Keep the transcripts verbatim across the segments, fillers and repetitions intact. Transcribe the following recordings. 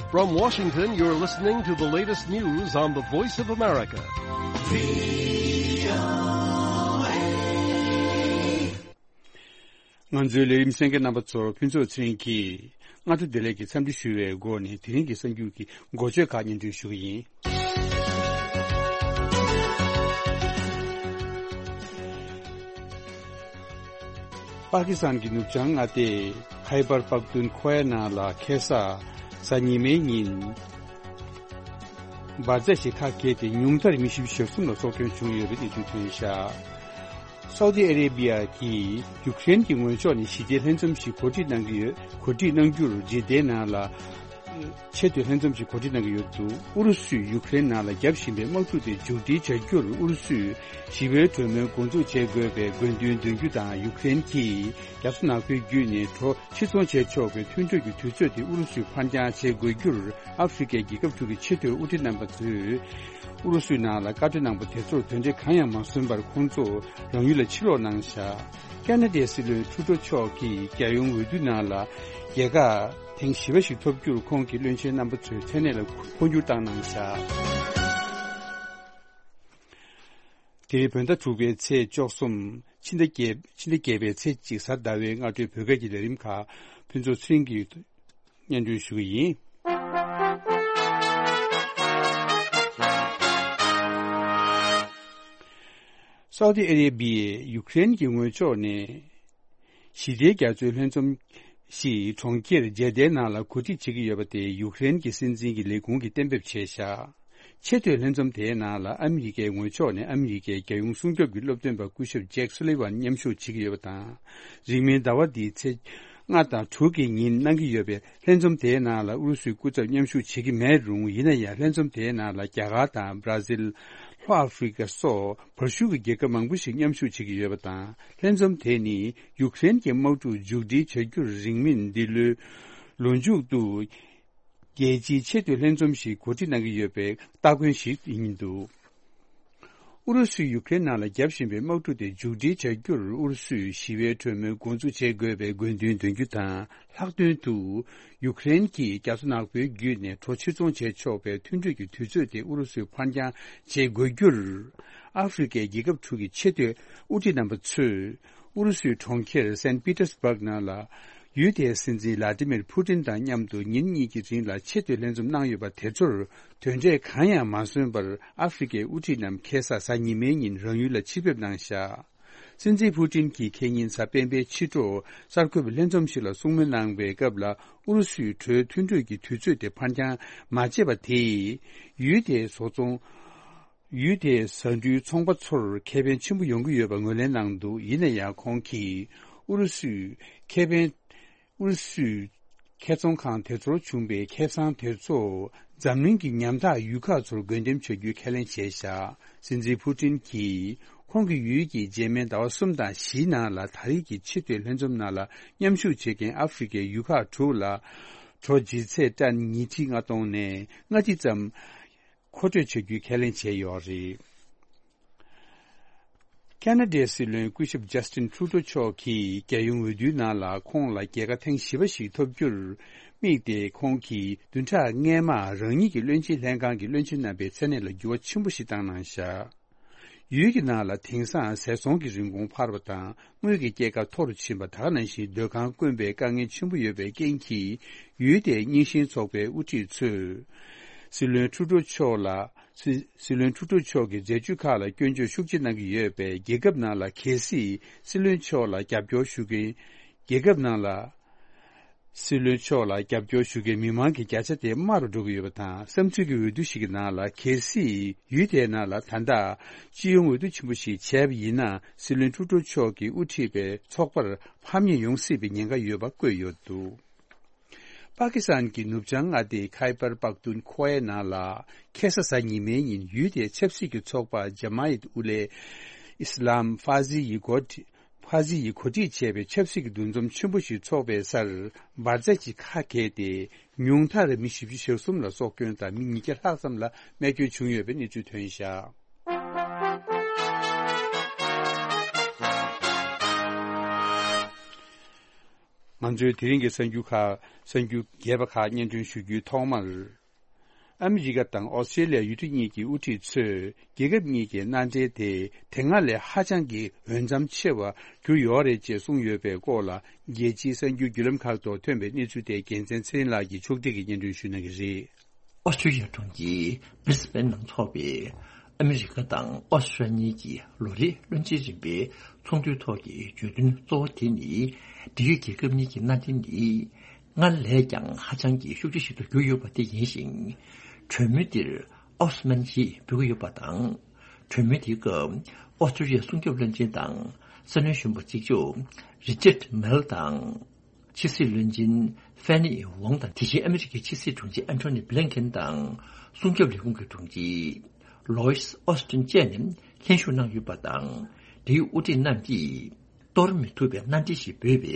From Washington, you're listening to the latest news on the Voice of America. ང་ཚོའི་ལས་རིམ་གསན་མཁན་རྣམ་པ་ཚོར་ཕུན་ཚོགས་ཚེ་རིང་གིས་སྔ་དྲོ་བདེ་ལེགས་ཀྱི་འཚམས་འདྲི་ཞུ་བའི་སྒོ་ནས་དེ་རིང་གི་གསར་འགྱུར་གྱི་མགོ་བརྗོད་ཁག་སྙན་སྒྲོན་ཞུ་གི་ཡིན། པ་ཀི་སི་ཐན་གྱི་ནུབ་བྱང་མངའ་སྡེ་ཁའི་པར་པག་ཏུན་ཁོ་ཡ་ནང་ལ་ཁ་སང་གཟའ་ཉི་མའི་ཉིན་འབར་རྫས་ཤིག་ཁ་གྱེས་ཏེ་ཉུང་མཐར་མི་བཞི་བཅུ་ཞེ་གསུམ་ལ་སྲོག་སྐྱོན་བྱུང་ཡོད་པའི་གནས་ཚུལ་ཐོན་བཞག་སའུ་ཏི་ཨ་རེ་བི་ཡ་གིས་ཡུཀ་རེན་གྱི་ངོས་ཕྱོགས་ནས་ཞི་བདེའི་ལྷན་འཛོམས་ཤིག་གོ་སྒྲིག་གནང་གི་ཡོད། གོ་སྒྲིག་གནང་རྒྱུར་ཇི་ཏའི་ནང་ལ་ཆེས་མཐོའི་ལྷན་འཛོམས་ཤིག་གོ་སྒྲིག་གནང་གི་ཡོད་འདུག་ཨུ་རུ་སུས་ཡུཀ་རེན་ནང་ལ་རྒྱབ་བཞིན་པའི་དམག་འཁྲུག་དེ་མཇུག་སྒྲིལ་བྱ་རྒྱུར་ཨུ་རུ་སུས་ཞི་བའི་གྲོས་མོལ་འགོ་འཛུགས་བྱེད་དགོས་པའི་དགོས་འདུན་འདོན་རྒྱུ་དང་། ཡུཀ་རེན་གྱིས་རྒྱ་མཚོ་ནག་པོའི་བརྒྱུད་ནས་གྲོ་ཕྱིར་ཚོང་བྱེད་ཆོག་པའི་མཐུན་གྲོས་ཀྱི་དུས་ཚོད་དེ་ཨུ་རུ་སུས་ཕར་འགྱངས་བྱེད་དགོས་རྒྱུར་ཨ་ཧྥེ་རི་ཁའི་རྒྱལ་ཁབ་དྲུག་གི་ཆེས་མཐོའི་དབུ་ཁྲིད་རྣམ་པ་ཚོས་ཨུ་རུ་སུའི་ནང་ལ་བཀའ་འཁྲོལ་གནང་པ་དེ་ཚོར་དོན་འབྲས་གང་ཡང་མ་སོན་པར་ཁོང་ཚོ་རང་ཡུལ་ལ་ཕྱིར་ལོག་གནང་བཞག་ཁ་ན་ཌའི་སྲིད་བློན་ཁྲུ་ཏོ་མཆོག་གིས་རྒྱལ་ཡོངས་འོས་བསྡུ་ནང་ལ་རྒྱལ་ཁ་ཐེངས་བཞི་པ་ཞིག་ཐོབ་རྒྱུར་ཁོང་གི་བློན་ཆེན་རྣམ་པ་ཚོས་མཚན་གནས་ལ་འཕོ་འགྱུར་བཏང་གནང་བཞག་དེ་རིང་བོད་ཟླ་དྲུག་པའི་ཚེས་བཅུ་གསུམ། ཕྱི་ཟླ་བརྒྱད། ཕྱི་ཟླ་བརྒྱད་པའི་ཚེས་གཅིག་གཟའ་ཟླ་བའི་སྔ་དྲོའི་བོད་སྐད་ཀྱི་ལས་རིམ་ཁག་ཕུན་ཚོགས་ཚེ་རིང་གིས་སྙན་སྒྲོན་ཞུ་གི་ཡིན། སའུ་ཏི་ཨ་རེ་བི་ཡས་ཡུཀ་རེན་གྱི་ངོས་ཕྱོགས་ནས་ཞི་བདེའི་རྒྱ་མཚོའི་ལྷན་འཛོམས་ཤིག་གྲོང་ཁྱེར་ཇེ་དཱའི་ནང་ལ་གོ་སྒྲིག་བྱེད་ཀྱི་ཡོད་པ་དེ་ཡུཀ་རེན་གྱི་སྲིད་འཛིན་གྱི་ལས་ཁུངས་ཀྱིས་གཏན་འབེབས་བྱས་བཞག་ཆེས་མཐོའི་ལྷན་འཛོམས་དེའི་ནང་ལ་ཨ་མི་རི་ཀའི་ངོས་ཕྱོགས་ནས་ཨ་མི་རི་ཀའི་རྒྱལ་ཡོངས་སྲུང་སྐྱོབ་ཀྱི་སློབ་སྟོན་པ་སྐུ་ཞབས་ཇེག་སུ་ལི་ཝན་མཉམ་ཞུགས་བྱེད་ཀྱི་ཡོད་པ་དང་། རིང་མིན་ཟླ་བ་འདིའི་ཚེས་ལྔ་དང་དྲུག་གི་ཉིན་གནང་གི་ཡོད་པའི་ལྷན་འཛོམས་དེའི་ནང་ལ་ཨུ་རུ་སུའི་སྐུ་ཚབ་མཉམ་ཞུགས་བྱེད་ཀྱི་མེད་རུང་། ཡིན་ན་ཡང་ལྷན་འཛོམས་དེའི་ནང་ལ་རྒྱ་གར་དང་། བྷ་ར་ཟིལ། ལྷོ་ཨ་ཧྥེ་རི་ཀ་སོགས་བར་ཤུག་གི་རྒྱལ་ཁབ་མང་པོ་ཞིག་མཉམ་ཞུགས་བྱེད་ཀྱི་ཡོད་པ་དང་། ལྷན་འཛོམས་དེ་ནི་ཡུཀ་རེན་གྱི་དམག་འཁྲུག་མཇུག་སྒྲིལ་བྱ་རྒྱུར་རིང་མིན་འདི་ལོའི་ལོ་མཇུག་ཏུ་རྒྱལ་སྤྱིའི་ཆེས་མཐོའི་ལྷན་འཛོམས་ཤིག་གོ་སྒྲིག་གནང་གི་ཡོད་པའི་སྟ་གོན་ཞིག་ཡིན་འདུག་ཨུ་རུ་སུས་ཡུཀ་རེན་ནང་ལ་བརྒྱབ་བཞིན་པའི་དམག་འཁྲུག་དེ་མཇུག་སྒྲིལ་བྱ་རྒྱུར་ཨུ་རུ་སུས་ཞི་བའི་གྲོས་མོལ་འགོ་འཛུགས་བྱེད་དགོས་པའི་དགོས་འདུན་འདོན་རྒྱུ་དང་། ལྷག་དོན་དུ་ཡུཀ་རེན་གྱིས་རྒྱ་མཚོ་ནག་པོའི་བརྒྱུད་ནས་གྲོ་ཕྱིར་ཚོང་བྱེད་ཆོག་པའི་མཐུན་གྲོས་ཀྱི་དུས་ཚོད་དེ་ཨུ་རུ་སུས་ཕར་འགྱངས་བྱེད་དགོས་རྒྱུར། ཨ་ཧྥེ་རི་ཁའི་རྒྱལ་ཁབ་དྲུག་གི་ཆེས་མཐོའི་དབུ་ཁྲིད་རྣམ་པ་ཚོས་ཨུ་རུ་སུའི་གྲོང་ཁྱེར་སན་པི་ཏར་སྦག་ནང་ལ་ཡུལ་དེའི་སྲིད་འཛིན་ལ་ཏི་མིར་ཕུ་ཏིན་དང་མཉམ་དུ་ཉིན་གཉིས་ཀྱི་རིང་ལ་ཆེས་མཐོའི་ལྷན་འཛོམས་གནང་ཡོད་པ་དེ་ཚོར་དོན་འབྲས་གང་ཡང་མ་སོན་པར། ཨ་ཧྥེ་རི་ཁའི་དབུ་ཁྲིད་རྣམས་ཁ་སང་གཟའ་ཉི་མའི་ཉིན་རང་ཡུལ་ལ་ཕྱིར་ཕེབས་གནང་བཞག་སྲིད་འཛིན་ཕུ་ཏིན་གྱིས་ཁེ་ཉིན་གཟའ་སྤེན་པའི་ཕྱི་དྲོ་གསར་འགོད་པའི་ལྷན་འཛོམས་ཤིག་ལ་གསུང་མོལ་གནང་བའི་སྐབས་ལ། ཨུ་རུ་སུས་གྲོས་མཐུན་གྲོས་ཀྱི་དུས་ཚོད་དེ་ཕར་འགྱངས་མ་བྱས་པ་དེས་ཡུལ་དེའི་བཟོ་ཚོང་། ཡུལ་དེའི་ཟ་འབྲུའི་ཚོང་པ་ཚོར་ཁེ་ཕན་ཆེན་པོ་ཡོང་གི་ཡོད་པ་ངོས་ལེན་གནང་འདུག་ཡིན་ན་ཡང་ཁོང་གིས་ཨུ་རུ་སུས་ཁེ་ཕན། ཨུ་རུ་སུའི་ཁེ་ཚོང་ཁང་དེ་ཚོར་བྱུང་བའི་ཁེ་བཟང་དེ་ཚོ་འཛམ་གླིང་གི་ཉམ་ཐག་ཡུལ་ཁག་ཚོར་བགོ་འགྲེམས་བྱ་རྒྱུའི་ཁས་ལེན་བྱས་བཞག་སྲིད་འཛིན་ཕུ་ཏིན་གྱིས་ཁོང་གི་ཡུལ་གྱི་རྗེས་མའི་ཟླ་བ་གསུམ་དང་བཞིའི་ནང་ལ་ད་རེས་ཀྱི་ཆེས་མཐོའི་ལྷན་འཛོམས་ནང་ལ་མཉམ་ཞུགས་བྱེད་མཁན་ཨ་ཧྥེ་རི་ཁའི་ཡུལ་ཁག་དྲུག་ལ་གྲོ་ལྗིད་ཚད་ཏན་ཉིས་ཁྲི་ལྔ་སྟོང་ནས་ལྔ་ཁྲི་ཙམ་མཁོ་སྤྲོད་བྱ་རྒྱུའི་ཁས་ལེན་བྱས་ཡོད་རེད། ཁ་ན་ཌའི་སྲིད་བློན་སྐུ་ཞབས་ཇ་སི་ཏིན་ཁྲུ་ཏོ་མཆོག་གིས་རྒྱལ་ཡོངས་འོས་བསྡུའི་ནང་ལ་ཁོང་ལ་རྒྱལ་ཁ་ཐེངས་བཞི་པ་ཞིག་ཐོབ་རྒྱུར་དམིགས་ཏེ། ཁོང་གིས་བདུན་ཕྲག་སྔས་མར་རང་ཉིད་ཀྱི་བློན་ཆེན་ལྷན་ཁང་གི་བློན་ཆེན་རྣམ་པའི་མཚན་གནས་ལ་འགྱུར་བ་ཆེན་པོ་ཞིག་བཏང་གནང་བཞག་ཡུལ་གྱི་ནང་ལ་དེང་སང་ཟས་ཚོང་གི་རིན་གོང་འཕར་བ་དང་། དངུལ་གྱི་སྐྱེད་ཀ་མཐོ་རུ་ཕྱིན་པ། ད་ག་ནང་བཞིན་སྡོད་ཁང་དཀོན་པའི་དཀའ་ངལ་ཆེན་པོ་ཡོད་པའི་རྐྱེན་གྱིས། ཡུལ་དེའི་རྙིང་ཞེན་ཚོགས་པའི་དབུ་ཁྲིད་ཚོས་སྲིད་བློན་ཁྲུ་ཏོ་མཆོག་ལ། སྲིད་སྲིད་བློན་ཁྲུ་ཏོ་མཆོག་གི་མཛད་ཇུས་ཁག་ལ་སྐྱོན་བརྗོད་ཤུགས་ཆེ་གནང་གི་ཡོད་པས། རྒྱལ་ཁབ་ནང་ལ་གལ་སྲིད་སྲིད་བློན་མཆོག་ལ་རྒྱབ་སྐྱོར་ཞུ་མཁན། རྒྱལ་ཁབ་ནང་ལ་སྲིད་བློན་མཆོག་ལ་རྒྱབ་སྐྱོར་ཞུ་མཁན་མི་མང་གི་བརྒྱ་ཆ་དེ་དམའ་རུ་འགྲོ་གི་ཡོད་པ་དང་། བསམ་ཚུལ་གྱི་འོས་བསྡུ་ཞིག་གི་ནང་ལ་གལ་སྲིད་ཡུལ་དེའི་ནང་ལ་ད་ལྟ་སྤྱི་ཡོངས་འོས་བསྡུ་ཆེན་པོ་ཞིག་བྱས་པ་ཡིན་ན། སྲིད་བློན་ཁྲུ་ཏོ་མཆོག་གིས་དབུ་ཁྲིད་པའི་ཚོགས་པར་ཕམ་ཉེས་ཡོང་སྲིད་པའི་ཉེན་ཁ་ཡོད་པ་བཀོད་ཡོད་འདུག་པ་ཀི་སི་ཐན་གྱི་ནུབ་བྱང་མངའ་སྡེའི་ཁའི་པར་པག་ཏུན་ཁོ་ཡའི་ནང་ལ་ཁ་སང་གཟའ་ཉི་མའི་ཉིན་ཡུལ་དེའི་ཆབ་སྲིད་ཀྱི་ཚོགས་པ་ཇ་མ་ཡེད་ཨུ་ལེ་ཨི་སི་ལམ་ཧྥ་ཟི་ཡི་འགོ་ཁྲིད། ཧྥ་ཟི་ཡིས་གོ་སྒྲིག་བྱས་པའི་ཆབ་སྲིད་ཀྱི་འདུ་འཛོམས་ཆེན་པོ་ཞིག་འཚོགས་པའི་སར་འབར་རྫས་ཀྱིས་ཁ་གྱེས་ཏེ། ཉུང་མཐར་མི་བཞི་བཅུ་ཞེ་གསུམ་ལ་སྲོག་སྐྱོན་དང་། མི་ཉིས་བརྒྱ་ལྷག་ཙམ་ལ་རྨས་སྐྱོན་བྱུང་ཡོད་པའི་གནས་ཚུལ་ཐོན་བཞག་ང་ཚོའི་དེ་རིང་གི་གསར་འགྱུར་ཁག་གསར་འགྱུར་རྒྱས་པ་ཁག་སྙན་སྒྲོན་ཞུ་རྒྱུའི་ཐོག་མར། ཨ་མི་རི་ཀ་དང་ཨོ་སི་ཀྲེ་ལི་ཡ་ཡུལ་གྲུ་གཉིས་ཀྱི་དབུ་ཁྲིད་ཚོས་རྒྱལ་ཁབ་གཉིས་ཀྱི་མནའ་འབྲེལ་དེ་དེ་སྔ་ལས་ཧ་ཅང་གི་འོས་འཚམ་ཆེ་བ་གྱུར་ཡོད་རེད་ཅེས་གསུངས་ཡོད་པའི་སྐོར་ལ། རྒྱལ་སྤྱིའི་གསར་འགྱུར་བརྒྱུད་ལམ་ཁག་ཐོག་ཐོན་པའི་གནས་ཚུལ་དེ་རྒྱལ་མཚན་ཚེ་རིང་ལགས་ཀྱིས་ཕྱོགས་སྒྲིག་གིས་སྙན་སྒྲོན་ཞུ་གནང་གི་རེད། ཨོ་སི་ཀྲུ་ལི་ཡ་གྲོང་ཁྱེར་བྷི་རི་སི་བྷེན་ནང་འཚོགས་པའི་ཨ་མི་རི་ཀ་དང་ཨོ་སི་ཀྲུ་ལི་ཡ་གཉིས་ཀྱི་ལོ་རེའི་བློན་ཆེན་རིམ་པའི་ཚོགས་འདུའི་ཐོག་གི་བརྗོད་དོན་གཙོ་བོ་དེ་ནི། འབྲེལ་ཡོད་རྒྱལ་ཁབ་གཉིས་ཀྱི་མནའ་འབྲེལ་ནི་སྔར་ལས་ཀྱང་ཧ་ཅང་གི་ཤུགས་ཆེ་ཞིག་ཏུ་གྱུར་ཡོད་པ་དེ་ཡིན་ཞིང་། གྲོས་མོལ་འདིར་ཨོ་སི་མན་ཞེས་འབོད་ཀྱི་ཡོད་པ་དང་། གྲོས་མོལ་དེའི་སྐབས་ཨོ་སི་ཀྲུ་ལི་ཡའི་སྲུང་སྐྱོབ་བློན་ཆེན་དང་སྲིད་བློན་གཞོན་པ་གཅིག་ལྕོགས་རི་ཅར་མེལ་དང་། ཕྱི་སྲིད་བློན་ཆེན་ཧྥེ་ནི་ཝང་དང་། དེ་བཞིན་ཨ་མི་རི་ཀའི་ཕྱི་སྲིད་དྲུང་ཆེ་ཨན་ཐོ་ནི་བྷི་ལན་ཁེན་དང་། སྲུང་སྐྱོབ་ལས་ཁུངས་ཀྱི་དྲུང་ཆེ་ལོ་ཡིས་ཨོ་སི་ཏིན་བཅས་ནས་ལྷན་ཞུགས་གནང་ཡོད་པ་དང་། འབྲེལ་ཡོད་དབུ་ཁྲིད་རྣམས་ཀྱིས་གཏོར་མི་ཐུབ་པའི་མནའ་འབྲེལ་ཞེས་འབོད་པའི་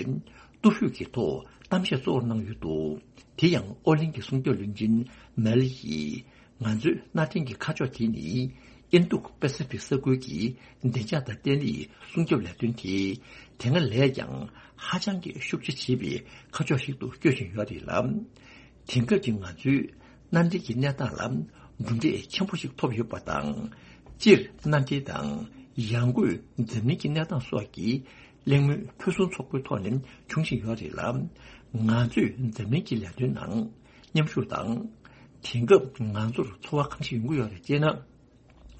སྟོབས་ཤུགས་ཀྱི་ཐོག་གཏམ་བཤད་གཙོ་བོར་གནང་ཡོད་འདུག་དེ་ཡང་ཨོ་གླིང་གི་སྲུང་སྐྱོབ་བློན་ཆེན་མེལ་ཡིས། ང་ཚོའི་མནའ་འབྲེལ་གྱི་ཁ་ཕྱོགས་དེ་ནི། ཨིན་རྡུ་པེ་སི་ཕིག་ས་ཁུལ་གྱི་བདེ་འཇགས་དང་བརྟན་ལྷིང་སྲུང་སྐྱོབ་ལས་དོན་དེ། དེ་སྔ་ལས་ཀྱང་ཧ་ཅང་གི་ཤུགས་ཆེ་བྱེད་པའི་ཁ་ཕྱོགས་ཤིག་ཏུ་བསྐྱོད་བཞིན་ཡོད་རེད་ལ། དེང་སྐབས་ཀྱི་ང་ཚོའི་མནའ་འབྲེལ་གྱི་གནས་སྟངས་ལ་གྲུབ་འབྲས་ཆེན་པོ་ཞིག་ཐོབ་ཡོད་པ་དང་། སྤྱིར་མནའ་འབྲེལ་དང་ཡང་སྒོས་འཛམ་གླིང་གི་གནས་སྟངས་སོགས་ཀྱི་གླེང་མོལ་ཕུན་སུམ་ཚོགས་པོའི་ཐོག་ནས་བྱུང་བཞིན་ཡོད་རེད་ལ། ང་ཚོས་འཛམ་གླིང་གི་ལས་དོན་ནང་མཉམ་ཞུགས་དང་། དེང་སྐབས་ང་ཚོར་ཚོར་བ་གང་ཞིག་ཡོང་གི་ཡོད་རེད་ཅེ་ན།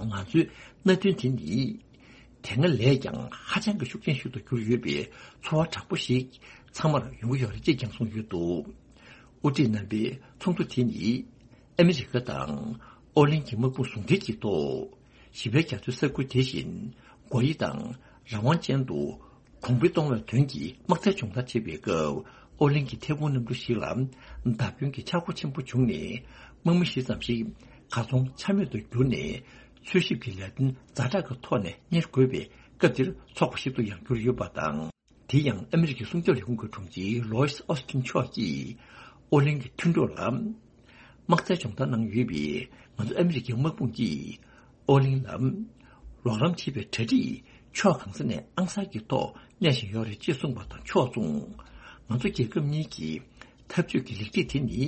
ང་ཚོའི་མནའ་མཐུན་དེ་ནི། དེ་སྔ་ལས་ཀྱང་ཧ་ཅང་གི་ཤུགས་ཆེན་ཞིག་ཏུ་གྱུར་ཡོད་པའི་ཚོར་བ་དྲག་པོ་ཞིག་ཚང་མར་ཡོང་གི་ཡོད་རེད་ཅེས་ཀྱང་གསུངས་ཡོད་འདུག་དབུ་ཁྲིད་རྣམ་པའི་ཚོགས་འདུ་དེ་ནི། ཨ་མི་རི་ཀ་དང་ཨོ་གླིང་གི་དམག་དཔུང་ཟུང་འབྲེལ་གྱི་ཐོག་བཞི་པའི་རྒྱ་མཚོའི་ས་ཁུལ་དེ་བཞིན་སྒོ་དབྱེ་དང་རང་དབང་ཅན་དུ་གོང་འཕེལ་གཏོང་བའི་དོན་གྱི་དམག་རྩལ་སྦྱོང་བརྡར་བྱེད་པའི་སྐབས། ཨོ་གླིང་གི་ཐད་འཕུར་གནམ་གྲུ་ཞིག་ལ་བརྡབ་སྐྱོན་གྱི་ཆག་སྒོ་ཆེན་པོ་བྱུང་ནས། དམག་མི་བཞི་ཙམ་ཞིག་གར་སོང་ཆ་མེད་དུ་གྱུར་ནས། འཚོལ་ཞིབ་ཀྱི་ལས་དོན་ཛ་དྲག་གི་ཐོག་ནས་གཉེར་དགོས་པའི་སྐབས་འདིར་ཚོགས་པ་ཞིག་ཏུ་ཡང་གྱུར་ཡོད་པ་དང་། དེ་ཡང་ཨ་མི་རི་ཀའི་སྲུང་སྐྱོབ་ལས་ཁུངས་ཀྱི་དྲུང་ཆེ་ལོ་ཡིས་ཨོ་སི་ཏིན་མཆོག་གིས་ཨོ་གླིང་གི་མཐུན་གྲོགས་ལ་དམག་རྩལ་སྦྱོང་བརྡར་གནང་ཡོད་པའི་ང་ཚོ་ཨ་མི་རི་ཀའི་དམག་དཔུང་གིས་ཨོ་གླིང་ལ་ལོག་ལམ་བྱེད་པའི་གྲ་སྒྲིག་ཕྱོགས་གང་ས་ནས་ཨང་གསར་གྱི་ཐོག་གནས་བཞིན་ཡོད་རེད་ཅེས་གསུངས་པ་དང་ཕྱོགས་མཚུངས། ང་ཚོ་རྒྱལ་ཁབ་གཉིས་ཀྱི་འཐབ་ཇུས་ཀྱི་ལེགས་སྒྲིག་དེ་ནི་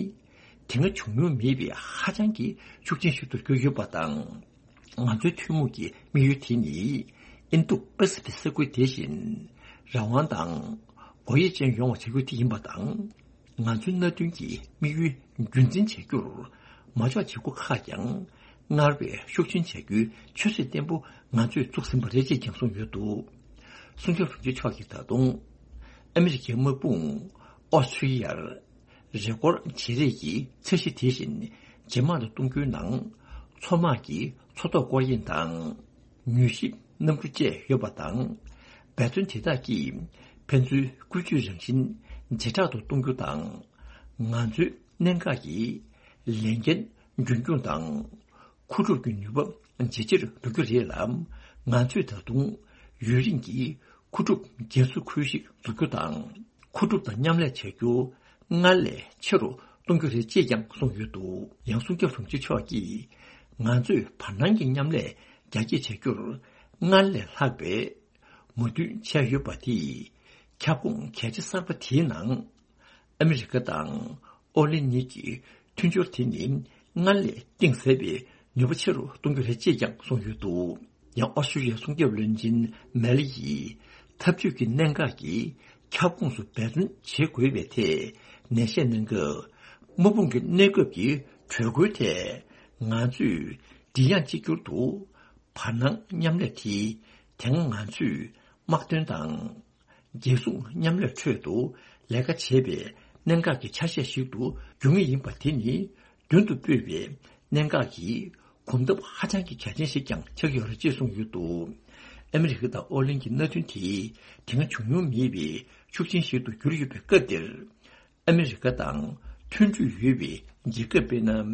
དེ་སྔ་བྱུང་མྱོང་མེད་པའི་ཧ་ཅང་གི་ཤུགས་ཆེན་ཞིག་ཏུ་གྱུར་ཡོད་པ་དང་། ང་ཚོའི་ཐུན་མོང་གི་དམིགས་ཡུལ་དེ་ནི། ཨིན་རྡུ་པ་སི་ཕིག་ས་ཁུལ་དེ་བཞིན་རང་དབང་དང་སྒོ་དབྱེ་ཅན་ཡོང་བ་བྱ་རྒྱུ་དེ་ཡིན་པ་དང་། ང་ཚོའི་མནའ་མཐུན་གྱི་དམིགས་ཡུལ་རྒྱུན་འཛིན་བྱ་རྒྱུར་མ་འཇོག་བྱེད་སྒོ་ཁག་ཀྱང་སྔར་བས་ཤུགས་ཆེན་བྱ་རྒྱུའི་ཆབ་སྲིད་བརྟན་པོ་ང་ཚོས་བཙུགས་ཟིན་པ་རེད་ཅེས་ཀྱང་གསུངས་ཡོད་འདུག་སྲུང་སྐྱོབ་དྲུང་ཆེ་མཆོག་གིས་ད་དུང་ཨ་མི་རི་ཀའི་དམག་དཔུང་ཨོ་སི་ཀྲི་ཡར་རེས་སྐོར་བརྗེ་རེས་ཀྱི་ཚད་གཞི་དེ་བཞིན་ཇེ་དམའ་རུ་གཏོང་རྒྱུའི་ནང་མཚོ་དམག་གི་མཚོ་ཐོག་སྐོར་གཡེང་དང་། མྱུལ་ཞིབ་གནམ་གྲུ་བཅས་ཡོད་པ་དང་། འབད་བརྩོན་དེ་དག་གིས་ཕན་ཚུན་བཀོལ་སྤྱོད་རང་བཞིན་ཇེ་དྲག་ཏུ་གཏོང་རྒྱུ་དང་། ང་ཚོའི་གནད་འགག་གི་ལས་འགན་རྒྱུན་འཁྱོངས་དང་། མཁོ་སྒྲུབ་ཀྱི་ནུས་པ་ཇེ་ཆེར་འགྲོ་རྒྱུ་རེད་ལ། ང་ཚོས་ད་དུང་ཡུན་རིང་གི་མཁོ་སྒྲུབ་རྒྱ་མཚོ་ཁུལ་ཞིག་འཛུགས་རྒྱུ་དང་། མཁོ་སྒྲུབ་དང་མཉམ་ལས་བྱ་རྒྱུ་སྔར་ལས་ཆེ་རུ་གཏོང་རྒྱུ་རེད་ཅེས་ཀྱང་གསུངས་ཡོད་འདུག་ཡང་སྲུང་སྐྱོབ་དྲུང་ཆེ་མཆོག་གིས། ང་ཚོས་བར་སྣང་གི་མཉམ་ལས་རྒྱ་སྐྱེད་བྱ་རྒྱུར་སྔར་ལས་ལྷག་པའི་མོས་མཐུན་བྱས་ཡོད་པ་དེས། ཁྱབ་ཁོངས་གལ་ཆེ་གསར་པ་དེའི་ནང་ཨ་མི་རི་ཀ་དང་ཨོ་གླིང་གཉིས་ཀྱི་མཐུན་སྦྱོར་དེ་ནི་སྔར་ལས་གཏིང་ཟབ་པའི་ནུས་པ་ཆེ་རུ་གཏོང་རྒྱུ་རེད་ཅེས་ཀྱང་གསུངས་ཡོད་འདུག་ཡང་ཨོ་སི་ཀྲི་ཡའི་སྲུང་སྐྱོབ་བློན་ཆེན་མེ་ལི་ཡིས། འཐབ་ཇུས་ཀྱི་གནད་འགག་གིས་ཁྱབ་ཁོངས་སུ་འབད་བརྩོན་བྱེད་དགོས་པའི་ཐད་ནན་བཤད་གནང་སྐབས། དམག་དཔུང་གི་གནས་སྐབས་ཀྱི་གྲོས་འགོའི་ཐད་ང་ཚོས་མགྲིན་དབྱངས་གཅིག་གྱུར་དུ་བར་སྣང་མཉམ་ལས་དེ་དེ་སྔ་ང་ཚོས་དམག་དོན་དང་། རྒྱལ་སྲུང་མཉམ་ལས་ཁྲོད་དུ་ལས་ཀ་བྱེད་པའི་གནད་འགག་གི་ཆ་ཤས་ཤིག་ཏུ་འགྱུར་ངེས་ཡིན་པ་དེ་ནི་མདུན་དུ་སྤོས་པའི་གནད་འགག་གི་གོམ་སྟབས་ཧ་ཅང་གི་གལ་ཆེན་ཞིག་ཀྱང་ཆགས་ཀྱི་ཡོད་རེད་ཅེས་གསུངས་ཡོད་འདུག་ཨ་མི་རི་ཀ་དང་ཨོ་གླིང་གི་མནའ་མཐུན་དེ་དེ་སྔ་བྱུང་མྱོང་མེད་པའི་ཤུགས་ཆེན་ཞིག་ཏུ་གྱུར་ཡོད་པའི་སྐབས་འདིར། ཨ་མི་རི་ཀ་དང་མཐུན་འབྲེལ་ཡོད་པའི་རྒྱལ་ཁབ་དཔེར་ན།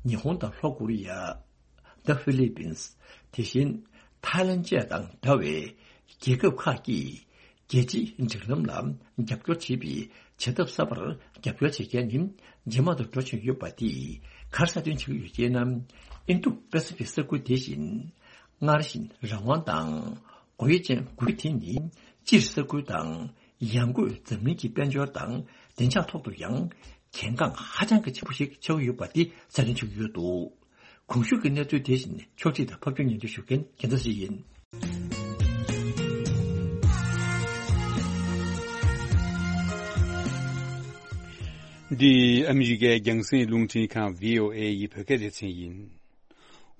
ཉི་ཧོང་དང་ལྷོ་ཀོ་རི་ཡ། The Philippines། དེ་བཞིན་ཐའི་ལན་བཅས་དང་འདྲ་བའི་རྒྱལ་ཁབ་ཁག་གིས་རྒྱལ་སྤྱིའི་སྒྲིག་ལམ་ལ་རྒྱབ་སྐྱོར་བྱེད་པའི་བྱེད་ཐབས་གསར་པར་རྒྱབ་སྐྱོར་བྱེད་མཁན་ནི་ཇེ་མང་དུ་འགྲོ་བཞིན་ཡོད་པ་དེས་ག་རེ་གསལ་སྟོན་བྱེད་ཀྱི་ཡོད་ཅེ་ན། ཨིན་རྡུ་པེ་སི་ཕིག་ས་ཁུལ་དེ་བཞིན་སྔར་བཞིན་རང་དབང་དང་སྒོ་དབྱེ་ཅན་དགུ་དེ་ནི་སྤྱིར་ས་ཁུལ་དང་ ཡང་སྒོས་འཛམ་གླིང་གི་དཔལ་འབྱོར་དང་བདེ་འཇགས་ཐོག་ཏུ་ཡང་གལ་འགངས་ཧ་ཅང་གི་ཆེན་པོ་ཞིག་ཆགས་ཀྱི་ཡོད་པ་འདི་གསལ་སྟོན་བྱུང་ཡོད་འདུག། གོང་ཞུས་ཀྱི་གནས་ཚུལ་དེ་བཞིན་ཕྱོགས་སྒྲིག་དང་ཕབ་སྒྱུར་སྙན་སྒྲོན་ཞུ་མཁན་རྒྱལ་མཚན་ཞིག་ཡིན། འདི་ཨ་མི་རི་ཀའི་རྒྱང་སྲིང་རླུང་འཕྲིན་ཁང་བྷི་ཨོ་ཨེ་ཡི་བོད་སྐད་སྡེ་ཚན་ཡིན།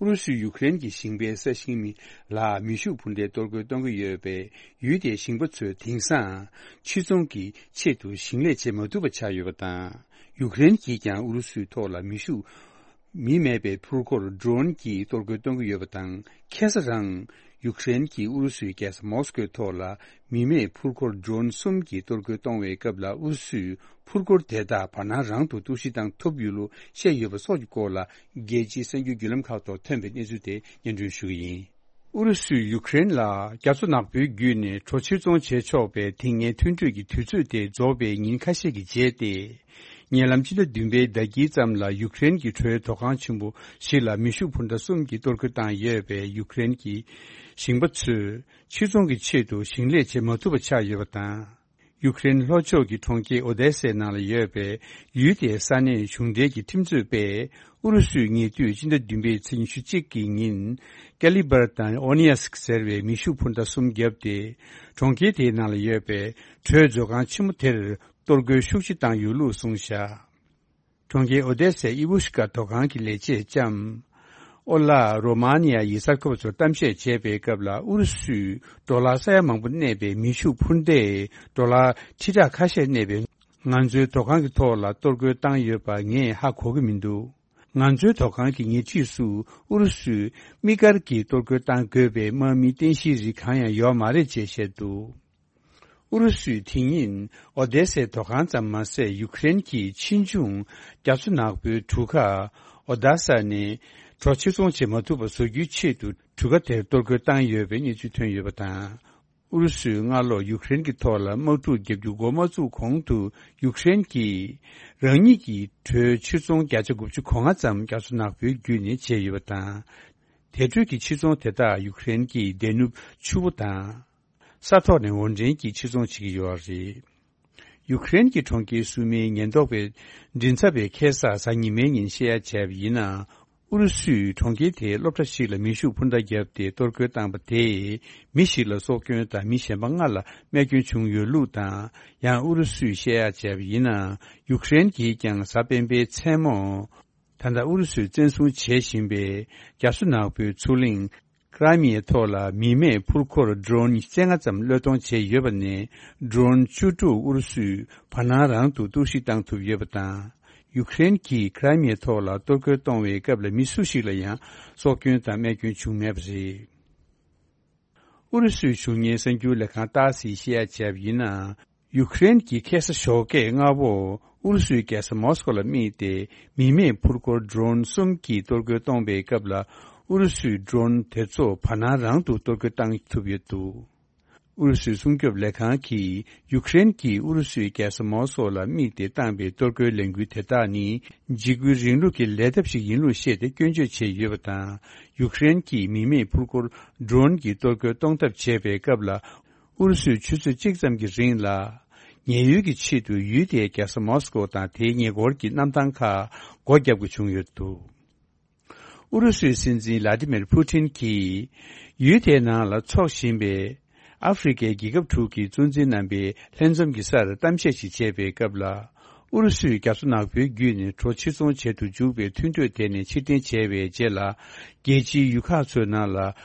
ཨུ་རུ་སུས་ཡུཀ་རེན་གྱི་ཞིང་པའི་ས་ཞིང་མི་ལ་མེ་ཤུགས་འཕུར་མདེལ་གཏོར་རྒོལ་གཏོང་གི་ཡོད་པས། ཡུལ་དེའི་ཞིང་པ་ཚོས་དེང་སང་ཕྱིར་ཚོང་གི་ཆེད་དུ་ཞིང་ལས་བྱེད་མ་ཐུབ་པ་ཆགས་ཡོད་པ་དང་། ཡུཀ་རེན་གྱིས་ཀྱང་ཨུ་རུ་སུའི་ཐོག་ལ་མེ་ཤུགས་མི་མེད་པའི་འཕུར་འཁོར་ཌོ་རོན་གྱིས་གཏོར་རྒོལ་གཏོང་གི་ཡོད་པ་དང་། ཁ་སང་རང་ཡུཀ་རེན་གྱིས་ཨུ་རུ་སུའི་རྒྱལ་ས་མོ་སི་ཀོའི་ཐོག་ལ་མི་མེད་འཕུར་འཁོར་ཌོ་རོན་གསུམ་གྱིས་གཏོར་རྒོལ་གཏོང་བའི་སྐབས་ལ། ཨུ་རུ་སུས་འཕུར་འཁོར་དེ་དག་བར་སྣང་རང་དུ་གཏོར་བཤིག་བཏང་ཐུབ་ཡོད་ལུགས་བཤད་ཡོད་པ་སོགས་ཀྱི་སྐོར་ལ། རྒྱལ་སྤྱིའི་གསར་འགྱུར་བརྒྱུད་ལམ་ཁག་ཐོག་ཐོན་པའི་གནས་ཚུལ་དེ་སྙན་སྒྲོན་ཞུ་གི་ཡིན། ཨུ་རུ་སུས་ཡུཀ་རེན་ལ་རྒྱ་མཚོ་ནག་པོའི་བརྒྱུད་ནས་གྲོ་ཕྱིར་ཚོང་བྱེད་ཆོག་པའི་དེ་སྔའི་མཐུན་གྲོས་ཀྱི་དུས་ཚོད་དེ་རྫོགས་པའི་ཉིན་ཁ་ཤས་ཀྱི་རྗེས་ཏེ། ཉེ་ལམ་སྤྱི་ཟླ་བདུན་པའི་ཟླ་དཀྱིལ་ཙམ་ལ་ཡུཀ་རེན་གྱི་གྲོའི་དོ་ཁང་ཆེན་པོ་ཞིག་ལ་མེ་ཤུགས་འཕུར་མདའ་གསུམ་གྱིས་གཏོར་རྒོལ་བཏང་ཡོད་པས། ཡུཀ་རེན་གྱི་ཞིང་པ་ཚོས་ཕྱིར་ཚོང་གི་ཆེད་དུ་ཞིང་ལས་བྱེད་མ་ཐུབ་པ་ཆགས་ཡོད་པ་དང་། ཡུཀ་རེན་ལྷོ་ཕྱོགས་ཀྱི་གྲོང་ཁྱེར་ཨོ་དེ་སའི་ནང་ལ་ཡོད་པའི་ཡུལ་དེའི་ས་གནས་གཞུང་འབྲེལ་གྱི་ཁྲིམས་རྩོད་པས། ཨུ་རུ་སུས་ཉེ་དུས་སྤྱི་ཟླ་བདུན་པའི་ཚེས་ཉི་ཤུ་གཅིག་གི་ཉིན། ཀ་ལི་བར་དང་ཨོ་ནི་ཡ་སིག་ཟེར་བའི་མེ་ཤུགས་འཕུར་མདའ་གསུམ་བརྒྱབ་སྟེ། གྲོང་ཁྱེར་དེའི་ནང་ལ་ཡོད་པའི་གྲོས་མཛོད་ཁང་ཆེན་མོ་དེར་གཏོར་རྒོལ་ཤུགས་ཆེ་བཏང་ཡོད་ལུགས་གསུངས་བཞག། གྲོང་ཁྱེར་ཨོ་དེ་སའི་ཨི་བུ་ཤི་ཀ་དོ་ཁང་གི་ལས་བྱེད་ལྕམ་ཨོ་ལ་རོ་མ་ནི་ཡ་ཡིས་གསར་འགོད་པ་ཚོར་གཏམ་བཤད་བྱས་པའི་སྐབས་ལ། ཨུ་རུ་སུས་ཌོ་ལར་ས་ཡ་མང་པོ་གནས་པའི་མེ་ཤུགས་འཕུར་མདའི་ཌོ་ལར་ཁྲི་ཕྲག་ཁ་ཤས་གནས་པའི་ང་ཚོའི་དོ་ཁང་གི་ཐོག་ལ་གཏོར་རྒོལ་བཏང་ཡོད་པ་ངས་ཧ་གོ་གི་མི་འདུག། ང་ཚོའི་དོ་ཁང་གི་ཉེ་འཁྲིས་སུ་ཨུ་རུ་སུས་དམིགས་བཀར་གྱིས་གཏོར་རྒོལ་བཏང་དགོས་པའི་དམག་མིའི་རྟེན་གཞིའི་རིགས་གང་ཡང་ཡོད་མ་རེད་ཅེས་བཤད་འདུག། ཨུ་རུ་སུས་དེ་ཉིན་ཨོ་དེ་སའི་དོ་ཁང་ཙམ་མ་ཟད། ཡུཀ་རེན་གྱི་ཆེ་ཆུང་རྒྱ་མཚོ་ནག་པོའི་གྲུ་ཁ་ཨོ་ད་ས་ནས་གྲོ་ཕྱིར་ཚོང་བྱེད་མ་ཐུབ་པ་བཟོ་རྒྱུའི་ཆེད་དུ་གྲུ་ཁ་དེར་གཏོར་རྒོལ་བཏང་ཡོད་པའི་གནས་ཚུལ་ཐོན་ཡོད་པ་དང་། ཨུ་རུ་སུས་སྔ་ལོ་ཡུཀ་རེན་གྱི་ཐོག་ལ་དམག་འཁྲུག་བརྒྱབ་རྒྱུ་འགོ་མ་བཙུགས་གོང་དུ། ཡུཀ་རེན་གྱིས་རང་ཉིད་ཀྱི་གྲོའི་ཕྱིར་ཚོང་བརྒྱ་ཆ་དགུ་བཅུ་གོ་ལྔ་ཙམ་རྒྱ་མཚོ་ནག་པོའི་བརྒྱུད་ནས་བྱས་ཡོད་པ་དང་། དེ་འཕྲོས་ཀྱི་ཕྱིར་ཚོང་དེ་དག་ཡུཀ་རེན་གྱི་སྡེ་ནུབ་ཆུ་བོ་དང་། ས་ཐོག་ནས་འོར་འདྲེན་གྱིས་ཕྱིར་ཚོང་བྱེད་ཀྱི་ཡོད་པ་རེད། ཡུཀ་རེན་གྱི་གྲོང་ཁྱེར་སུ་མིའི་ཉེན་རྟོག་པས་མགྲིན་ཚབ་པའི་ཁ་སང་གཟའ་ཉི་མའི་ཉིན་བཤད་ཡ་བྱས་པ་ཡིན་ན། ཨུ་རུ་སུས་གྲོང་ཁྱེར་དེའི་སློབ་གྲྭ་ཞིག་ལ་མེ་ཤུགས་འཕུར་མདའ་བརྒྱབ་སྟེ་གཏོར་རྒོལ་བཏང་པ་དེས་མི་ཞིག་ལ་སྲོག་སྐྱོན་དང་མི་གཞན་པ་ལྔ་ལ་རྨས་སྐྱོན་བྱུང་ཡོད་ལུགས་དང་། ཡང་ཨུ་རུ་སུས་བཤད་ཡ་བྱས་པ་ཡིན་ན། ཡུཀ་རེན་གྱིས་ཀྱང་གཟའ་སྤེན་པའི་མཚན་མོ། ད་ལྟ་ཨུ་རུ་སུས་བཙན་བཟུང་བྱེད་བཞིན་པའི་རྒྱ་མཚོ་ནག་པོའི་མཚོ་གླིང་ཀ་ར་མི་ཡའི་ཐོག་ལ་མི་མེད་འཕུར་འཁོར་ཌོ་རོན་བཅོ་ལྔ་ཙམ་བློས་གཏོང་བྱས་ཡོད་པ་ནས། ཌོ་རོན་བཅུ་དྲུག་ཨུ་རུ་སུས་བར་སྣང་རང་དུ་གཏོར་བཤིག་བཏང་ཐུབ་ཡོད་པ་དང་། ཡུཀ་རེན་གྱིས་ཀ་ར་མི་ཡའི་ཐོག་ལ་གཏོར་རྒོལ་གཏོང་བའི་སྐབས་ལ་མི་སུ་ཞིག་ལ་ཡང་སྲོག་སྐྱོན་དང་རྨས་སྐྱོན་བྱུང་མེད་པ་རེད། ཨུ་རུ་སུའི་གཞུང་གཉེར་གསར་འགྱུར་ལས་ཁང་ཏཱ་སིས་བཤད་ཡ་བྱས་པ་ཡིན་ན། ཡུཀ་རེན་གྱིས་ཁ་སང་ཞོགས་ཀས་སྔ་པོ་ཨུ་རུ་སུའི་རྒྱལ་ས་མོ་སི་ཀོ་ལ་དམིགས་ཏེ་མི་མེད་འཕུར་འཁོར་ཌོ་རོན་གསུམ་གྱིས་གཏོར་རྒོལ་གཏོང་པའི་སྐབས་ལ། ཨུ་རུ་སུའི་ཌོ་རོན་དེ་ཚོ་བར་སྣང་རང་དུ་གཏོར་རྒོལ་བཏང་ཐུབ་ཡོད་འདུག། ཨུ་རུ་སུའི་སྲུང་སྐྱོབ་ལས་ཁང་གིས་ཡུཀ་རེན་གྱིས་ཨུ་རུ་སུའི་རྒྱལ་ས་མོ་སི་ཀོ་ལ་དམིགས་ཏེ་བཏང་པའི་གཏོར་རྒོལ་ལས་འགུལ་དེ་དག་ནི་འཇིགས་སྐུལ་རིང་ལུགས་ཀྱི་ལས་ཐབས་ཤིག་ཡིན་ལུགས་བཤད་དེ་སྐྱོན་བརྗོད་བྱས་ཡོད་པ་དང་། ཡུཀ་རེན་གྱིས་མི་མེད་འཕུར་འཁོར་ཌོ་རོན་གྱིས་གཏོར་རྒོལ་གཏོང་ཐབས་བྱས་པའི་སྐབས་ལ། ཨུ་རུ་སུས་ཆུ་ཚོད་གཅིག་ཙམ་གྱི་རིང་ལ་ཉེན་གཡོལ་གྱི་ཆེད་དུ་ཡུལ་དེའི་རྒྱལ་ས་མོ་སི་ཀོ་དང་དེའི་ཉེ་འཁོར་གྱི་གནམ་ཐང་ཁག་སྒོ་བརྒྱབ་དགོས་བྱུང་ཡོད་འདུག། ཨུ་རུ་སུའི་སྲིད་འཛིན་ལ་ཏི་མིར་ཕུ་ཏིན་གྱིས་ཡུལ་དེའི་ནང་ལ་འཚོགས་བཞིན་པའི་ཨ་ཧྥེ་རི་ཁའི་རྒྱལ་ཁབ་དྲུག་གི་གཙོ་འཛིན་རྣམ་པའི་ལྷན་འཛོམས་ཀྱི་སར་གཏམ་བཤད་ཞིག་བྱས་པའི་སྐབས་ལ། ཨུ་རུ་སུས་རྒྱ་མཚོ་ནག་པོའི་བརྒྱུད་ནས་གྲོ་ཕྱིར་ཚོང་བྱེད་དུ་འཇུག་པའི་མཐུན་གྲོས་དེ་ནས་ཕྱིར་འཐེན་བྱས་པའི་རྗེས་ལ། རྒྱལ་སྤྱིའི་ཡུལ་ཁག་ཚོའི་ནང་ལ་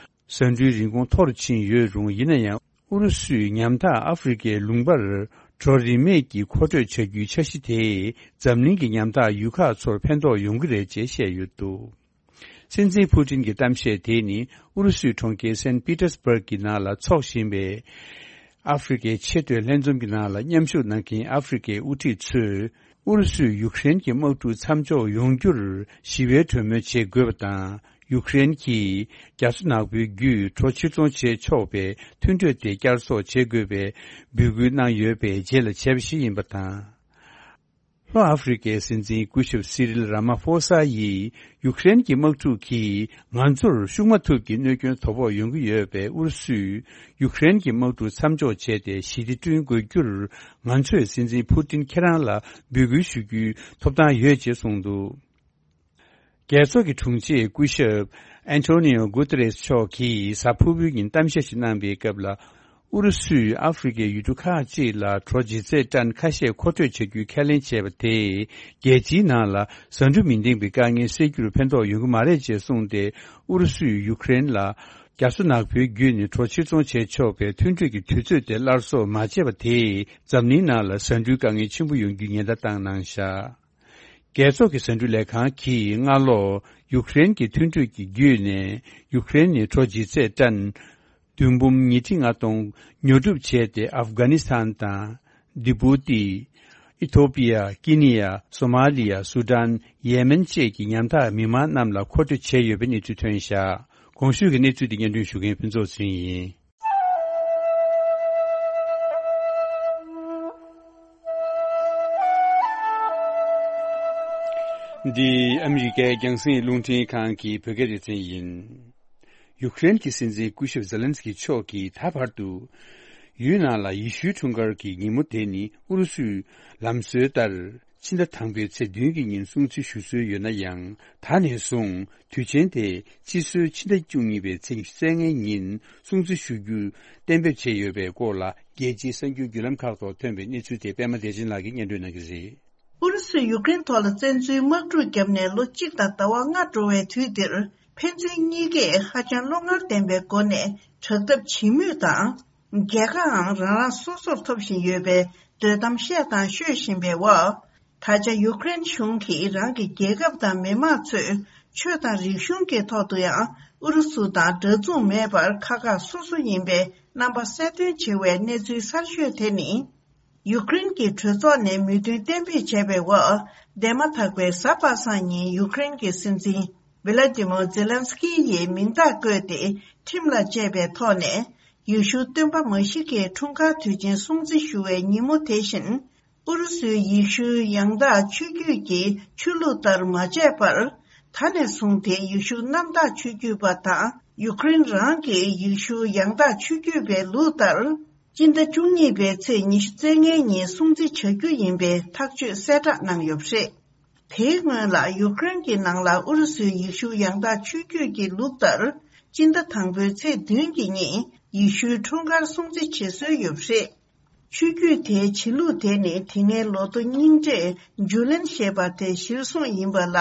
ཟ་འབྲུའི་རིན་གོང་མཐོ་རུ་ཕྱིན་ཡོད་རུང་། ཡིན་ན་ཡང་ཨུ་རུ་སུས་ཉམ་ཐག་ཨ་ཧྥེ་རི་ཁའི་ལུང་པར་གྲོ་རིན་མེད་ཀྱིས་མཁོ་སྤྲོད་བྱ་རྒྱུའི་འཆར་གཞི་དེས་འཛམ་གླིང་གི་ཉམ་ཐག་ཡུལ་ཁག་ཚོར་ཕན་ཐོགས་ཡོང་གི་རེད་ཅེས་བཤད་ཡོད་འདུག། སྲིད་འཛིན་ཕུ་ཏིན་གྱི་གཏམ་བཤད་དེ་ནི་ཨུ་རུ་སུའི་གྲོང་ཁྱེར་སན་པི་ཏེར་སྦུརག་གི་ནང་ལ་འཚོགས་བཞིན་པའི་ཨ་ཧྥེ་རི་ཁའི་ཆེས་མཐོའི་ལྷན་འཛོམས་ཀྱི་ནང་ལ་མཉམ་ཞུགས་གནང་མཁན་ཨ་ཧྥེ་རི་ཁའི་དབུ་ཁྲིད་ཚོས། ཨུ་རུ་སུས་ཡུཀ་རེན་གྱི་དམག་འཁྲུག་མཚམས་འཇོག་ཡོང་རྒྱུར་ཞི་བའི་གྲོས་མོལ་བྱེད་དགོས་པ་དང་། ཡུཀ་རེན་གྱིས་རྒྱ་མཚོ་ནག་པོའི་བརྒྱུད་གྲོ་ཕྱིར་ཚོང་བྱེད་ཆོག་པའི་མཐུན་གྲོས་དེ་བསྐྱར་གསོ་བྱེད་དགོས་པའི་འབོད་སྐུལ་གནང་ཡོད་པའི་རྗེས་ལ་བྱས་པ་ཞིག་ཡིན་པ་དང་། ལྷོ་ཨ་ཧྥེ་རི་ཁའི་སྲིད་འཛིན་སྐུ་ཞབས་སི་རིལ་ར་མ་ཧྥོ་ས་ཡིས་ཡུཀ་རེན་གྱི་དམག་འཁྲུག་གིས་ང་ཚོར་ཤུགས་མ་ཐུབ་ཀྱི་གནོད་སྐྱོན་དོ་ཕོག་ཡོང་གི་ཡོད་པས། ཨུ་རུ་སུས་ཡུཀ་རེན་གྱི་དམག་འཁྲུག་མཚམས་འཇོག་བྱས་ཏེ་ཞི་བདེ་བསྐྲུན་དགོས་རྒྱུར་ང་ཚོས་སྲིད་འཛིན་ཕུ་ཏིན་ཁྱེད་རང་ལ་འབོད་སྐུལ་ཞུ་རྒྱུའི་ཐོབ་ཐང་ཡོད་ཅེས་གསུངས་འདུག། རྒྱལ་ཚོགས་ཀྱི་དྲུང་ཆེ་སྐུ་ཞབས་ཨན་ཐོ་ནི་ཡོ་གུ་ཏེ་རེས་མཆོག་གིས་གཟའ་ཕུར་བུའི་ཉིན་གཏམ་བཤད་ཞིག་གནང་བའི་སྐབས་ལ། ཨུ་རུ་སུས་ཨ་ཧྥེ་རི་ཁའི་ཡུལ་གྲུ་ཁག་ཅིག་ལ་གྲོ་ལྗིད་ཚད་ཏན་ཁ་ཤས་མཁོ་སྤྲོད་བྱ་རྒྱུའི་ཁས་ལེན་བྱས་པ་དེས་རྒྱལ་སྤྱིའི་ནང་ལ་ཟ་འབྲུ་མི་འདེང་པའི་དཀའ་ངལ་སེལ་རྒྱུར་ཕན་ཐོགས་ཡོང་གི་མ་རེད་ཅེས་གསུངས་ཏེ། ཨུ་རུ་སུས་ཡུཀ་རེན་ལ་རྒྱ་མཚོ་ནག་པོའི་བརྒྱུད་ནས་གྲོ་ཕྱིར་ཚོང་བྱེད་ཆོག་པའི་མཐུན་གྲོས་ཀྱི་དུས་ཚོད་དེ་སླར་གསོ་མ་བྱས་པ་དེས་འཛམ་གླིང་ནང་ལ་ཟ་འབྲུའི་དཀའ་ངལ་ཆེན་པོ་ཡོང་རྒྱུའི་ཉེན་བརྡ་བཏང་གནང་བཞག། རྒྱལ་ཚོགས་ཀྱི་ཟ་འབྲུ་ལས་ཁང་གིས་སྔ་ལོ་ཡུཀ་རེན་གྱི་མཐུན་གྲོས་ཀྱི་བརྒྱུད་ནས་ཡུཀ་རེན་ནས་གྲོ་ལྗིད་ཚད་ཏན་བདུན་འབུམ་ཉིས་ཁྲི་ལྔ་སྟོང་ཉོ་སྒྲུབ་བྱས་ཏེ། ཨབ་གྷ་ནི་སི་ཐན་དང་། ལྡི་པུ་ཏི། ཨི་ཐོ་པི་ཡ། ཀི་ནི་ཡ། སོ་མ་ལི་ཡ། སུ་ཌན། ཡེ་མེན་བཅས་ཀྱི་ཉམ་ཐག་མི་མང་རྣམས་ལ་མཁོ་སྤྲོད་བྱས་ཡོད་པའི་གནས་ཚུལ་ཐོན་བཞག། གོང་ཞུས་ཀྱི་གནས་ཚུལ་འདི་སྙན་སྒྲོན་ཞུ་མཁན་ཕུན་ཚོགས་ཚེ་རིང་ཡིན། འདི་ཨ་མི་རི་ཀའི་རྒྱང་སྲིང་རླུང་འཕྲིན་ཁང་གི་བོད་སྐད་སྡེ་ཚན་ཡིན། ཡུཀ་རེན་གྱི་སྲིད་འཛིན་སྐུ་ཞབས་ཛེ་ལན་སི་ཀི་མཆོག་གིས་ད་བར་དུ་ཡུལ་ནང་ལ་ཡེ་ཤུའི་འཁྲུངས་སྐར་གྱི་ཉིན་མོ་དེ་ནི་ཨུ་རུ་སུའི་ལམ་སྲོལ་ལྟར། ཕྱི་ཟླ་དང་པོའི་ཚེས་བདུན་གྱི་ཉིན་སྲུང་བརྩི་ཞུ་སྲོལ་ཡོད་ན་ཡང་། ད་ནས་བཟུང་དུས་ཆེན་དེ་སྤྱི་སྲོལ་ཕྱི་ཟླ་བཅུ་གཉིས་པའི་ཚེས་ཉི་ཤུ་རྩ་ལྔའི་ཉིན་སྲུང་བརྩི་ཞུ་རྒྱུ་གཏན་འབེབས་བྱས་ཡོད་པའི་སྐོར་ལ། རྒྱལ་སྤྱིའི་གསར་འགྱུར་བརྒྱུད་ལམ་ཁག་ཐོག་ཐོན་པའི་གནས་ཚུལ་དེ་པད་མ་བདེ་ཆེན་ལགས་ཀྱིས་སྙན་སྒྲོན་གནང་གི་རེད། ཨུ་རུ་སུས་ཡུཀ་རེན་ཐོག་ལ་བཙན་འཛུལ་དམག་འཁྲུག་བརྒྱབ་ནས་ལོ་གཅིག་དང་ཟླ་བ་ལྔ་འགྲོ་བའི་དུས་འདིར། ཕན་ཚུན་གཉིས་ཀས་ཧ་ཅང་བློ་ངར་ལྡན་པའི་སྒོ་ནས་དྲག་འཐབ་བྱེད་མུས་དང་། རྒྱལ་ཁའང་རང་རང་སོ་སོར་ཐོབ་བཞིན་ཡོད་པའི་འདོད་གཏམ་བཤད་དང་ཤོད་བཞིན་པའི་འོག། ད་ཆ་ཡུཀ་རེན་གཞུང་གིས་རང་གི་རྒྱལ་ཁབ་དང་མི་མང་ཚོས་ཆོས་དང་རིག་གཞུང་གི་ཐོག་ཏུ་ཡང་ཨུ་རུ་སུ་དང་འདྲ་མཚུངས་མེད་པར་ཁག་ཁག་སོ་སོ་ཡིན་པའི་རྣམ་པ་གསལ་སྟོན་བྱེད་པའི་གནས་ཚུལ་གསར་ཤོས་དེ་ནི། ཡུཀ་རེན་གྱི་གྲོས་ཚོགས་ནས་མོས་མཐུན་གཏན་འབེབས་བྱས་པའི་འོག། འདས་མ་ཐག་པའི་གཟའ་པ་སངས་ཉིན་ཡུཀ་རེན་གྱི་སྲིད་འཛིན་ཝི་ལ་ཏི་མོ་ཛེ་ལན་སི་ཀི་ཡིས་མིང་རྟགས་བཀོད་དེ་ཁྲིམས་ལ་བཅས་པའི་ཐོག་ནས། ཡེ་ཤུ་སྟོན་པ་མ་ཤི་ཀའི་འཁྲུངས་སྐར་དུས་ཆེན་སྲུང་བརྩི་ཞུ་བའི་ཉིན་མོ་དེ་བཞིན། ཨུ་རུ་སུའི་ཡེ་ཤུའི་ཡང་དག་ཆོས་བརྒྱུད་ཀྱི་ཆོས་ལུགས་ལྟར་མ་བྱས་པར། ད་ནས་བཟུང་སྟེ་ཡེ་ཤུ་གནམ་བདག་ཆོས་བརྒྱུད་པ་དང་ཡུཀ་རེན་རང་གི་ཡེ་ཤུ་ཡང་དག་ཆོས་བརྒྱུད་པའི་ལུགས་ལྟར། སྤྱི་ཟླ་བཅུ་གཉིས་པའི་ཚེས་ཉི་ཤུ་རྩ་ལྔའི་ཉིན་སྲུང་བརྩི་བྱ་རྒྱུ་ཡིན་པའི་ཐག་གཅོད་གསལ་བསྒྲགས་གནང་ཡོད་པ་རེད། དེའི་སྔོན་ལ་ཡུཀ་རེན་གྱི་ནང་ལ་ཨུ་རུ་སུའི་ཡེ་ཤུ་ཡང་དག་ཆོས་བརྒྱུད་ཀྱི་ལུགས་ལྟར། སྤྱི་ཟླ་དང་པོའི་ཚེས་བདུན་གྱི་ཉིན་ཡེ་ཤུའི་འཁྲུངས་སྐར་སྲུང་བརྩི་བྱེད་སྲོལ་ཡོད་པ་རེད། ཆོས་བརྒྱུད་དེའི་བྱེད་ལུགས་དེ་ནི་དེ་སྔའི་ལོ་ཐོ་རྙིང་གྲས་ཇུ་ལེན་ཞེས་པ་དེ་གཞིར་བཟུང་ཡིན་པ་ལ།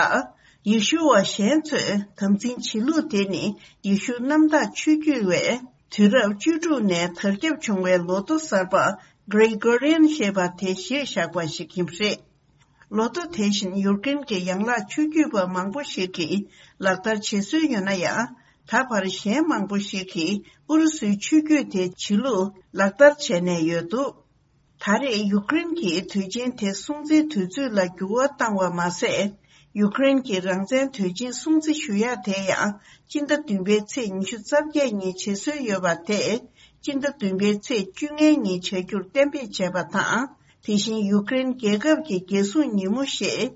ཡེ་ཤུ་བ་གཞན་ཚོས་དམ་འཛིན་བྱེད་ལུགས་དེ་ནི་ཡེ་ཤུ་གནམ་བདག་ཆོས་བརྒྱུད་པས་དུས་རབས་བཅུ་དྲུག་ནས་དར་ཁྱབ་བྱུང་བའི་ལོ་ཐོ་གསར་པ་གྷི་རེ་གོ་རི་ཡན་ཞེས་པ་དེ་གཞིར་བཞག་པ་ཞིག་ཡིན་པ་རེད། ལོ་ཐོ་དེ་བཞིན་ཡུཀ་རེན་གྱི་ཡན་ལག་ཆོས་བརྒྱུད་པ་མང་པོ་ཞིག་གིས་ལག་བསྟར་བྱེད་སྲོལ་ཡོད་ན་ཡང་། ད་བར་གཞན་མང་པོ་ཞིག་གིས་ཨུ་རུ་སུའི་ཆོས་བརྒྱུད་དེའི་བྱེད་ལུགས་ལག་བསྟར་བྱས་ནས་ཡོད་འདུག། ད་རེས་ཡུཀ་རེན་གྱིས་དུས་ཆེན་དེ་སྲུང་བརྩིའི་དུས་ཚོད་ལ་འགྱུར་བ་བཏང་བ་མ་ཟད། ཡུཀ་རེན་གྱི་རང་བཙན་དུས་ཆེན་སྲུང་བརྩི་ཞུ་ཡག་དེ་ཡང་སྤྱི་ཟླ་བདུན་པའི་ཚེས་ཉི་ཤུ་རྩ་བརྒྱད་ཉིན་བྱེད་སྲོལ་ཡོད་པ་དེ་སྤྱི་ཟླ་བདུན་པའི་ཚེས་བཅོ་ལྔའི་ཉིན་བྱ་རྒྱུར་གཏན་འབེབས་བྱས་པ་དང་། དེ་བཞིན་ཡུཀ་རེན་རྒྱལ་ཁབ་ཀྱི་རྒྱལ་སྲུང་ཉིན་མོ་ཞེས།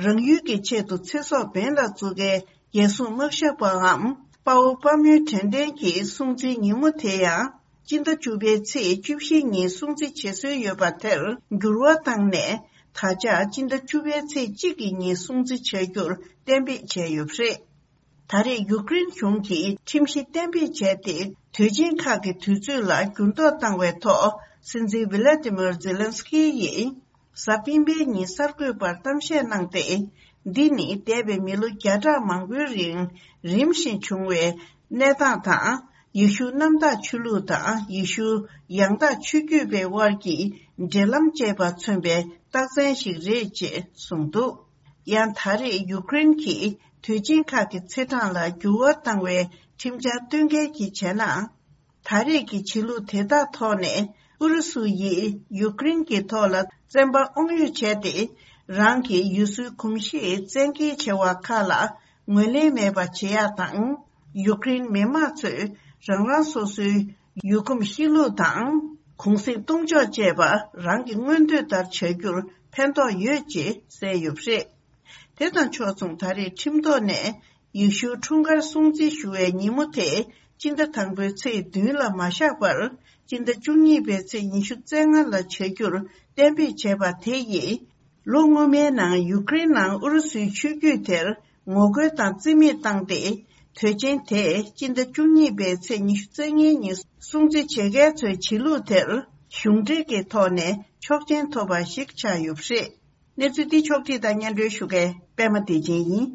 རང་ཡུལ་གྱི་ཆེད་དུ་ཚེ་སྲོག་འབེན་ལ་བཙུགས་མཁན་རྒྱལ་སྲུང་དམག་ཞབས་པའམ་དཔའ་བོ་དཔའ་མོའི་དྲན་རྟེན་གྱི་སྲུང་བརྩིའི་ཉིན་མོ་དེ་ཡང་སྤྱི་ཟླ་བཅུ་པའི་ཚེས་བཅུ་བཞི་ཉིན་སྲུང་བརྩི་བྱེད་སྲོལ་ཡོད་པ་དེར་འགྱུར་བ་བཏང་ནས། ད་ཆ་སྤྱི་ཟླ་བཅུ་པའི་ཚེས་གཅིག་གི་ཉིན་སྲུང་བརྩི་བྱ་རྒྱུར་གཏན་འབེབས་བྱས་ཡོད་པ་རེད། ད་རེས་ཡུཀ་རེན་གཞུང་གིས་ཁྲིམས་གཞི་གཏན་འབེབས་བྱས་ཏེ། དུས་ཆེན་ཁག་གི་དུས་ཚོད་ལ་འགྱུར་ལྡོག་བཏང་བའི་ཐོག་སྲིད་འཛིན་ཝི་ལ་ཏི་མིར་ཛེ་ལན་སི་ཀི་ཡིས། གཟའ་སྤེན་པའི་ཉིན་གསར་འགོད་པར་གཏམ་བཤད་གནང་སྟེ། འདི་ནི་འདས་པའི་མི་ལོ་བརྒྱ་ཕྲག་མང་པོའི་རིང་རིམ་བཞིན་བྱུང་བའི་གནས་སྟངས་དང་། ཡེ་ཤུ་གནམ་བདག་ཆོས་ལུགས་དང་ཡེ་ཤུ་ཡང་དག་ཆོས་བརྒྱུད་པའི་དབར་གྱི་འབྲེལ་ལམ་བཅས་པ་མཚོན་པའི་རྟགས་མཚན་ཞིག་རེད་ཅེས་གསུངས་འདུག། ཡང་ད་རེས་ཡུཀ་རེན་གྱིས་དུས་ཆེན་ཁག་གི་ཚེས་གྲངས་ལ་འགྱུར་བ་བཏང་བའི་ཁྲིམས་འཆར་སྟོན་སྐལ་གྱིས་བྱས་ན། ད་རེས་ཀྱི་བྱེད་ལུགས་དེ་དག་ཐོག་ནས་ཨུ་རུ་སུ་ཡིས་ཡུཀ་རེན་གྱི་ཐོག་ལ་བཙན་པ་དབང་ཡོད་བྱས་ཏེ། རང་གི་ཡུལ་སྲོལ་གོམས་གཤིས་བཙན་འགེལ་བྱེད་པ་ཁག་ལ་ངོས་ལེན་མེད་པ་བྱེད་ཡག་དང་། ཡུཀ་རེན་མི་དམངས་ཚོས་རང་རང་སོ་སོའི་ཡུལ་གོམས་གཤིས་ལུགས་དང་། གུང་གསེང་གཏོང་ཕྱོགས་བཅས་པ་རང་གི་མངོན་འདོད་ལྟར་བྱ་རྒྱུར་ ཕན་ཐོགས་ཡོད་ཅེས་གསལ་ཡོད་པ་རེད། དེ་དང་ཕྱོགས་མཚུངས། ད་རེས་ཁྲིམས་ཐོག་ནས་ཡེ་ཤུའི་འཁྲུངས་སྐར་སྲུང་བརྩི་ཞུ་བའི་ཉིན་མོ་དེ་སྤྱི་ཟླ་དང་པོའི་ཚེས་བདུན་ལ་མ་བཞག་པར། སྤྱི་ཟླ་བཅུ་གཉིས་པའི་ཚེས་ཉི་ཤུ་རྩ་ལྔ་ལ་བྱ་རྒྱུར་གཏན་འབེབས་བྱས་པ་དེ་ཡིས། ལོ་སྔོན་མའི་ནང་ཡུ་ཀེ་རེན་ནང་ཨུ་རུ་སུའི་ཆོས་བརྒྱུད་དེར་ངོ་རྒོལ་དང་རྩིས་མེད་བཏང་སྟེ། དུས་ཆེན་དེ་སྤྱི་ཟླ་བཅུ་གཉིས་པའི་ཚེས་ཉི་ཤུ་རྩ་ལྔའི་ཉིན་སྲུང་བརྩི་བྱེད་མཁན་ཚོའི་བྱེད་ལུགས་དེར་གཞུང་འབྲེལ་གྱི་ཐོག་ནས་ཆོག་མཆན་ཐོབ་པ་ཞིག་ཆགས་ཡོད་པ་རེད། གནས་ཚུལ་འདི་ཕྱོགས་བསྒྲིགས་དང་སྙན་སྒྲོན་ཞུ་མཁན་པད་མ་བདེ་ཆེན་ཡིན།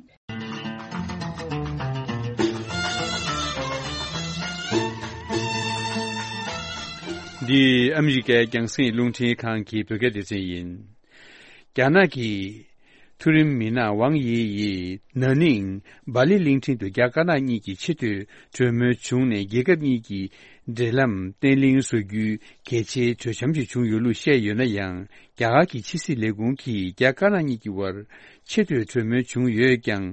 འདི་ཨ་མི་རི་ཀའི་རྒྱང་སྲིང་རླུང་འཕྲིན་ཁང་གི་བོད་སྐད་སྡེ་ཚན་ཡིན། རྒྱ་ནག་གི་མཐོ་རིམ་མི་སྣ་ཝང་དབྱི་ཡིས་ན་ནིང་སྦ་ལི་གླིང་ཕྲན་དུ་རྒྱ་དཀར་ནག་གཉིས་ཀྱི་ཆེས་མཐོའི་གྲོས་མོལ་བྱུང་ནས། རྒྱལ་ཁབ་གཉིས་ཀྱི་འབྲེལ་ལམ་བརྟན་ལྷིང་བཟོ་རྒྱུའི་གལ་ཆེའི་གྲོས་འཆམ་ཞིག་བྱུང་ཡོད་ལུགས་བཤད་ཡོད་ན་ཡང་། རྒྱ་གར་གྱི་ཕྱི་སྲིད་ལས་ཁུངས་ཀྱིས་རྒྱ་དཀར་ནག་གཉིས་ཀྱི་དབར་ཆེས་མཐོའི་གྲོས་མོལ་བྱུང་ཡོད་ཀྱང་།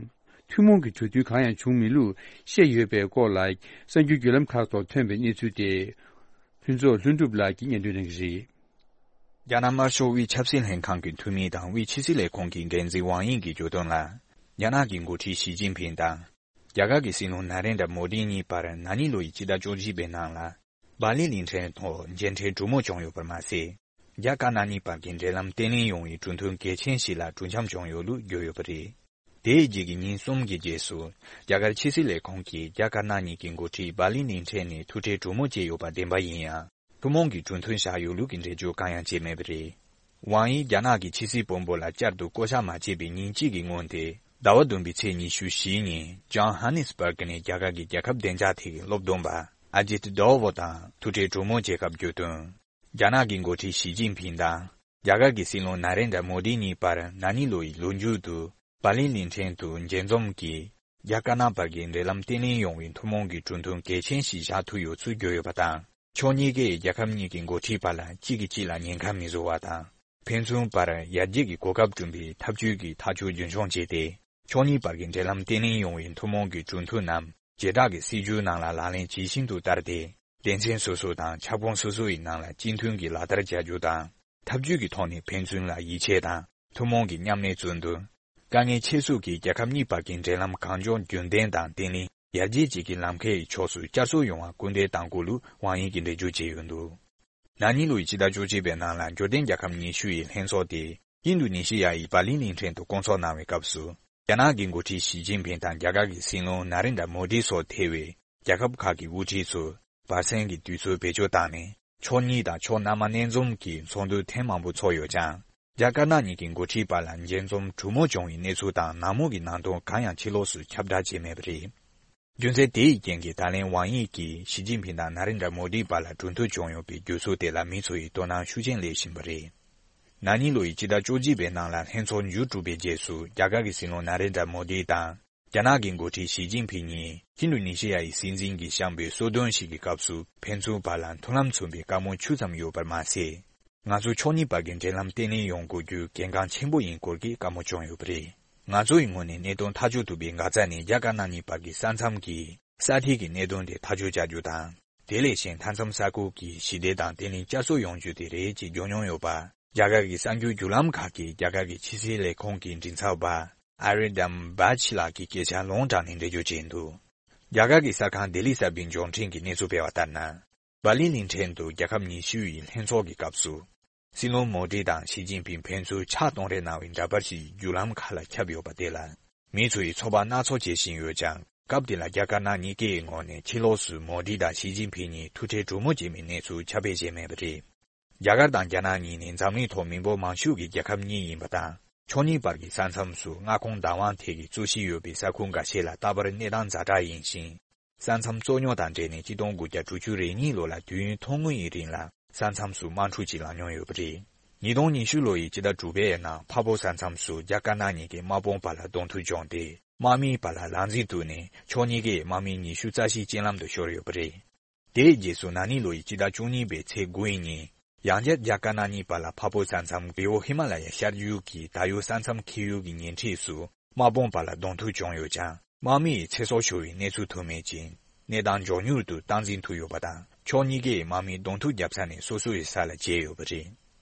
ཐུན་མོང་གི་གྲོས་མཐུན་གང་ཡང་བྱུང་མེད་ལུགས་བཤད་ཡོད་པའི་སྐོར་ལ། གསར་འགྱུར་བརྒྱུད་ལམ་ཁག་ཐོག་ཐོན་པའི་གནས་ཚུལ་དེ། ཕུན་ཚོགས་ལྷུན་གྲུབ་ལགས་ཀྱིས་སྙན་སྒྲོན་གནང་གི་རེད། རྒྱ་ནག་དམར་ཤོག་དབུས་ཆབ་སྲིད་ལྷན་ཁང་གི་འཐུས་མི་དང་དབུས་ཕྱི་སྲིད་ལས་ཁུངས་ཀྱི་འགན་འཛིན་ཝང་དབྱི་གིས་བརྗོད་དོན་ལ། རྒྱ་ནག་གི་འགོ་ཁྲིད་ཞི་ཅིན་ཕིང་དང་། རྒྱ་གར་གྱི་སྲིད་བློན་ན་རེན་དྲ་མོ་དི་གཉིས་བར་ན་ནིང་ལོ་ཡི་ཕྱི་ཟླ་བཅུ་གཅིག་པའི་ནང་ལ། སྦ་ལི་གླིང་ཕྲན་ཐོག་མཇལ་འཕྲད་གྲོས་མོལ་བྱུང་ཡོད་པར་མ་ཟད། རྒྱ་དཀར་ནག་གཉིས་བར་གྱི་འབྲེལ་ལམ་བརྟན་ལྷིང་ཡོང་བའི་གྲོས་མཐུན་གལ་ཆེན་ཞིག་ལ་གྲོས་འཆམ་བྱུང་ཡོད་ལུགས་བརྗོད་ཡོད་པ་རེད། དེའི་རྗེས་ཀྱི་ཉིན་གསུམ་གྱི་རྗེས་སུ། རྒྱ་གར་ཕྱི་སྲིད་ལས་ཁུངས་ཀྱིས་རྒྱ་དཀར་ནག་གཉིས་ཀྱི་འགོ་ཁྲིད་སྦ་ལི་གླིང་ཕྲན་ནས་ཐུག་འཕྲད་གྲོས་མོལ་བྱས་ཡོད་པ་བདེན་པ་ཡིན་ཡང་། ཐུན་མོང་གི་གྲོས་མཐུན་བཞག་ཡོད་ལུགས་ཀྱི་འགྲེལ་བརྗོད་གང་ཡང་བྱས་མེད་པ་རེད། ཝང་དབྱི་རྒྱ་ནག་གི་ཕྱི་སྲིད་དཔོན་པོ་ལ་བསྐྱར་དུ་བསྐོ་བཞག་མ་བྱས་པའི་ཉིན་གཅིག་གི་སྔོན་ཏེ། ཟླ་བ་བདུན་པའི་ཚེས་ཉི་ཤུ་བཞིའི་ཉིན་ཇོ་ཧ་ནེ་སི་སྦར་ག་ནས་རྒྱ་གར་གྱི་རྒྱལ་ཁབ་བདེ་འཇགས་ཐད་ཀྱི་སློབ་སྟོན་པ་ཨ་ཇིད་ཌོ་ཝ་དང་ཐུག་འཕྲད་གྲོས་མོལ་བྱེད་སྐབས་བརྗོད་དོན། རྒྱ་ནག་གི་འགོ་ཁྲིད་ཞི་ཅིན་ཕིང་དང་། རྒྱ་གར་གྱི་སྲིད་བློན་ན་རེན་དྲ་མོ་དི་གཉིས་བར་ན་ནིང་ལོ་ཡི་ལོ་མཇུག་ཏུ་སྦ་ལི་གླིང་ཕྲན་དུ་མཇལ་འཛོམས་ཀྱིས། རྒྱ་དཀར་ནག་བར་གྱི་འབྲེལ་ལམ་བརྟན་ལྷིང་ཡོང་བའི་ཐུན་མོང་གི་གྲོས་མཐུན་གལ་ཆེན་ཞིག་བཞག་ཐུབ་ཡོད་ཚུལ་བརྗོད་ཡོད་པ་དང་། ཕྱོགས་གཉིས་ཀས་རྒྱལ་ཁབ་གཉིས་ཀྱི་འགོ་ཁྲིད་བར་ལ་གཅིག་གིས་གཅིག་ལ་ཉེན་ཁ་མི་བཟོ་བ་དང་། ཕན་ཚུན་བར་ཡར་རྒྱས་ཀྱི་གོ་སྐབས་བསྐྲུན་པའི་འཐབ་ཇུས་ཀྱི་ཐག་གཅོད་རྒྱུན་འཁྱོངས་བྱས་ཏེ། ཕྱོགས་གཉིས་བར་གྱི་འབྲེལ་ལམ་བརྟན་ལྷིང་ཡོང་བའི་ཐུན་མོང་གི་གྲོས་མཐུན་རྣམས་བྱེ་བྲག་གི་སྲིད་ཇུས་ནང་ལ་ལག་ལེན་ཇི་བཞིན་དུ་བསྟར་ཏེ། སྡེ་ཚན་སོ་སོ་དང་ཁྱབ་ཁོངས་སོ་སོ་ཡི་ནང་ལ་གཅིག་མཐུན་གྱིས་ལག་བསྟར་བྱ་རྒྱུ་དང་། འཐབ་ཇུས་ཀྱི་ཐོག་ནས་ཕན་ཚུན་ལ་ཡིད་ཆེས་དང་ཐུན་མོང་གི་མཉམ་གནས་བརྩོན་འདུ། དཀའ་ངལ་ཆེ་ཤོས་ཀྱི་རྒྱལ་ཁབ་གཉིས་བར་གྱི་འབྲེལ་ལམ་གང་མགྱོགས་རྒྱུན་ལྡན་དང་བརྟན་ལྷིང་ཡར་རྒྱས་བཅས་ཀྱི་ལམ་ཁའི་ཕྱོགས་སུ་བསྐྱར་གསོ་ཡོང་བར་སྐུལ་འདེད་གཏང་དགོས་ལུགས་ཝང་དབྱི་གིས་འགྲེལ་བརྗོད་བྱས་ཡོད་འདུག་ན་ནིང་ལོ་ཡི་ཕྱི་ཟླ་བཅུ་གཅིག་པའི་ནང་ལ་འབྱོར་ལྡན་རྒྱལ་ཁབ་ཉི་ཤུ་ཡི་ལྷན་ཚོགས་དེ་ཨིན་རྡུ་ནི་ཤི་ཡ་ཡི་སྦ་ལི་གླིང་ཕྲན་དུ་བསྐོང་ཚོགས་གནང་བའི་སྐབས་སུ། རྒྱ་ནག་གི་འགོ་ཁྲིད་ཞི་ཅིན་ཕིང་དང་རྒྱ་གར་གྱི་སྲིད་བློན་ན་རེན་དྲ་མོ་དི་སོགས་ཐེ་བའི་རྒྱལ་ཁབ་ཁག་གི་དབུ་ཁྲིད་ཚོས་བར་གསེང་གི་དུས་ཚོད་བེད་སྤྱོད་བཏང་ནས། ཕྱོགས་གཉིས་དང་ཕྱོགས་སྣ་མང་སྣེ་འཛོམས་ཀྱི་ཚོགས་འདུ་ཐེངས་མང་པོ་ཚོགས་ཡོད་ཀྱང་། རྒྱ་དཀར་ནག་གཉིས་ཀྱི་འགོ་ཁྲིད་བར་ལ་མཇལ་འཛོམས་གྲོས་མོལ་བྱུང་བའི་གནས་ཚུལ་དང་ནང་མོལ་གྱི་ནང་དོན་གང་ཡང་ཕྱི་ལོགས་སུ་ཁྱབ་བསྒྲགས་བྱས་མེད་པ་རེད། རྒྱུ་མཚན་དེ་ཡི་རྐྱེན་གྱིས་ད་ལན་ཝང་དབྱི་གིས་ཞི་ཅིན་ཕིང་དང་ན་རེན་དྲ་མོ་དིའི་བར་ལ་གྲོས་མཐུན་བྱུང་ཡོད་པའི་བརྗོད་ཚུལ་དེ་ལ་མི་ཚོ་ཡིས་དོ་སྣང་ཤུགས་ཆེན་སླེབས་བཞིན་པ་རེད། ན་ནིང་ལོ་ཡི་ཕྱི་ཟླ་བཅུ་གཅིག་པའི་ནང་ལ་ལྷན་ཚོགས་མཇུག་གྲུབ་པའི་རྗེས་སུ་རྒྱ་གར་གྱི་སྲིད་བློན་ན་རེན་དྲ་མོ་དི་དང་། རྒྱ་ནག་གི་འགོ་ཁྲིད་ཞི་ཅིན་ཕིང་གཉིས་ཨིན་རྡུ་ནི་ཤི་ཡ་ཡི་སྲིད་འཛིན་གྱིས་བཤམས་པའི་གསོལ་སྟོན་ཞིག་གི་སྐབས་སུ་ཕན་ཚུན་བར་ལ་མཐུན་ལམ་མཚོན་པའི་བཀའ་མོལ་ཆུ་ཙམ་ཡོད་པར་མ་ཟད། ང་ཚོ་ཕྱོགས་གཉིས་བར་གྱི་འབྲེལ་ལམ་བརྟན་ལྷིང་ཡོང་དགོས་རྒྱུ་གལ་འགངས་ཆེན་པོ་ཡིན་སྐོར་གྱི་བཀའ་མོལ་བྱུང་ཡོད་པ་རེད། ང་ཚོ་ཡི་ངོས་ནས་གནད་དོན་ཐག་གཅོད་ཐུབ་པའི་འགག་རྩ་ནི་རྒྱ་དཀར་ནག་གཉིས་བར་གྱི་ས་མཚམས་ཀྱི་ས་ཐིག་གི་གནད་དོན་དེ་ཐག་གཅོད་བྱ་རྒྱུ་དང་། དེ་ལས་གཞན་མཐའ་མཚམས་ས་ཁུལ་གྱི་ཞི་བདེ་དང་བརྟན་ལྷིང་བསྐྱར་གསོ་ཡོང་རྒྱུ་དེ་རེད་ཅེས་བརྗོད་མྱོང་ཡོད་པ། རྒྱ་གར་གྱི་གསར་འགྱུར་བརྒྱུད་ལམ་ཁག་གིས་རྒྱ་གར་གྱི་ཕྱི་སྲིད་ལས་ཁུངས་ཀྱི་མགྲིན་ཚབ་པ་ཨ་རི་དམ་བྷ་ཆི་ལགས་ཀྱི་སྐད་ཆ་ལུང་དྲངས་ནས་འགྲེལ་བརྗོད་བྱས་འདུག་རྒྱ་གར་གྱི་གསར་ཁང་ལྡི་ལི་གསར་པའི་འབྱོར་འཕྲིན་གྱིས་གནས་ཚུལ་སྤེལ་བ་ལྟར་ན། སྦ་ལི་གླིང་ཕྲན་དུ་རྒྱལ་ཁབ་ཉི་ཤུ་ཡི་ལྷན་ཚོགས་ཀྱི་སྐབས་སུ། སྲིད་བློན་མོ་དི་དང་ཞི་ཅིན་ཕིང་ཕན་ཚུན་ཕྱག་གཏོང་རེས་གནང་བའི་འདྲ་པར་ཞིག་བརྒྱུད་ལམ་ཁག་ལ་ཁྱབ་ཡོད་པ་དེ་ལ། མི་ཚོ་ཡིས་ཚོད་དཔག་སྣ་ཚོགས་བྱེད་བཞིན་ཡོད་ཀྱང་། སྐབས་དེ་ལ་རྒྱ་དཀར་ནག་གཉིས་ཀའི་ངོས་ནས་ཕྱི་ལོགས་སུ་མོ་དི་དང་ཞི་ཅིན་ཕིང་གཉིས་ཐུག་འཕྲད་གྲོས་མོལ་བྱས་མིན་གནས་ཚུལ་ཁྱབ་སྤེལ་བྱས་མེད་པ་རེད། རྒྱ་གར་དང་རྒྱ་ནག་གཉིས་ནི་འཛམ་གླིང་ཐོག་མི་འབོར་མང་ཤོས་ཀྱི་རྒྱལ་ཁབ་གཉིས་ཡིན་པ་དང་། ཕྱོགས་གཉིས་བར་གྱི་ས་མཚམས་སུ་མངའ་ཁོངས་བདག་དབང་ཐད་ཀྱི་རྩོད་གཞི་ཡོད་པའི་ས་ཁུལ་འགའ་ཤས་ལ་ལྟ་བར་གནས་སྟངས་ཛ་དྲག་ཡིན་ཞིང་། ས་མཚམས་རྩོད་རྙོག་དང་འབྲེལ་ནས་ཆིག་སྟོང་དགུ་བརྒྱ་དྲུག་ཅུ་རེ་གཉིས་ལོ་ལ་དུས་ཡུན་ཐུང་ངུ་ཡི་རིང་ལ་ས་མཚམས་སུ་དམག་འཁྲུག་ཅིག་ལངས་མྱོང་ཡོད་པ་རེད། ཉིས་སྟོང་ཉི་ཤུ་ལོ་ཡི་ཕྱི་ཟླ་དྲུག་པའི་ནང་འཕགས་བོད་ས་མཚམས་སུ་རྒྱ་དཀར་ནག་གཉིས་ཀྱི་དམག་དཔུང་བར་ལ་གདོང་ཐུག་བྱུང་སྟེ། དམག་མིའི་བར་ལ་ལག་འཛིང་བཙུགས་ནས་ཕྱོགས་གཉིས་ཀའི་དམག་མི་ཉི་ཤུ་རྩ་བཞི་རྐྱེན་ལམ་དུ་ཤོར་ཡོད་པ་རེད། དེའི་རྗེས་སུ་ན་ནིང་ལོ་ཡི་ཕྱི་ཟླ་བཅུ་གཉིས་པའི་ཚེས་དགུ་ཡི་ཉིན། ཡང་བསྐྱར་རྒྱ་དཀར་ནག་གཉིས་བར་ལ་འཕགས་བོད་ས་མཚམས་རི་བོ་ཧི་མ་ལ་ཡ་ཤར་རྒྱུད་ཀྱི་ད་ཡོད་ས་མཚམས་འཁེལ་ཡུལ་གྱི་ཉེ་འཁྲིས་སུ་དམག་དཔུང་བར་ལ་གདོང་ཐུག་བྱུང་ཡོད་ཀྱང་། དམག་མི་ཡི་ཚེ་སྲོག་ཤོར་བའི་གནས་ཚུལ་ཐོན་མེད་ཅིང་། གནས་སྟངས་མགྱོགས་མྱུར་དུ་སྟངས་འཛིན་ཐུབ་ཡོད་པ་དང་། ཕྱོགས་གཉིས་ཀས་དམག་མི་གདོང་ཐུག་བརྒྱབ་ས་ནས་སོ་སོའི་ས་ལ་བརྗེས་ཡོད་པ་རེད།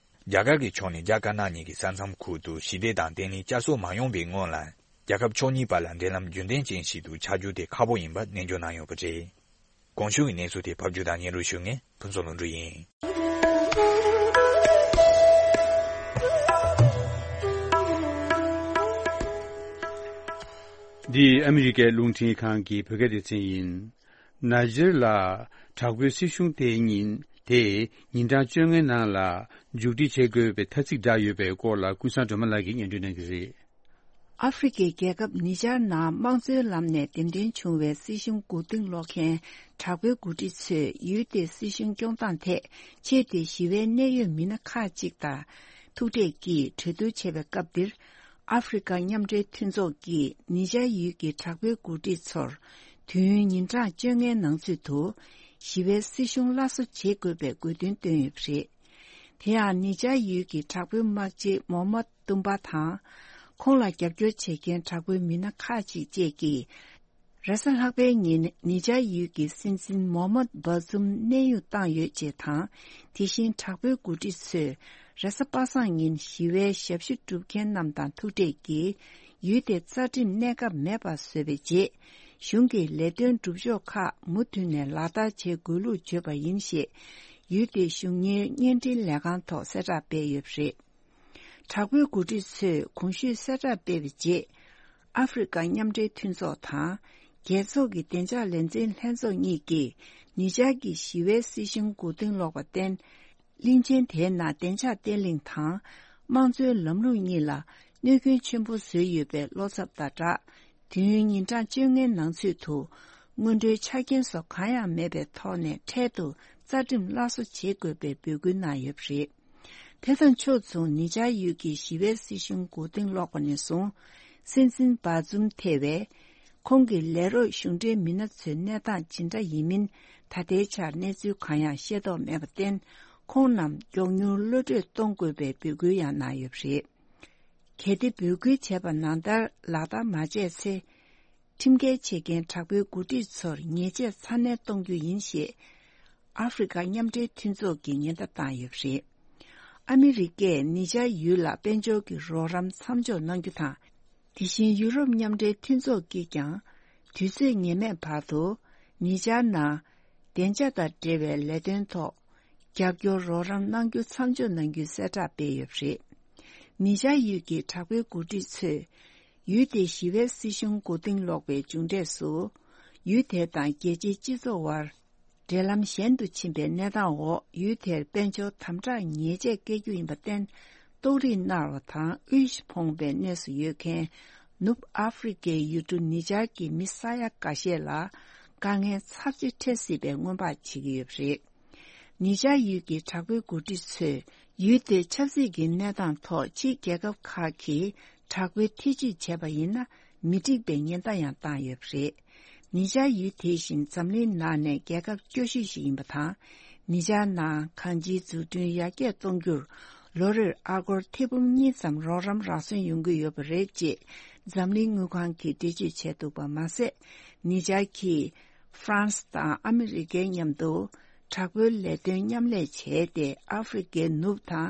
རྒྱ་གར་གྱི་ཕྱོགས་ནས་རྒྱ་དཀར་ནག་གཉིས་ཀྱི་ས་མཚམས་ཁུལ་དུ་ཞི་བདེ་དང་བརྟན་ལྷིང་བསྐྱར་གསོ་མ་ཡོང་བའི་སྔོན་ལ། རྒྱལ་ཁབ་ཕྱོགས་གཉིས་བར་ལ་འབྲེལ་ལམ་རྒྱུན་ལྡན་ཅན་ཞིག་ཏུ་ཆགས་རྒྱུ་དེ་ཁག་པོ་ཡིན་པ་ནན་བརྗོད་གནང་ཡོད་པ་རེད། གོང་ཞུས་ཀྱི་གནས་ཚུལ་དེ་ཕབ་སྒྱུར་དང་སྙན་སྒྲོན་ཞུ་མཁན་ཕུན་ཚོགས་ལྷུན་གྲུབ་ཡིན། འདི་ཨ་མི་རི་ཀའི་རླུང་འཕྲིན་ཁང་གི་བོད་སྐད་སྡེ་ཚན་ཡིན། ནཱི་ཇར་ལ་དྲག་པོའི་སྲིད་གཞུང་དེ་ཉིན་དེ་ཉིན་གྲངས་བཅོ་ལྔའི་ནང་ལ་མཇུག་སྒྲིལ་བྱེད་དགོས་པའི་ཐ་ཚིག་བསྒྲགས་ཡོད་པའི་སྐོར་ལ་ཀུན་བཟང་སྒྲོལ་མ་ལགས་ཀྱིས་སྙན་སྒྲོན་གནང་གི་རེད། ཨ་ཧྥེ་རི་ཁའི་རྒྱལ་ཁབ་ནི་ཇར་ནང་དམངས་གཙོའི་ལམ་ནས་འདེམས་ཐོན་བྱུང་བའི་སྲིད་གཞུང་མགོ་རྟིང་སློག་མཁན་དྲག་པོའི་འགོ་ཁྲིད་ཚོས་ཡུལ་དེའི་སྲིད་གཞུང་སྐྱོང་སྟངས་ཐད་ཆེས་མཐོའི་ཞི་བའི་གནད་ཡོད་མི་སྣ་ཁག་ཅིག་དང་ཐུག་འཕྲད་ཀྱིས་གྲོས་བསྡུར་བྱས་པའི་སྐབས་འདིར། ཨ་ཧྥེ་རི་ཁ་མཉམ་འབྲེལ་མཐུན་ཚོགས་ཀྱིས་ནི་ཇར་ཡུལ་གྱི་དྲག་པོའི་འགོ་ཁྲིད་ཚོར་དུས་ཡུན་ཉིན་གྲངས་བཅོ་ལྔའི་ནང་ཚུད་དུ་ཞི་བའི་སྲིད་གཞུང་སླར་གསོ་བྱེད་དགོས་པའི་དགོས་འདུན་བཏོན་ཡོད་པ་རེད། དེ་ཡང་ནི་ཇར་ཡུལ་གྱི་དྲག་པོའི་དམག་སྤྱི་མོ་མད་ཏུམ་པ་དང་། ཁོང་ལ་རྒྱབ་སྐྱོར་བྱེད་མཁན་དྲག་པོའི་མི་སྣ་ཁག་ཅིག་བཅས་ཀྱིས། རེས་གཟའ་ལྷག་པའི་ཉིན་ནི་ཇར་ཡུལ་གྱི་སྲིད་འཛིན་མོ་མད་བྷ་ཛུམ་གནས་དབྱུང་བཏང་ཡོད་ཅེས་དང་། དེ་བཞིན་དྲག་པོའི་འགོ་ཁྲིད་ཚོས་རེས་གཟའ་པ་སངས་ཉིན་ཞི་བའི་ཞབས་ཞུ་སྒྲུབ་མཁན་རྣམས་དང་ཐུག་འཕྲད་ཀྱིས་ཡུལ་དེ་རྩ་ཁྲིམས་གནས་སྐབས་མེད་པར་བཟོས་པའི་རྗེས། གཞུང་གི་ལས་དོན་སྒྲུབ་ཕྱོགས་ཁག་མུ་མཐུད་ནས་ལག་བསྟར་བྱེད་དགོས་ལུགས་བརྗོད་པ་ཡིན་ཞེས། ཡུལ་དེའི་གཞུང་གཉེར་བརྙན་འཕྲིན་ལས་ཁང་ཐོག་གསལ་བསྒྲགས་སྤེལ་ཡོད་པ་རེད། དྲག་པོའི་འགོ་ཁྲིད་ཚོས་གོང་ཞུས་གསལ་བསྒྲགས་སྤེལ་བའི་རྗེས། ཨ་ཧྥེ་རི་ཁ་མཉམ་འབྲེལ་མཐུན་ཚོགས་དང་། རྒྱལ་ཚོགས་ཀྱི་བདེ་འཇགས་ལས་འཛིན་ལྷན་ཚོགས་གཉིས་ཀྱིས་ནི་ཇར་གྱི་ཞི་བའི་སྲིད་གཞུང་མགོ་རྟིང་སློག་པར་བརྟེན། གླིང་ཆེན་དེའི་ནང་བདེ་འཇགས་བརྟན་ལྷིང་དང་། དམངས་གཙོའི་ལམ་ལུགས་གཉིས་ལ་གནོད་སྐྱོན་ཆེན་པོ་བཟོས་ཡོད་པའི་བློ་འཚབ་དང་སྦྲགས། དུས་ཡུན་ཉིན་གྲངས་བཅོ་ལྔའི་ནང་ཚུད་དུ། སྔོན་འགྲོའི་ཆ་རྐྱེན་སོགས་གང་ཡང་མེད་པའི་ཐོག་ནས་འཕྲལ་དུ་རྩ་ཁྲིམས་སླར་གསོ་བྱེད་དགོས་པའི་འབོད་སྐུལ་གནང་ཡོད་པ་རེད། དེ་དང་ཕྱོགས་མཚུངས་ནི་ཇར་ཡུལ་གྱི་ཞི་བའི་སྲིད་གཞུང་མགོ་རྟིང་སློག་པ་ནས་བཟུང་། སྲིད་འཛིན་བྷ་ཛུམ་ཐེ་བས། ཁོང་གི་ལས་རོགས་གཞུང་འབྲེལ་མི་སྣ་ཚོའི་གནས་སྟངས་ཇི་འདྲ་ཡིན་མིན་ད་ལྟའི་ཆར་གནས་ཚུལ་གང་ཡང་ཤེས་རྟོགས་མེད་པར་བརྟེན། ཁོང་རྣམས་མགྱོགས་མྱུར་གློད་གྲོལ་གཏོང་དགོས་པའི་འབོད་སྐུལ་ཡང་གནང་ཡོད་པ་རེད། གལ་ཏེ་འབོད་སྐུལ་བྱས་པ་ནང་ལྟར་ལག་བསྟར་མ་བྱས་ཚེ། ཁྲིམས་འགལ་བྱེད་མཁན་དྲག་པོའི་འགོ་ཁྲིད་ཚོར་ཉེས་ཆད་ཚ་ནན་གཏོང་རྒྱུ་ཡིན་ཞེས། ཨ་ཧྥེ་རི་ཁ་མཉམ་འབྲེལ་མཐུན་ཚོགས་ཀྱིས་ཉེན་བརྡ་བཏང་ཡོད་པ་རེད། ཨ་མི་རི་ཀས་ནི་ཇར་ཡུལ་ལ་དཔལ་འབྱོར་གྱི་རོགས་རམ་མཚམས་འཇོག་གནང་རྒྱུ་དང་། དེ་བཞིན་ཡུ་རོབ་མཉམ་འབྲེལ་མཐུན་ཚོགས་ཀྱིས་ཀྱང་། དུས་ཚོད་ངེས་མེད་བར་དུ། ནི་ཇར་ནང་། བདེ་འཇགས་དང་འབྲེལ་བའི་ལས་དོན་ཐོག་རྒྱབ་སྐྱོར་རོགས་རམ་གནང་རྒྱུ་མཚམས་འཇོག་གནང་རྒྱུའི་གསལ་བསྒྲགས་སྤེལ་ཡོད་པ་རེད། ནི་ཇར་ཡུལ་གྱི་དྲག་པོའི་འགོ་ཁྲིད་ཚོས། ཡུལ་དེའི་ཞི་བའི་སྲིད་གཞུང་མགོ་རྟིང་སློག་པའི་མཇུག་འབྲས་སུ། ཡུལ་དེ་དང་རྒྱལ་སྤྱིའི་སྤྱི་ཚོགས་དབར། འབྲེལ་ལམ་ཞན་དུ་ཕྱིན་པའི་གནས་སྟངས་འོག་ཡུལ་དེར་དཔལ་འབྱོར་དམ་དྲག་ཉེས་ཆད་བཀལ་རྒྱུ་ཡིན་པར་བརྟེན། ལྟོགས་རིས་མནར་བ་དང་དབུལ་ཕོངས་པའི་གནས་སུ་ཡོད་མཁན། ནུབ་ཨ་ཧྥེ་རི་ཁའི་ཡུལ་གྲུ་ནི་ཇར་གྱི་མི་ས་ཡ་འགའ་ཤས་ལ་དཀའ་ངལ་ཚབས་ཆེ་འཕྲད་སྲིད་པའི་སྔོན་དཔག་བྱེད་ཀྱི་ཡོད་པ་རེད། ནི་ཇར་ཡུལ་གྱི་དྲག་པོའི་འགོ་ཁྲིད་ཚོས་ཡུལ་དེའི་ཆབ་སྲིད་ཀྱི་གནས་སྟངས་ཐོག་ཕྱིའི་རྒྱལ་ཁབ་ཁག་གིས་དྲག་པོའི་ཐེ་ཇུས་བྱས་པ་ཡིན་ན་མི་འགྲིག་པའི་ཉེན་བརྡ་ཡང་བཏང་ཡོད་པ་རེད། ནི་ཇར་ཡུལ་དེ་བཞིན་འཛམ་གླིང་ནང་ནས་རྒྱལ་ཁབ་སྐྱོ་ཤོས་ཤིག་ཡིན་པ་དང་། ནི་ཇར་ནང་གང་ཅིའི་འཛུགས་སྐྲུན་ཡར་རྒྱས་གཏོང་རྒྱུར་ལོ་རེར་ཨ་སྒོར་ཐེར་འབུམ་གཉིས་ཙམ་རོགས་རམ་རག་སོན་ཡོང་གི་ཡོད་པ་རེད་ཅེས་འཛམ་གླིང་དངུལ་ཁང་གིས་འགྲེལ་བརྗོད་བྱས་འདུག་པ་མ་ཟད། ནི་ཇར་གྱིས་ཧྥ་རན་སི་དང་ཨ་མི་རི་ཀའི་མཉམ་དུ་དྲག་པོའི་ལས་དོན་མཉམ་ལས་བྱས་ཏེ། ཨ་ཧྥེ་རི་ཀའི་ནུབ་དང་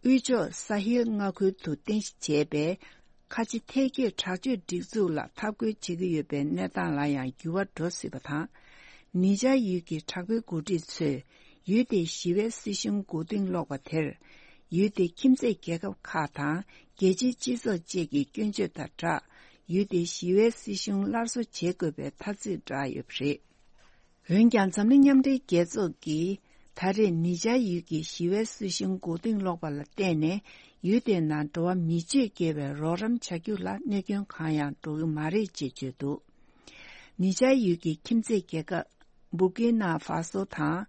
དབུས་ཕྱོགས་ས་ཧེལ་མངའ་ཁུལ་དུ་རྟེན་གཞི་བྱས་པའི་ཁ་ཆེ་ཐལ་སྐྱེས་དྲག་སྤྱོད་སྒྲིག་འཛུགས་ལ་འཐབ་རྒོལ་བྱེད་ཀྱི་ཡོད་པའི་གནས་སྟངས་ལ་ཡང་འགྱུར་བ་འགྲོ་སྲིད་པ་དང་། ནི་ཇར་ཡུལ་གྱི་དྲག་པོའི་འགོ་ཁྲིད་ཚོས་ཡུལ་དེའི་ཞི་བའི་སྲིད་གཞུང་མགོ་རྟིང་སློག་པ་དེར། ཡུལ་དེའི་ཁྱིམ་མཚེས་རྒྱལ་ཁབ་ཁག་དང་རྒྱལ་སྤྱིའི་སྤྱི་ཚོགས་བཅས་ཀྱི་སྐྱོན་བརྗོད་དང་སྦྲགས། ཡུལ་དེའི་ཞི་བའི་སྲིད་གཞུང་སླར་གསོ་བྱེད་དགོས་པའི་ཐ་ཚིག་བསྒྲགས་ཡོད་པ་རེད། འོན་ཀྱང་འཛམ་གླིང་མཉམ་འབྲེལ་རྒྱལ་ཚོགས་ཀྱིས་ད་རེས་ནི་ཇར་ཡུལ་གྱི་ཞི་བའི་སྲིད་གཞུང་མགོ་རྟིང་སློག་པ་ལ་བརྟེན་ནས་ཡུལ་དེའི་ནང་འགྲོ་བ་མི་སྤྱོད་བསྐྱེལ་བའི་རོགས་རམ་བྱ་རྒྱུ་ལ་གནོད་སྐྱོན་གང་ཡང་འགྲོ་གི་མ་རེད་ཅེས་བརྗོད་འདུག་ནི་ཇར་ཡུལ་གྱི་ཁྱིམ་མཚེས་རྒྱལ་ཁབ་སྦུར་ཀི་ན་ཧྥ་སོ་དང་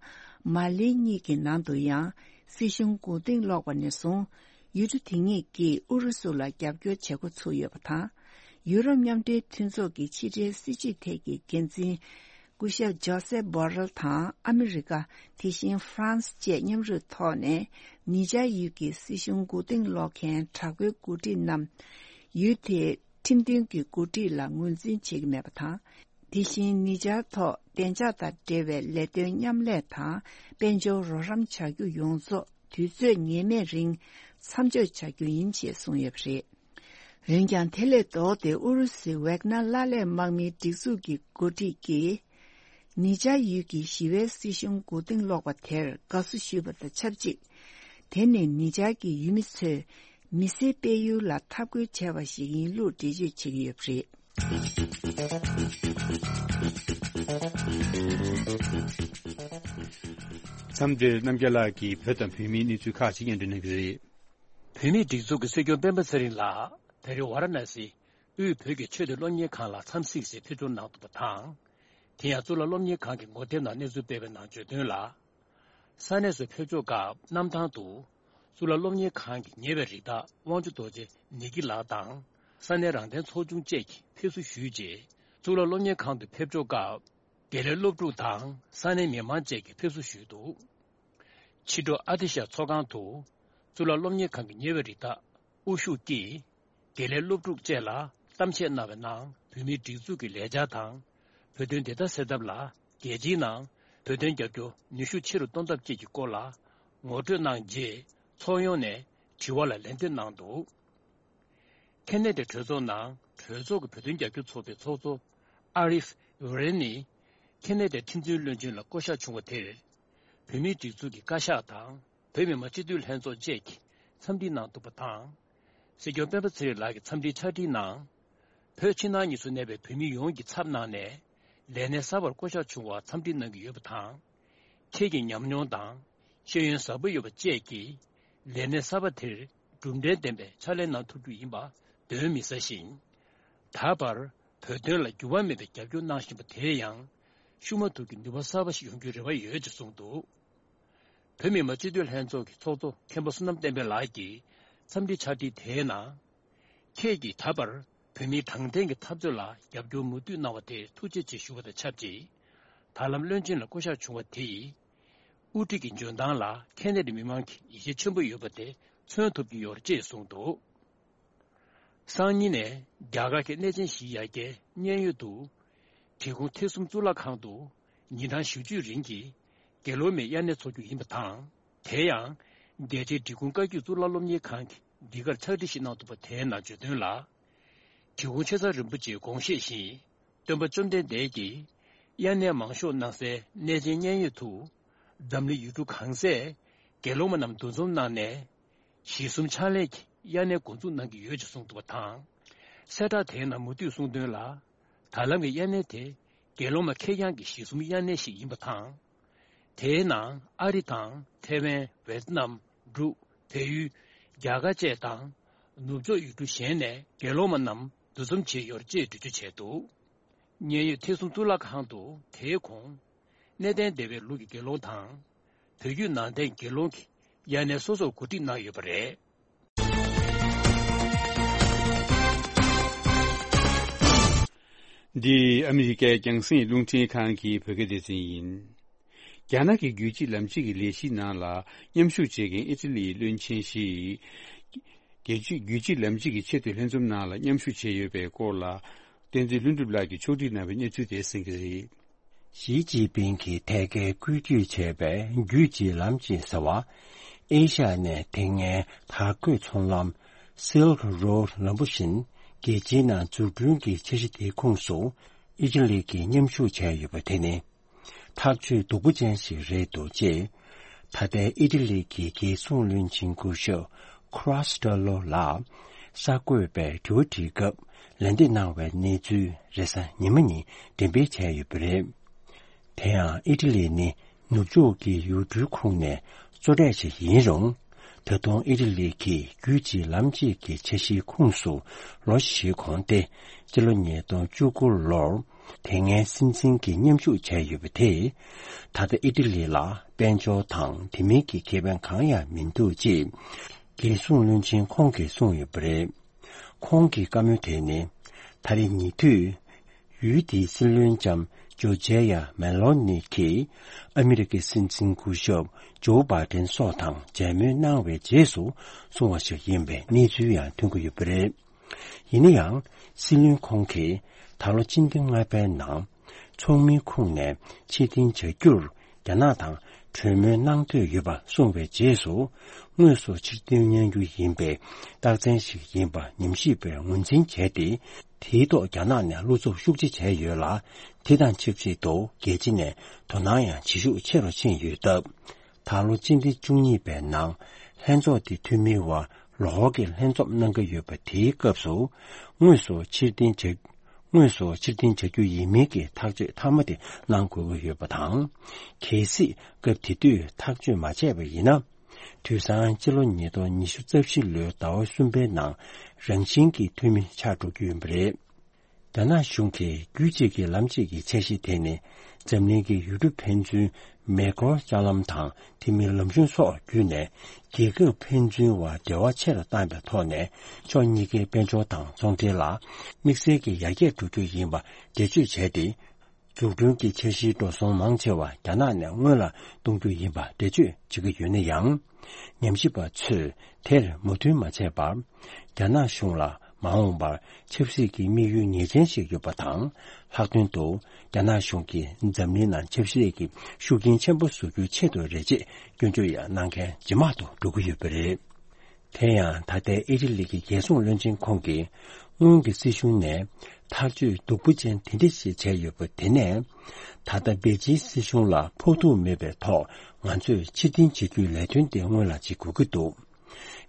མ་ལི་གཉིས་ཀྱི་ནང་དུ་ཡང་སྲིད་གཞུང་མགོ་རྟིང་སློག་པ་ནས་བཟུང་ཡུལ་གྲུ་དེ་གཉིས་ཀྱིས་ཨུ་རུ་སུ་ལ་རྒྱབ་སྐྱོར་བྱེད་འགོ་ཚུགས་ཡོད་པ་དང་། ཡུ་རོབ་མཉམ་འབྲེལ་མཐུན་ཚོགས་ཀྱི་ཕྱི་འབྲེལ་སྲིད་བྱུས་ཐད་ཀྱི་འགན་འཛིན། སྐུ་ཞབས་ཇོ་སེབ་བྷོ་རེལ་དང་ཨ་མི་རི་ཀ། དེ་བཞིན་ཧྥ་རན་སི་བཅས་མཉམ་རུབ་ཐོག་ནས་ནི་ཇར་ཡུལ་གྱི་སྲིད་གཞུང་མགོ་རྟིང་སློག་མཁན་དྲག་པོའི་འགོ་ཁྲིད་རྣམས་ཡུལ་དེའི་ཁྲིམས་མཐུན་གྱི་འགོ་ཁྲིད་ལ་ངོས་འཛིན་བྱེད་ཀྱི་མེད་པ་དང་། དེ་བཞིན་ནི་ཇར་ཐོག་བདེ་འཇགས་དང་འབྲེལ་བའི་ལས་དོན་མཉམ་ལས་དང་དཔལ་འབྱོར་རོགས་རམ་བྱ་རྒྱུ་ཡོངས་རྫོགས་ དུས་ཚོད་ངེས་མེད་རིང་མཚམས་འཇོག་བྱ་རྒྱུ་ཡིན་ཅེས་གསུངས་ཡོད་པ་རེད། འོན་ཀྱང་དེ་ལས་ལྡོག་སྟེ་ཨུ་རུ་སུའི་ཝེག་ནར་ལ་ལས་དམག་མིའི་སྒྲིག་འཛུགས་ཀྱི་འགོ་ཁྲིད་ཀྱིས། ནི་ཇར་ཡུལ་གྱི་ཞི་བའི་སྲིད་གཞུང་མགོ་རྟིང་སློག་པ་དེར་དགའ་བསུ་ཞུས་པ་དང་ཆབས་ཅིག་དེ་ནི་ནི་ཇར་གྱི་ཡུལ་མི་ཚོས་མི་སེར་སྤེལ་ཡུལ་ལ་འཐབ་རྒོལ་བྱས་པ་ཞིག་ཡིན་ལུགས་འགྲེལ་བརྗོད་བྱེད་ཀྱི་ཡོད་པ་རེད། མཚམས་འདིར་རྣམ་རྒྱལ་ལགས་ཀྱིས་བོད་དང་བོད་མིའི་གནས་ཚུལ་ཁག་ཅིག་སྙན་སྒྲོན་གནང་གི་རེད། བོད་མིའི་སྒྲིག་འཛུགས་ཀྱི་སྲིད་སྐྱོང་སྤེན་པ་ཚེ་རིང་ལགས་ད་རེས་ཝཱ་ར་ཎ་སི་དབུས་བོད་ཀྱི་ཆོས་དང་སློབ་གཉེར་ཁང་ལ་འཚམས་གཟིགས་སའི་ཕེབས་འབྱོར་གནང་འདུག་པ་དང་། དེ་ཡང་གཙུག་ལག་སློབ་གཉེར་ཁང་གི་ངོ་དེབ་ནང་གནས་ཚུལ་སྤེལ་བའི་ནང་བརྗོད་དོན་ལ། ས་གནས་སུ་ཕེབས་འབྱོར་སྐབས་གནམ་ཐང་དུ་གཙུག་ལག་སློབ་གཉེར་ཁང་གི་ཉེ་བའི་རིགས་བདག་དབང་ཕྱུག་རྡོ་རྗེ་ནེ་གི་ལགས་དང་ས་གནས་རང་བདེན་ཚོགས་ཆུང་བཅས་ཀྱིས་ཕེབས་བསུ་ཞུས་རྗེས། གཙུག་ལག་སློབ་གཉེར་ཁང་དུ་ཕེབས་འབྱོར་སྐབས་དགེ་ལས་སློབ་ཕྲུག་དང་ས་གནས་མི་མང་བཅས་ཀྱིས་ཕེབས་བསུ་ཞུས་འདུག་ཕྱི་དྲོ་ཨ་ཏི་ཤ་ཚོགས་ཁང་དུ་གཙུག་ལག་སློབ་གཉེར་ཁང་གི་ཉེ་བའི་རིགས་བདག་དབུ་བཞུགས་ཀྱིས། དགེ་ལས་སློབ་ཕྲུག་བཅས་ལ་གཏམ་བཤད་གནང་བའི་ནང་བོད་མིའི་སྒྲིག་འཛུགས་ཀྱི་ལས་འཆར་དང་། བོད་དོན་བདེན་མཐའ་གསལ་ཐབས་ལ་རྒྱལ་སྤྱིའི་ནང་བོད་དོན་རྒྱབ་སྐྱོར་ནུས་ཤུགས་ཆེ་རུ་གཏོང་ཐབས་བཅས་ཀྱི་སྐོར་ལ་ངོ་སྤྲོད་གནང་རྗེས། ཚོགས་ཡོངས་ནས་དྲི་བ་ལ་ལན་འདེབས་གནང་འདུག་ཁེ་ན་ཌའི་གྲོས་ཚོགས་ནང་གྲོས་ཚོགས་ཀྱི་བོད་དོན་རྒྱབ་སྐྱོར་ཚོགས་པའི་ཚོགས་གཙོ་ཨ་རིཕ་ཝེ་རེན་ནི་ཁེ་ན་ཌའི་ཁྲིམས་འཛིན་བློན་ཆེན་ལ་བསྐོ་གཞག་བྱུང་བ་དེར། བོད་མིའི་སྒྲིག་འཛུགས་ཀྱི་བཀའ་ཤག་དང་། བོད་མི་མང་སྤྱི་འཐུས་ལྷན་ཚོགས་བཅས་ཀྱིས་འཚམས་འདྲི་གནང་འདུག་པ་དང་། སྲིད་སྐྱོང་སྤེན་པ་ཚེ་རིང་ལགས་ཀྱི་འཚམས་འདྲིའི་ཕྱག་བྲིས་ནང་། བོད་ཕྱི་ནང་གཉིས་སུ་གནས་པའི་བོད་མི་ཡོངས་ཀྱི་ཚབ་གནང་ནས། ལས་གནས་གསར་པར་བསྐོ་གཞག་བྱུང་བར་འཚམས་འདྲི་གནང་གི་ཡོད་པ་དང་། ཁྱེད་ཀྱི་ཉམས་མྱོང་དང་། ཤེས་ཡོན་ཟབ་པོ་ཡོད་པ་བཅས་ཀྱིས། ལས་གནས་གསར་པ་དེར་གྲུབ་འབྲས་ལྡན་པའི་ཕྱག་ལས་གནང་ཐུབ་རྒྱུ་ཡིན་པ་གདོན་མི་ཟ་ཞིང་། ད་བར་བོད་དོན་ལ་འགྱུར་བ་མེད་པའི་རྒྱབ་སྐྱོར་གནང་བཞིན་པ་དེ་ཡང་ཤུགས་མ་ཐུག་གི་ནུས་པ་གསར་པ་ཞིག་ཡོང་རྒྱུའི་རེ་བ་ཡོད་ཅེས་གསུངས་འདུག་བོད་མི་མང་སྤྱི་འཐུས་ལྷན་ཚོགས་ཀྱི་ཚོགས་གཙོ་མཁན་པོ་བསོད་ནམས་བསྟན་འཕེལ་ལགས་ཀྱིས་འཚམས་འདྲིའི་ཕྱག་བྲིས་དེའི་ནང་། ཁྱེད་ཀྱིས་ད་བར་བོད་མིའི་དྲང་བདེན་གྱི་འཐབ་རྩོད་ལ་རྒྱབ་སྐྱོར་མུ་མཐུད་གནང་བ་དེར་ཐུགས་རྗེ་ཆེ་ཞུ་བ་དང་ཆབས་ཅིག་ད་ལམ་བློན་ཆེན་ལ་བསྐོ་གཞག་བྱུང་བ་དེ་ཡིས། དབུ་ཁྲིད་ཀྱི་འཇོན་ཐང་ལ་ཁེ་ན་ཌའི་མི་མང་གིས་ཡིད་ཆེས་ཆེན་པོ་ཡོད་པ་དེ་མཚོན་ཐུབ་ཀྱི་ཡོད་ཅེས་གསུངས་འདུག་སང་ཉིན་ནས་རྒྱ་གར་གྱི་གནས་ཆེན་བཞིའི་ཡ་གྱལ་མཉན་ཡོད་དུ། འབྲི་གུང་ཐེག་གསུམ་གཙུག་ལག་ཁང་དུ་ཉིན་གྲངས་བཞི་བཅུའི་རིང་གི་དགེ་སློང་མའི་དབྱར་གནས་འཚོགས་རྒྱུ་ཡིན་པ་དང་། དེ་ཡང་རྒྱལ་སྤྱིའི་འབྲི་གུང་བཀའ་བརྒྱུད་གཙུག་ལག་སློབ་གཉེར་ཁང་གིས་འདི་གར་ཕྱག་བྲིས་ཤིག་གནང་འདུག་པ་དེའི་ནང་བརྗོད་དོན་ལ། འབྲི་གུང་ཆེ་ཚང་རིན་པོ་ཆེའི་དགོངས་བཞེད་བཞིན། སྟོན་པ་བཅོམ་ལྡན་འདས་ཀྱིས་དབྱར་གནས་མང་ཤོས་གནང་སའི་གནས་ཆེན་མཉན་ཡོད་དུ། འཛམ་གླིང་ཡུལ་གྲུ་གང་སའི་དགེ་སློང་མ་རྣམས་འདུ་འཛོམས་གནང་ནས། གཞི་གསུམ་ཕྱག་ལས་ཀྱི་དབྱར་གནས་འགོ་འཛུགས་གནང་གི་ཡོད་ཅེས་གསུངས་འདུག་པ་དང་། གསལ་བསྒྲགས་དེའི་ནང་མུ་མཐུད་གསུངས་དོན་ལ། ད་ལམ་གྱི་དབྱར་གནས་དེ་དགེ་སློང་མ་ཁེར་རྐྱང་གི་གཞི་གསུམ་དབྱར་གནས་ཤིག་ཡིན་པ་དང་། དེའི་ནང་ཨ་རི་དང་ཐེ་ཝན། ཝེ་ཏི་ནམ། འབྲུག་བལ་ཡུལ། རྒྱ་གར་བཅས་དང་། ནུབ་ཕྱོགས་ཡུལ་གྲུ་གཞན་ནས་དགེ་སློང་མ་རྣམས་འདུ་འཛོམས་བྱས་ཡོད་ཅེས་འགྲེལ་བརྗོད་བྱས་འདུག་མཉན་ཡོད་ཐེག་གསུམ་གཙུག་ལག་ཁང་དུ་དེའི་གོང་། གནས་བརྟན་སྡེ་བའི་ལུགས་ཀྱི་དགེ་སློང་དང་། བོད་བརྒྱུད་ནང་བསྟན་དགེ་སློང་གིས་དབྱར་གནས་སོ་སོར་གོ་སྒྲིག་གནང་ཡོད་པ་རེད། འདི་ཨ་མི་རི་ཀའི་རྒྱང་སྲིང་རླུང་འཕྲིན་ཁང་གི་བོད་སྐད་སྡེ་ཚན་ཡིན། རྒྱ་ནག་གི་རྒྱུད་གཅིག་ལམ་གཅིག་གི་ལས་གཞིའི་ནང་ལ་མཉམ་ཞུགས་བྱེད་མཁན་ཨི་ཊ་ལིའི་བློན་ཆེན་ཞིག་རྒྱལ་སྤྱིའི་རྒྱུད་གཅིག་ལམ་གཅིག་གི་ཆེས་མཐོའི་ལྷན་འཛོམས་ནང་ལ་མཉམ་ཞུགས་བྱས་ཡོད་པའི་སྐོར་ལ། བསྟན་འཛིན་ལྷུན་གྲུབ་ལགས་ཀྱིས་ཕྱོགས་སྒྲིག་གནང་བའི་གནས་ཚུལ་དེ་གསན་གྱི་རེད། ཞི་ཅིན་ཕིང་གིས་ཐད་ཀར་བཀོད་སྒྲིག་བྱས་པའི་རྒྱུད་གཅིག་ལམ་གཅིག་ཟེར་བ། ཨེ་ཤ་ཡ་ནས་དེ་སྔའི་དར་གོས་ཚོང་ལམ་Silk Road ལམ་བུ་བཞིན་རྒྱལ་སྤྱིའི་ནང་འཛུགས་སྐྲུན་གྱི་འཆར་གཞི་དེའི་ཁོངས་སུ་ཨི་ཊ་ལི་གིས་མཉམ་ཞུགས་བྱས་ཡོད་པ་དེ་ནི། ཐག་གཅོད་སྡུག་པོ་ཅན་ཞིག་རེད་འདུག་ཅེས། ད་ལྟའི་ཨི་ཊ་ལི་གི་རྒྱལ་སྲུང་བློན་ཆེན་སྐུ་ཞབས་Cross Tello ལགས་གསར་འགོད་པས་དྲི་བ་དྲིས་སྐབས་ལན་འདེབས་གནང་བའི་གནས་ཚུལ་རེས་གཟའ་ཉི་མ་ཉིན་འགྲེམས་སྤེལ་བྱས་ཡོད་པ་རེད། དེ་ཡང་ཨི་ཊ་ལི་ནི་ནུབ་ཕྱོགས་ཀྱི་ཡུལ་གྲུའི་ཁོངས་ནས་གཙོ་གྲས་ཤིག་ཡིན་རུང་། ད་དུང་ཨི་ཊ་ལི་གིས་རྒྱུད་གཅིག་ལམ་གཅིག་གི་འཆར་གཞིའི་ཁོངས་སུ་ལོ་བཞི་གོང་སྟེ། སྤྱི་ལོ་ཉིས་སྟོང་བཅུ་དགུ་ལོར་དེ་སྔའི་སྲིད་འཛིན་གྱིས་མཉམ་ཞུགས་བྱས་ཡོད་པ་དེས། ད་ལྟ་ཨི་ཊ་ལི་ལ་དཔལ་འབྱོར་དང་དེ་མིན་གྱི་ཁེ་ཕན་གང་ཡང་མི་འདུག་ཅེས་རྒྱལ་སྲུང་བློན་ཆེན་ཁོང་གིས་གསུངས་ཡོད་པ་རེད། ཁོང་གི་བཀའ་མོལ་དེ་ནི། ད་རེས་ཉེ་དུས། ཡུལ་དེའི་སྲིད་བློན་ལྕམ་ཇོར་ཇི་ཡ་མེ་ལོ་ནི་གིས་ཨ་མི་རི་ཀའི་སྲིད་འཛིན་སྐུ་ཞབས་ཇོ་བྷའི་ཏན་སོགས་དང་མཇལ་མོལ་གནང་བའི་རྗེས་སུ་གསུངས་པ་ཞིག་ཡིན་པའི་གནས་ཚུལ་ཡང་ཐོན་གྱི་ཡོད་པ་རེད། ཡིན་ན་ཡང་། སྲིད་བློན་ཁོང་གིས་ད་ལོ་སྤྱི་ཟླ་ལྔ་པའི་ནང་། ཚོགས་མིའི་ཁོངས་ནས་ཕྱིར་འཐེན་བྱ་རྒྱུར་རྒྱ་ནག་དང་ གྲོས་མོལ་གནང་འདོད་ཡོད་པ་གསུངས་པའི་རྗེས་སུ། དངོས་སུ་ཕྱིར་འཐེན་གནང་རྒྱུ་ཡིན་པའི་རྟགས་མཚན་ཞིག་ཡིན་པ་ཉམས་ཞིབ་པས་ངོས་འཛིན་བྱས་ཏེ། དེའི་ཐོག་རྒྱ་ནག་ནས་བློ་འཚབ་ཤུགས་ཆེ་བྱས་ཡོད་ལ། དེ་དང་ཆབས་ཅིག་ཏུ་རྒྱལ་སྤྱི་ནས་དོ་སྣང་ཡང་བྱེད་ཤུགས་ཆེ་རུ་ཕྱིན་ཡོད་སྟབས། ད་ལོ་སྤྱི་ཟླ་བཅུ་གཉིས་པའི་ནང་ལྷན་ཚོགས་དེ་འཐུས་མིའི་དབར་ལོ་འཁོར་གྱི་ལྷན་འཛོམས་གནང་གི་ཡོད་པ། དེའི་སྐབས་སུ་དངོས་སུ་ཕྱིར་འཐེན་བྱ། དངོས་སུ་ཕྱིར་འཐེན་བྱ་རྒྱུ་ཡིན་མིན་གྱི་ཐག་གཅོད་མཐའ་མ་དེ་གནང་དགོས་ཀྱི་ཡོད་པ་དང་། གལ་སྲིད་སྐབས་དེ་དུས་ཐག་གཅོད་མ་བྱས་པ་ཡིན་ན། དུས་སང་སྤྱི་ལོ་ཉིས་སྟོང་ཉི་ཤུ་རྩ་བཞི་ལོའི་ཟླ་བ་གསུམ་པའི་ནང་རང་བཞིན་གྱིས་འཐུས་མི་ཆགས་འགྲོ་རྒྱུ་ཡིན་པ་རེད། རྒྱ་ནག་གཞུང་གིས་རྒྱུད་གཅིག་གི་ལམ་གཅིག་གི་འཆར་གཞི་དེ་ནི། འཛམ་གླིང་གི་ཡུལ་གྲུ་ཕན་ཚུན་མེ་འཁོར་ལྕགས་ལམ་དང་དེ་མིན་ལམ་གཞུང་སོགས་བརྒྱུད་ནས། རྒྱལ་ཁབ་ཕན་ཚུན་དབར་འབྲེལ་བ་ཆེ་རུ་བཏང་བའི་ཐོག་ནས། ཕྱོགས་གཉིས་ཀའི་དཔལ་འབྱོར་དང་ཚོང་འབྲེལ་ལ་དམིགས་བསལ་གྱི་ཡར་རྒྱས་འགྲོ་རྒྱུ་ཡིན་པ་འགྲེལ་བརྗོད་བྱས་ཏེ། འཛུགས་སྐྲུན་གྱི་འཆར་གཞིའི་འགྲོ་སོང་མང་ཆེ་བ་རྒྱ་ནག་ནས་སྔོན་ལ་གཏོང་རྒྱུ་ཡིན་པ་འགྲེལ་བརྗོད་བྱེད་ཀྱི་ཡོད་ན་ཡང་། ཉམས་ཞིབ་པ་ཚོས་དེར་མོས་མཐུན་མ་བྱས་པར། རྒྱ་ནག་གཞུང་ལ་མ་འོངས་པར་ཆབ་སྲིད་ཀྱི་དམིགས་ཡུལ་ངེས་ཅན་ཞིག་ཡོད་པ་དང་། ལྷག་དོན་དུ་རྒྱ་ནག་གཞུང་གིས་འཛམ་གླིང་ནང་ཆབ་སྲིད་ཀྱི་ཤུགས་རྐྱེན་ཆེན་པོ་བཟོ་རྒྱུའི་ཆེད་དུ་རེད་ཅེས་སྐྱོན་བརྗོད་ཡང་གནང་མཁན་ཇེ་མང་དུ་འགྲོ་གི་ཡོད་པ་རེད། དེ་ཡང་ད་ལྟའི་ཨི་ཊ་ལི་གི་རྒྱལ་སྲུང་བློན་ཆེན་ཁོང་གིས་སྔོན་གྱི་སྲིད་གཞུང་ནས་ཐག་གཅོད་སྡུག་པོ་ཅན་དེ་འདྲ་ཞིག་བྱས་ཡོད་པ་དེ་ནས། ད་ལྟ་པེ་ཅིན་སྲིད་གཞུང་ལ་ཕོག་ཐུག་མེད་པའི་ཐོག་ང་ཚོས་ཕྱིར་འཐེན་བྱེད་རྒྱུའི་ལས་དོན་དེ་སྔོན་ལ་བྱེད་དགོས་ཀྱི་འདུག་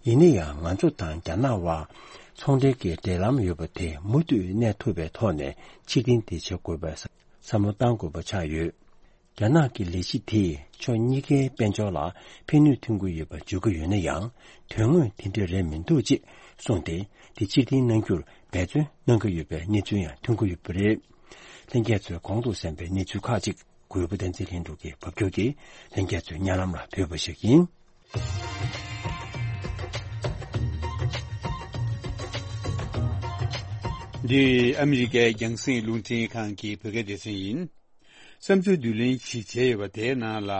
ཡིན་ན་ཡང་ང་ཚོ་དང་རྒྱ་ནག་དབར་ཚོང་འབྲེལ་གྱི་འབྲེལ་ལམ་ཡོད་པ་དེ་མུ་མཐུད་གནས་ཐུབ་པའི་ཐོག་ནས་ཕྱིར་འཐེན་དེ་བྱེད་དགོས་པའི་བསམ་བློ་གཏང་དགོས་པ་ཆགས་ཡོད། རྒྱ་ནག་གི་ལས་གཞི་དེས་ཕྱོགས་གཉིས་ཀའི་དཔལ་འབྱོར་ལ་ཕན་ནུས་ཐོན་གྱི་ཡོད་པ་བརྗོད་ཀྱི་ཡོད་ན་ཡང་། དོན་དངོས་དེ་འདྲ་རེད་མི་འདུག་ཅེས་གསུངས་ཏེ། དེ་ཕྱིར་འཐེན་གནང་རྒྱུར་འབད་བརྩོན་གནང་གི་ཡོད་པའི་གནས་ཚུལ་ཡང་ཐོན་གྱི་ཡོད་པ་རེད། ལྷན་རྒྱས་ཚོས་གོང་དུ་གསན་པའི་གནས་ཚུལ་ཁག་ཅིག་གུས་པ་བསྟན་འཛིན་ལྷུན་གྲུབ་ཀྱིས་ཕབ་སྒྱུར་གྱིས་ལྷན་རྒྱས་ཚོའི་སྙན་ལམ་ལ་ཕུལ་བ་ཞིག་ཡིན། འདི་ཨ་མི་རི་ཀའི་རྒྱང་སྲིང་རླུང་འཕྲིན་ཁང་གི་བོད་སྐད་སྡེ་ཚན་ཡིན། བསམ་ཚུལ་བསྡུ་ལེན་ཞིག་བྱས་ཡོད་པ་དེའི་ནང་ལ།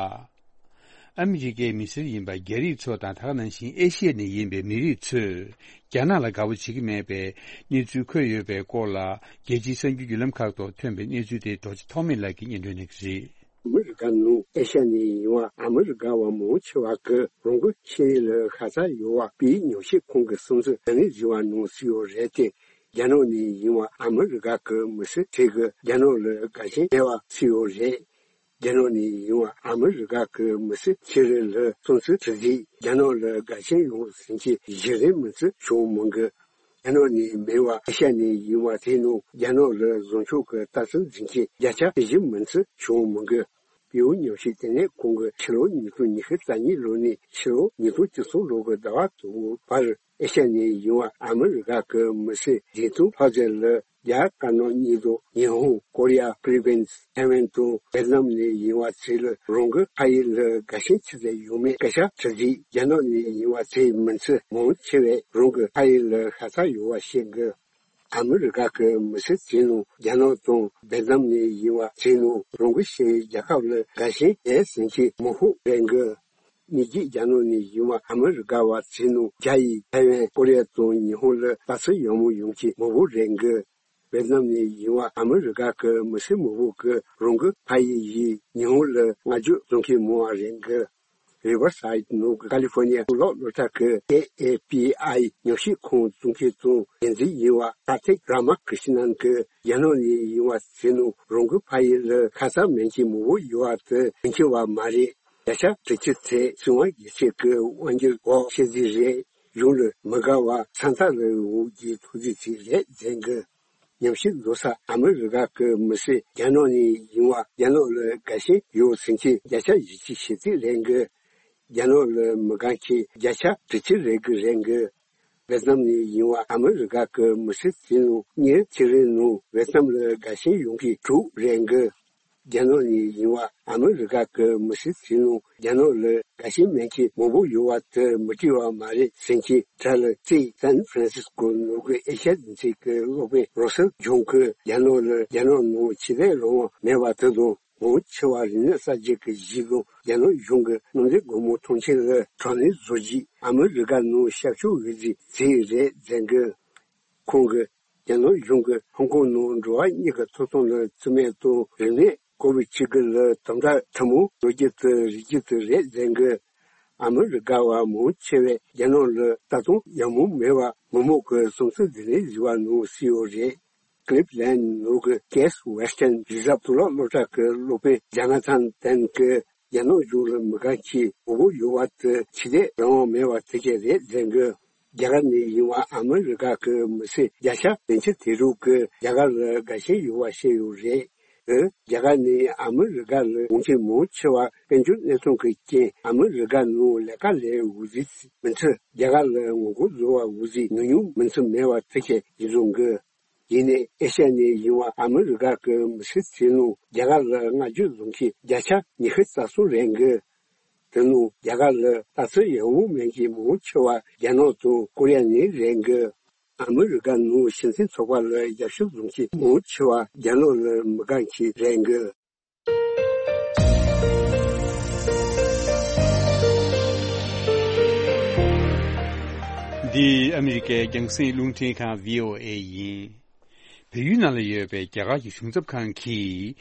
ཨ་མི་རི་ཀའི་མི་སེར་ཡིན་པ་རྒྱ་རིགས་ཚོ་དང་། ད་ག་ནང་བཞིན་ཨེ་ཤི་ཡ་ནས་ཡིན་པའི་མི་རིགས་ཚོས་རྒྱ་ནག་ལ་དགའ་པོ་བྱེད་ཀྱི་མེད་པའི་གནས་ཚུལ་འཁོད་ཡོད་པའི་སྐོར་ལ། རྒྱལ་སྤྱིའི་གསར་འགྱུར་བརྒྱུད་ལམ་ཁག་ཐོག་ཐོན་པའི་གནས་ཚུལ་དེ་རྡོ་རྗེ་ཐོགས་མེད་ལགས་ཀྱིས་སྙན་སྒྲོན་གནང་གི་རེད། ཨ་མི་རི་ཀ་ནང་ཨེ་ཤ་ནས་ཡིན་པ་ཨ་མི་རི་ཀ་བ་མང་ཆེ་བ་གིས་རང་གི་ཤེས་ཡོན་ལ་ཤ་ཚ་ཡོད་པ་པའི་ཉམས་ཞིབ་ཁང་གི་བསམ་ཚུལ་ད་ནས་རིམ་པ་ནང་གསལ་ཡོད་རེད་དེ། རྒྱ་ནག་ནས་ཡིན་པ་ཨ་མི་རི་ཀ་གི་མི་སེར་ཁྲི་གིས་རྒྱ་ནག་ལ་དགའ་ཞེན་ཡོད་པ་གསལ་ཡོད་རེད། རྒྱ་ནག་ནས་ཡིན་པ་ཨ་མི་རི་ཀ་གི་མི་སེར་ཆེ་རིགས་ལ་སོང་ཚུལ་དྲི་རྩིས། རྒྱ་ནག་ལ་དགའ་ཞེན་ཡོད་ཟེར་མཁན་གཞི་རིམ་མིན་ཚུལ་བྱུང་མི་འདུག་རྒྱ་ནག་ནས་མིན་པ་ཨེ་ཤ་ནས་ཡིན་པ་དེ་ནང་རྒྱ་ནག་ལ་བཟང་ཕྱོགས་ཀྱི་ལྟ་ཚུལ་འཛིན་མཁན་བརྒྱ་ཆ་བཞི་མིན་ཚུལ་བྱུང་མི་འདུག་པེའུ་ཉམས་ཞིབ་ལྟེ་གནས་ཁང་གིས་ཕྱི་ལོ་ཉིས་སྟོང་ཉི་ཤུ་རྩ་གཉིས་ལོ་ནས་ཕྱི་ལོ་ཉིས་སྟོང་བཅུ་གསུམ་ལོ་གི་ཟླ་བ་དང་པོའི་བར། ཨེ་ཤ་ནས་ཡིན་པ་ཨ་མི་རི་ཀ་གི་མི་སེར་བདུན་སྟོང་ལྷག་ཙམ་ལ་རྒྱ་དཀར་ནག་གཉིས་དང་ཉི་ཧོང་། ཀོ་རི་ཡ། ཕི་ལི་པིན། ཐའེ་ཝན་དང་ཝེ་ཏི་ནམ་ནས་ཡིན་པ་ཚོ་ལ་རང་གི་ཕ་ཡུལ་ལ་དགའ་ཞེན་ཆེ་ཙམ་ཡོད་མེད་སྐད་ཆ་དྲི་རྩིས། རྒྱ་ནག་ནས་ཡིན་པ་ཚོའི་མི་ཚོ་མང་ཆེ་བས་རང་གི་ཕ་ཡུལ་ལ་ཤ་ཚ་ཡོད་པ་བཤད་གི། ཨ་མི་རི་ཀ་གི་མི་སེར་ཚོའི་ནང་རྒྱ་ནག་དང་ཝེ་ཏི་ནམ་ནས་ཡིན་པ་ཚོའི་ནང་རང་གི་ཤེས་ཡོན་རྒྱལ་ཁབ་ལ་དགའ་ཞེན་ཡོད་ཟེར་མཁན་མང་པོ་རེད་འདུག་ཉིས་བརྒྱ་རྒྱ་ནག་ནས་ཡིན་པ་ཨ་མི་རི་ཀ་བ་ཚོའི་ནང་བརྒྱ་ཡིས་ཐའེ་ཝན། ཀོ་རི་ཡ་དང་ཉི་ཧོང་ལ་ལྟ་ཚུལ་ཡག་མོ་ཡོད་མཁན་མང་པོ་རེད་འདུག་ཝེ་ཏི་ནམ་ནས་ཡིན་པ་ཨ་མི་རི་ཀ་གི་མི་སེར་མང་པོ་གིས་རང་གི་ཕ་ཡུལ་ཡིན་ཉི་ཧོང་ལ་བསྔགས་བརྗོད་བྱེད་མཁན་མང་བ་རེད་འདུག་རི་ཝར་སའིད་ནང་གི་ཀ་ལི་ཧྥོར་ནི་ཡ་གཙུག་ལག་སློབ་གྲྭ་གི་ཨེ་ཨེ་པི་ཨའི་ཉམས་ཞིབ་ཁང་གཙོ་འགན་དང་འགན་འཛིན་ཡིན་པ་ཀར་ཐིག་ར་མ་ཀྲི་ཤི་ནན་གྱིས་རྒྱ་ནག་ནས་ཡིན་པ་ཚོའི་ནང་རང་གི་ཕ་ཡུལ་ལ་ཁ་ཚ་མེད་མཁན་མང་པོ་ཡོད་པ་དེ་མི་འཆི་བ་མ་རེད། བརྒྱ་ཆ་དྲུག་ཅུ་ཚོས་སྲིད་དབང་སྒེར་གཅོད་ཀྱི་དབང་སྒྱུར་འོག་བཤད་རྩིས་རེད། གཞུང་ལ་མི་དགའ་བ་ས་མཐའ་ལ་འོག་གི་ཐུགས་རྗེ་ཆེ་རེད་ཟེར་གི། ཉམས་ཞིབ་བཟོ་ས་ཨ་མི་རི་ཀ་གི་མི་སེར་རྒྱ་ནག་ནས་ཡིན་པ་རྒྱ་ནག་ལ་དགའ་ཞེན་ཡོད་ཟེར་མཁན་བརྒྱ་ཆ་བཞི་བཅུ་ཞེ་གཅིག་རེད་འདུག་རྒྱ་ནག་ལ་མི་དགའ་མཁན་བརྒྱ་ཆ་དྲུག་ཅུ་རེ་དགུ་རེད་འདུག་ཝེ་ཏི་ནམ་ནས་ཡིན་པ་ཨ་མི་རི་ཀ་གི་མི་སེར་ཚོའི་ནང་ཉིས་ཕྱེད་རེའི་ནང་ཝེ་ཏི་ནམ་ལ་དགའ་ཞེན་ཡོད་མཁན་དྲུག་རེད་འདུག་རྒྱ་ནག་ནས་ཡིན་པ་ཨ་མི་རི་ཀ་གི་མི་སེར་ཚོའི་ནང་རྒྱ་ནག་ལ་དགའ་ཞེན་མེད་མཁན་མང་པོ་ཡོད་པ་དེ་མི་འགྲིག་པ་མ་རེད་ཟེར་མཁན་ཊ་ལི་སི་སན་ཧྥ་རན་སིས་ཀོ་ནང་གི་ཨེ་ཤ་ཡ་འཛིན་ཚན་གྱི་སློབ་དཔོན་རོ་སལ་ཇོན་གྱིས་རྒྱ་ནག་ལ་རྒྱ་ནག་ནང་ཆོས་དད་རང་དབང་མེད་པ་དེ་དང་། མང་ཆེ་བ་རིག་གནས་གསར་བརྗེ་གི་གཞི་བཟུང་རྒྱ་ནག་གཞུང་གི་གནམ་བདེ་སྒོ་མོ་ཐང་ཆེན་ལ་དྲག་གནོན་བཟོ་རྒྱུས་ཨ་མི་རི་ཀ་ནང་ཤར་ཕྱོགས་འོས་བསྡུའི་རྩིས་རེད་ཟེར་གི། ཁོང་གིས་རྒྱ་ནག་གཞུང་གིས་ཧོང་ཀོང་ནང་འགྲོ་བ་མིའི་ཐོབ་ཐང་ལ་བརྩི་མེད་དང་རིག་གནས་ ཀོ་བིད་བཅུ་དགུ་ལ་དམ་དྲག་ཐལ་མོ་སྦྱོར་རྒྱུ་དེ་རིགས་རྒྱུ་དེ་རེད་ཟེར་གི། ཨ་མི་རི་ཀ་བ་མང་ཆེ་བས་རྒྱ་ནག་ལ་ད་དུང་ཡང་མུ་མེད་པ་མི་མང་གི་སུམ་རྩེན་འདི་ནས་བཟི་བ་ནང་སྲིད་ཡོད་རེད། ཀི་ལིབ་ལན་ནོར་གི་ཀེ་སི་ཝེ་སི་ཊན་རི་ཛརབ་གཙུག་ལག་སློབ་གྲྭ་གི་སློབ་དཔོན་ཇ་ན་ཐན་ཏན་གི། རྒྱ་ནག་གཞུང་ལ་མི་དགའ་མཁན་མང་པོ་ཡོད་པ་དེ་ཆོས་དད་རང་དབང་མེད་པ་དེ་གས་རེད་ཟེར་གི། རྒྱ་གར་ནས་ཡིན་པ་ཨ་མི་རི་ཀ་གི་མི་སེར་བརྒྱ་ཆ་བདུན་ཅུ་དེ་དྲུག་གིས་རྒྱ་གར་ལ་དགའ་ཞེན་ཡོད་པ་བཤད་ཡོད་རེད། རྒྱ་གར་ནས་ཨ་མི་རི་ཀ་ལ་འོང་མཁན་མང་ཆེ་བ་དཔལ་འབྱོར་གནས་སྟངས་ཀྱི་རྐྱེན་ཨ་མི་རི་ཀ་ནང་ལས་ཀ་ལས་འོས་ཟིན་མི་འཚོལ། རྒྱ་གར་ལ་ངོ་རྒོལ་བཟོ་བ་འོས་ཟིན་ཉུང་ཉུང་མི་འཚོལ་མེད་པ་དེ་གས་ཡིན་བཟོ་གི། ཡིན་ནའི་ཨེ་ཤ་ཡ་ནས་ཡིན་པ་ཨ་མི་རི་ཀ་གི་མི་སེར་ཚོའི་ནང་རྒྱ་གར་ལ་བསྔགས་བརྗོད་བཟོ་མཁན་བརྒྱ་ཆ་ཉི་ཤུ་རྩ་གསུམ་རེད་གི། དེ་ནང་རྒྱ་གར་ལ་ལྟ་ཚུལ་ཡག་པོ་མེད་མཁན་མང་ཆེ་བ་རྒྱ་ནག་དང་ཀོ་རི་ཡ་ནས་རེད་གི། ཨ་མི་རི་ཀ་ནང་ཕྱི་འཐེན་ཚོགས་པ་ལ་རྒྱབ་སྐྱོར་བཟོ་མཁན་མང་ཆེ་བ་རྒྱ་ནག་ལ་མི་དགའ་མཁན་རེད་གི། འདི་ཨ་མི་རི་ཀའི་རྒྱང་སྲིང་རླུང་འཕྲིན་ཁང་བྷི་ཨོ་ཨེ་ཡིན། བལ་ཡུལ་ནང་ལ་ཡོད་པའི་རྒྱ་གར་གྱི་གཞུང་ཚབ་ཁང་གིས།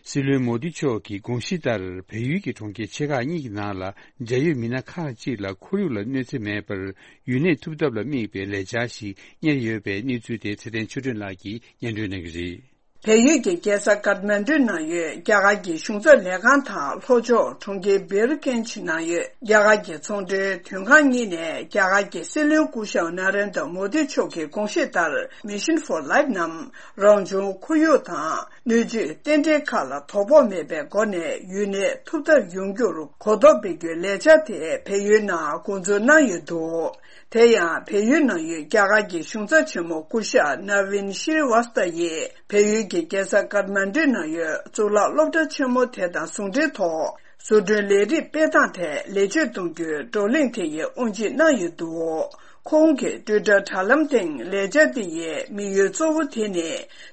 སྲིད་བློན་མོ་དི་མཆོག་གི་དགོངས་གཞི་ལྟར་བལ་ཡུལ་གྱི་གྲོང་ཁྱེར་ཆེ་ཁག་གཉིས་ཀྱི་ནང་ལ་འབྲེལ་ཡོད་མི་སྣ་ཁག་ཅིག་ལ་ཁོར་ཡུག་ལ་གནོད་འཚེ་མེད་པར་ཡུན་གནས་ཐུབ་ཐབས་ལ་དམིགས་པའི་ལས་འཆར་ཞིག་གཉེར་ཡོད་པའི་གནས་ཚུལ་དེ་ཚེ་བརྟན་ཆོས་སྒྲོན་ལགས་ཀྱིས་སྙན་སྒྲོན་གནང་གི་རེད། བལ་ཡུལ་གྱི་རྒྱལ་ས་ཀཏ་མན་གྲུའི་ནང་ཡོད་རྒྱ་གར་གྱི་གཞུང་ཚབ་ལས་ཁང་དང་ལྷོ་ཕྱོགས་གྲོང་ཁྱེར་སྦིར་ཀེན་ཇི་ནང་ཡོད་རྒྱ་གར་གྱི་ཚོང་འབྲེལ་མཐུན་ཁང་གཉིས་ནས་རྒྱ་གར་གྱི་སྲིད་བློན་སྐུ་ཞབས་ན་རེན་དྲ་མོ་དི་མཆོག་གི་དགོངས་གཞི་ལྟར་Mission for Life ནམ་རང་བྱུང་ཁོར་ཡུག་དང་སྣོད་བཅུད་རྟེན་འབྲེལ་ཁག་ལ་དོ་ཕོག་མེད་པའི་སྒོ་ནས་ཡུན་གནས་ཐུབ་ཐབས་ཡོང་རྒྱུར་གོ་རྟོགས་སྤེལ་རྒྱུའི་ལས་འཆར་དེ་བལ་ཡུལ་ནང་འགོ་འཛུགས་གནང་ཡོད་འདུག་དེ་ཡང་བལ་ཡུལ་ནང་ཡོད་རྒྱ་གར་གྱི་གཞུང་ཚབ་ཆེན་མོ་སྐུ་ཞབས་ནཱ་ཝིན་ཤྲི་ཝཱ་སྟ་ཡིས་བལ་ཡུལ་གྱི་རྒྱལ་ས་ཀཏ་མན་གྲུའི་ནང་ཡོད་གཙུག་ལག་སློབ་གྲྭ་ཆེན་མོ་དེ་དང་ཟུང་འབྲེལ་ཐོག་བཟོ་སྐྲུན་ལས་རིགས་སྤེལ་སྟངས་ཐད་ལེགས་བཅོས་གཏོང་རྒྱུའི་བགྲོ་གླེང་དེ་ཡི་དབུ་འབྱེད་གནང་ཡོད་འདུག་ཁོང་གི་ཊུའི་ཊར་དྲ་ལམ་སྟེང་ལས་འཆར་འདི་ཡི་དམིགས་ཡུལ་གཙོ་བོ་དེ་ནི་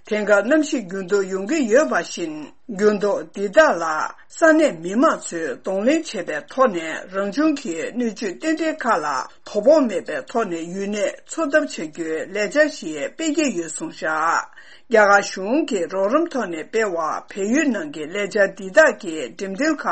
དེང་སྐབས་གནམ་གཤིས་འགྱུར་ལྡོག་ཡོང་གི་ཡོད་པ་བཞིན། འགྱུར་ལྡོག་འདི་དག་ལ་ས་གནས་མི་མང་ཚོས་གདོང་ལེན་བྱེད་པའི་ཐོག་ནས་རང་བྱུང་གི་སྣོད་བཅུད་རྟེན་འབྲེལ་ཁག་ལ་དོ་ཕོག་མེད་པའི་ཐོག་ནས་ཡུན་གནས་འཚོ་ཐབས་བྱ་རྒྱུའི་ལས་འཆར་ཞིག་སྤེལ་གྱི་ཡོད་གསུངས་བཞག་རྒྱ་གར་གཞུང་གི་རོགས་རམ་ཐོག་ནས་སྤེལ་བ་བལ་ཡུལ་ནང་གི་ལས་འཆར་འདི་དག་གི་འགྲེམས་སྟོན་ཁག་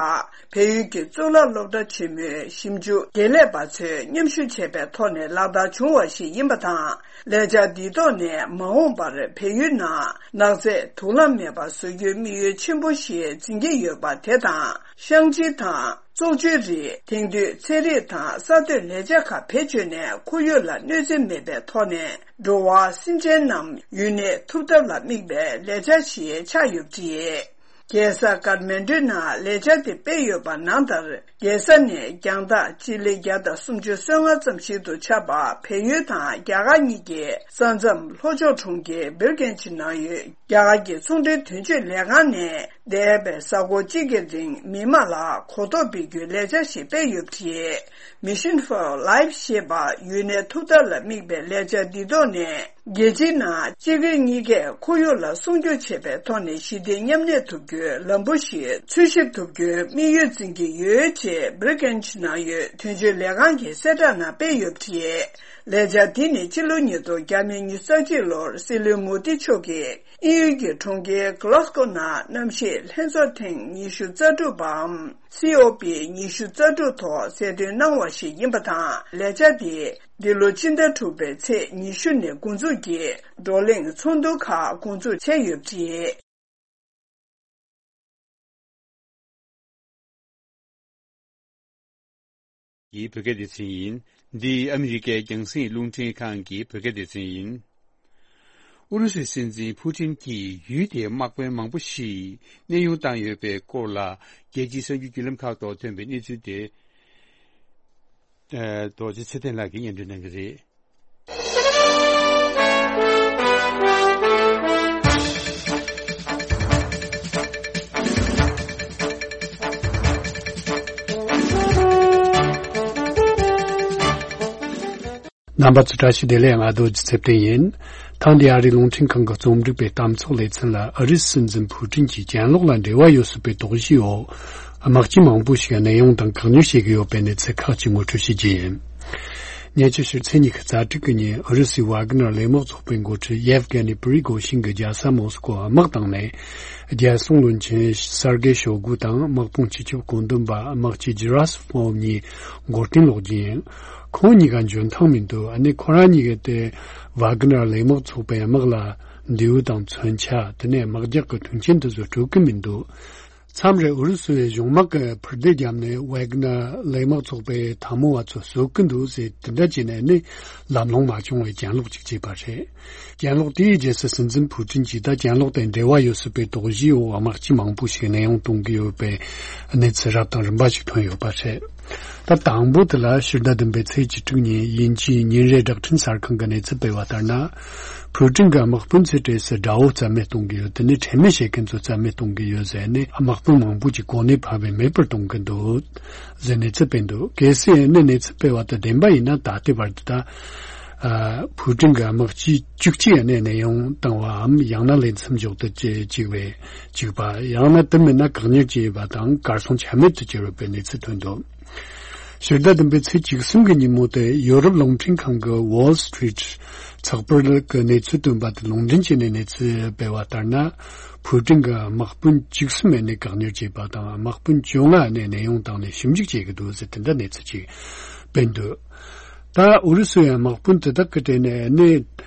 བལ་ཡུལ་གྱི་གཙུག་ལག་སློབ་གྲྭ་ཆེན་མོའི་ཞིབ་འཇུག་དགེ་ལས་པ་ཚོས་མཉམ་ཞུགས་བྱས་པའི་ཐོག་ནས་ལག་བསྟར་བྱུང་བ་ཞིག་ཡིན་པ་དང་། ལས་འཆར་འདིའི་ཐོག་ནས་མ་འོངས་པར་བལ་ཡུལ་ནང་ནགས་ཚལ་དུག་རླངས་མེད་པ་བཟོ་རྒྱུའི་དམིགས་ཡུལ་ཆེན་པོ་ཞིག་འཛིན་གྱི་ཡོད་པ་དེ་དང་། བཤང་གཅི་དང་བཙོག་ཆུའི་རིགས། དེང་དུས་ཚན་རིག་དང་གསར་གཏོད་ལས་འཆར་ཁག་བེད་སྤྱོད་ནས་ཁོར་ཡུག་ལ་གནོད་འཚེ་མེད་པའི་ཐོག་ནས་འགྲོ་བ་སེམས་ཅན་རྣམས་ཡུན་གནས་ཐུབ་ཐབས་ལ་དམིགས་པའི་ལས་འཆར་ཞིག་ཆགས་ཡོད་པ་རེད། རྒྱལ་ས་ཀཏ་མན་གྲུའི་ནང་ལས་འཆར་དེ་སྤེལ་ཡོད་པ་ནང་ལྟར། རྒྱལ་ས་ནས་རྒྱང་ཐག་སྤྱི་ལེ་བརྒྱ་དང་སུམ་ཅུ་སོ་ལྔ་ཙམ་ཞིག་ཏུ་ཆགས་པ་བལ་ཡུལ་དང་རྒྱ་གར་གཉིས་ཀྱི་ས་མཚམས་ལྷོ་ཕྱོགས་གྲོང་ཁྱེར་སྦིར་ཀེན་ཇི་ནང་ཡོད་རྒྱ་གར་གྱི་ཚོང་འབྲེལ་དོན་གཅོད་ལས་ཁང་ནས་འདས་པའི་གཟའ་འཁོར་གཅིག་གི་རིང་མི་མང་ལ་གོ་རྟོགས་སྤེལ་རྒྱུའི་ལས་འཆར་ཞིག་སྤེལ་ཡོད་པ་རེད། Mission for Life ཞེས་པ་ཡུན་གནས་ཐུབ་ཐབས་ལ་དམིགས་པའི་ལས་འཆར་འདིའི་ཐོག་ནས། རྒྱལ་སྤྱིའི་ནང་སྤྱི་སྒེར་གཉིས་ཀས་ཁོར་ཡུག་ལ་སྲུང་སྐྱོབ་བྱེད་པའི་ཐོག་ནས་ཞི་བདེ་མཉམ་གནས་ཐུབ་རྒྱུའི་ལམ་བུ་ཞིག་འཚོལ་ཞིབ་ཐུབ་རྒྱུའི་དམིགས་ཡུལ་འཛིན་གྱི་ཡོད་ཅེས་སྦིར་ཀེན་ཇི་ནང་ཡོད་དོན་གཅོད་ལས་ཁང་གི་གསལ་བསྒྲགས་ནང་སྤེལ་ཡོད་པ་རེད། ལས་འཆར་འདི་ནི་ཕྱི་ལོ་ཉིས་སྟོང་ཉི་ཤུ་རྩ་གཅིག་ལོར་སྲིད་བློན་མོ་དི་མཆོག་གིས་དབྱིན་ཡུལ་གྱི་གྲོང་ཁྱེར་གྷི་ལོ་སི་ཀོ་ནང་གནམ་གཤིས་ལྷན་ཚོགས་ཐེངས་ཉི་ཤུ་རྩ་དྲུག་པའམ། སི་ཨོ་པི་ཉི་ཤུ་རྩ་དྲུག་ཐོག་གསལ་སྟོན་གནང་བ་ཞིག་ཡིན་པ་དང་། ལས་འཆར་འདི་འདི་ལོ་སྤྱི་ཟླ་དྲུག་པའི་ཚེས་ཉི་ཤུ་ནས་འགོ་འཛུགས་ཀྱིས་བགྲོ་གླེང་ཚོགས་འདུ་ཁག་འགོ་འཛུགས་བྱས་ཡོད་པ་རེད། ཡི་བོད་སྐད་སྡེ་ཚན་ཡིན། འདི་ཨ་མི་རི་ཀའི་རྒྱང་སྲིང་རླུང་འཕྲིན་ཁང་གི་བོད་སྐད་སྡེ་ཚན་ཡིན། ཨུ་རུ་སུའི་སྲིད་འཛིན་ཕུ་ཊིན་གྱིས་ཡུལ་དེའི་དམག་དཔོན་མང་པོ་ཞིག་གནས་དབྱུང་བཏང་ཡོད་པའི་སྐོར་ལ། རྒྱལ་སྤྱིའི་གསར་འགྱུར་བརྒྱུད་ལམ་ཁག་ཐོག་ཐོན་པའི་གནས་ཚུལ་དེ། ཨ། རྡོ་རྗེ་ཚེ་བརྟན་ལགས་ཀྱིས་སྙན་སྒྲོན་གནང་གི་རེད། རྣམ་པ་ཚོ་བཀྲ་ཤིས་བདེ་ལེགས། ང་རྡོ་རྗེ་ཚེ་བརྟན་ཡིན། ཐེངས་འདིའི་ཨ་རིའི་རླུང་འཕྲིན་ཁང་གི་རྩོམ་སྒྲིག་པའི་གཏམ་ཚོགས་ལེ་ཚན་ལ་ཨ་རིའི་སྲིད་འཛིན་ཕུ་ཀྲིན་གྱིས་གྱེན་ལོག་ལ་འབྲེལ་བ་ཡོད་སྲིད་པའི་དོགས་གཞིའི་འོག་དམག་སྤྱི་མང་པོ་ཞིག་གནས་དབྱུང་དང་བཀག་ཉར་བྱེད་ཀྱི་ཡོད་པའི་གནས་ཚུལ་ཁག་ཅིག་ངོ་སྤྲོད་བྱེད་རྒྱུ་ཡིན། ཉེ་ཆར་ཕྱི་ཚེས་ཉི་ཤུ་རྩ་དྲུག་གི་ཉིན་ཨུ་རུ་སུའི་ཝཱ་གི་ནར་ལས་དམག་ཚོགས་པའི་འགོ་ཁྲིད་ཡེབ་གྷེ་ནི་པི་རི་གོ་ཤིན་གྱིས་རྒྱལ་ས་མོ་སི་ཀོ་དམག་བཏང་ནས། རྒྱལ་སྲུང་བློན་ཆེན་སར་གེ་ཤོ་གུ་དང་དམག་དཔུང་སྤྱི་ཁྱབ་བཀོད་འདོམས་པ་དམག་སྤྱི་ཇི་ར་སི་ཕོབ་གཉིས་མགོ་རྟིང་སློག་རྒྱུ་ཡིན། ཁོང་གཉིས་ཀ་འཇོན་ཐང་མི་འདུག་ཨ་ནི་ཁོ་རང་གཉིས་ཀས་དེ་ཝཱ་གི་ནར་ལས་དམག་ཚོགས་པའི་དམག་ལ་འདེའུ་དང་མཚོན་ཆ། དེ་ནས་དམག་རྒྱགས་ཀྱི་མཐུན་རྐྱེན་དེ་ཚོ་སྤྲོད་ཀྱི་མི་འདུག་མཚམས་རེ་ཨུ་རུ་སུ་ཡི་གཞུང་དམག་གིས་འཕུར་མདེལ་བརྒྱབ་ནས་ཝེག་ནར་ལས་དམག་ཚོགས་པའི་འཐབ་མོ་བ་ཚོ་གསོད་ཀྱི་འདུག་ཟེར་དེ་འདྲ་བྱས་ནས་ནི་ལམ་ལྷོང་མ་བྱུང་བའི་གྱེན་ལོག་ཅིག་བྱས་པ་རེད། གྱེན་ལོག་དེའི་རྗེས་སུ་སྲིད་འཛིན་ཕུའུ་ཀྲིན་གྱིས་ད་གྱེན་ལོག་དེ་འབྲེལ་བ་ཡོད་སྲིད་པའི་དོགས་གཞིའི་འོག་དམག་སྤྱི་མང་པོ་ཞིག་གནས་དབྱུང་གཏོང་གི་ཡོད་པའི་གནས་ཚུལ་རབ་དང་རིམ་པ་ཞིག་ཐོན་ཡོད་པ་རེད། ད་དང་པོ་དེ་ལ་ཕྱི་ཟླ་བདུན་པའི་ཚེས་བཅུ་དྲུག་ཉིན་དབྱིན་ཇིའི་ཉིན་རེའི་བསྒྲགས་འཕྲིན་གསར་ཁང་གིས་གནས་ཚུལ་སྤེལ་བ་ལྟར་ན། ཕུའུ་ཀྲིན་གྱི་དམག་དཔོན་ཚོའི་གྲས་སུ་དགྲ་བོ་རྩ་མེད་གཏོང་གི་ཡོད། དེ་ནི་ཁྲེལ་མེད་བྱེད་མཁན་ཚོ་རྩ་མེད་གཏོང་གི་ཡོད་ཟེར་ནས་དམག་དཔོན་མང་པོ་ཅིག་གོ་གནས་ཕབ་པས་མེད་པར་གཏོང་གི་འདུག་ཟེར་གནས་ཚུལ་སྤེལ་འདུག་གལ་སྲིད་ཨ་ནི་གནས་ཚུལ་སྤེལ་བ་དེ་བདེན་པ་ཡིན་ན་ད་ལྟའི་བར་དུ་ད། ཨ། ཕུའུ་ཀྲིན་གྱི་དམག་སྤྱི་བཅུ་གཅིག་ཨ་ནི་གནས་དབྱུང་བཏང་བའམ་ཡང་ན་ལས་མཚམས་འཇོག་ཏུ་བཅུག་པའི་བཅུག་པ། ཡང་ན་དེ་མིན་ན་བཀག་ཉར་བྱས་པ་དང་གར་སོང་ཆ་མེད་དུ་གྱུར་ཡོད་པའི་གནས་ཚུལ་ཐོན་འདུག་ཕྱི་ཟླ་བདུན་པའི་ཚེས་བཅུ་གསུམ་གྱི་ཉིན་མོ་དེ་ཡོ་རོབ་རླུང་འཕྲིན་ཁང་གི་Wall Street་ཚགས་པར་གྱི་གནས་ཚུལ་བཏོན་པ་དེ་ལུང་འདྲེན་བྱས་ནས་གནས་ཚུལ་སྤེལ་བ་ལྟར་ན། ཕུའུ་ཀྲིན་གྱི་དམག་དཔོན་བཅུ་གསུམ་ནས་བཀག་ཉར་བྱས་པ་དང་དམག་དཔོན་བཅོ་ལྔ་ནས་གནས་དབྱུང་བཏང་ནས་ཞིབ་འཇུག་བྱེད་ཀྱི་འདུག་ཟེར་དེ་འདྲ་གནས་ཚུལ་ཅིག་སྤེལ་འདུག་ད་ཨུ་རུ་སུའི་དམག་དཔོན་དེ་དག་གི་གྲས་ནས་ནི་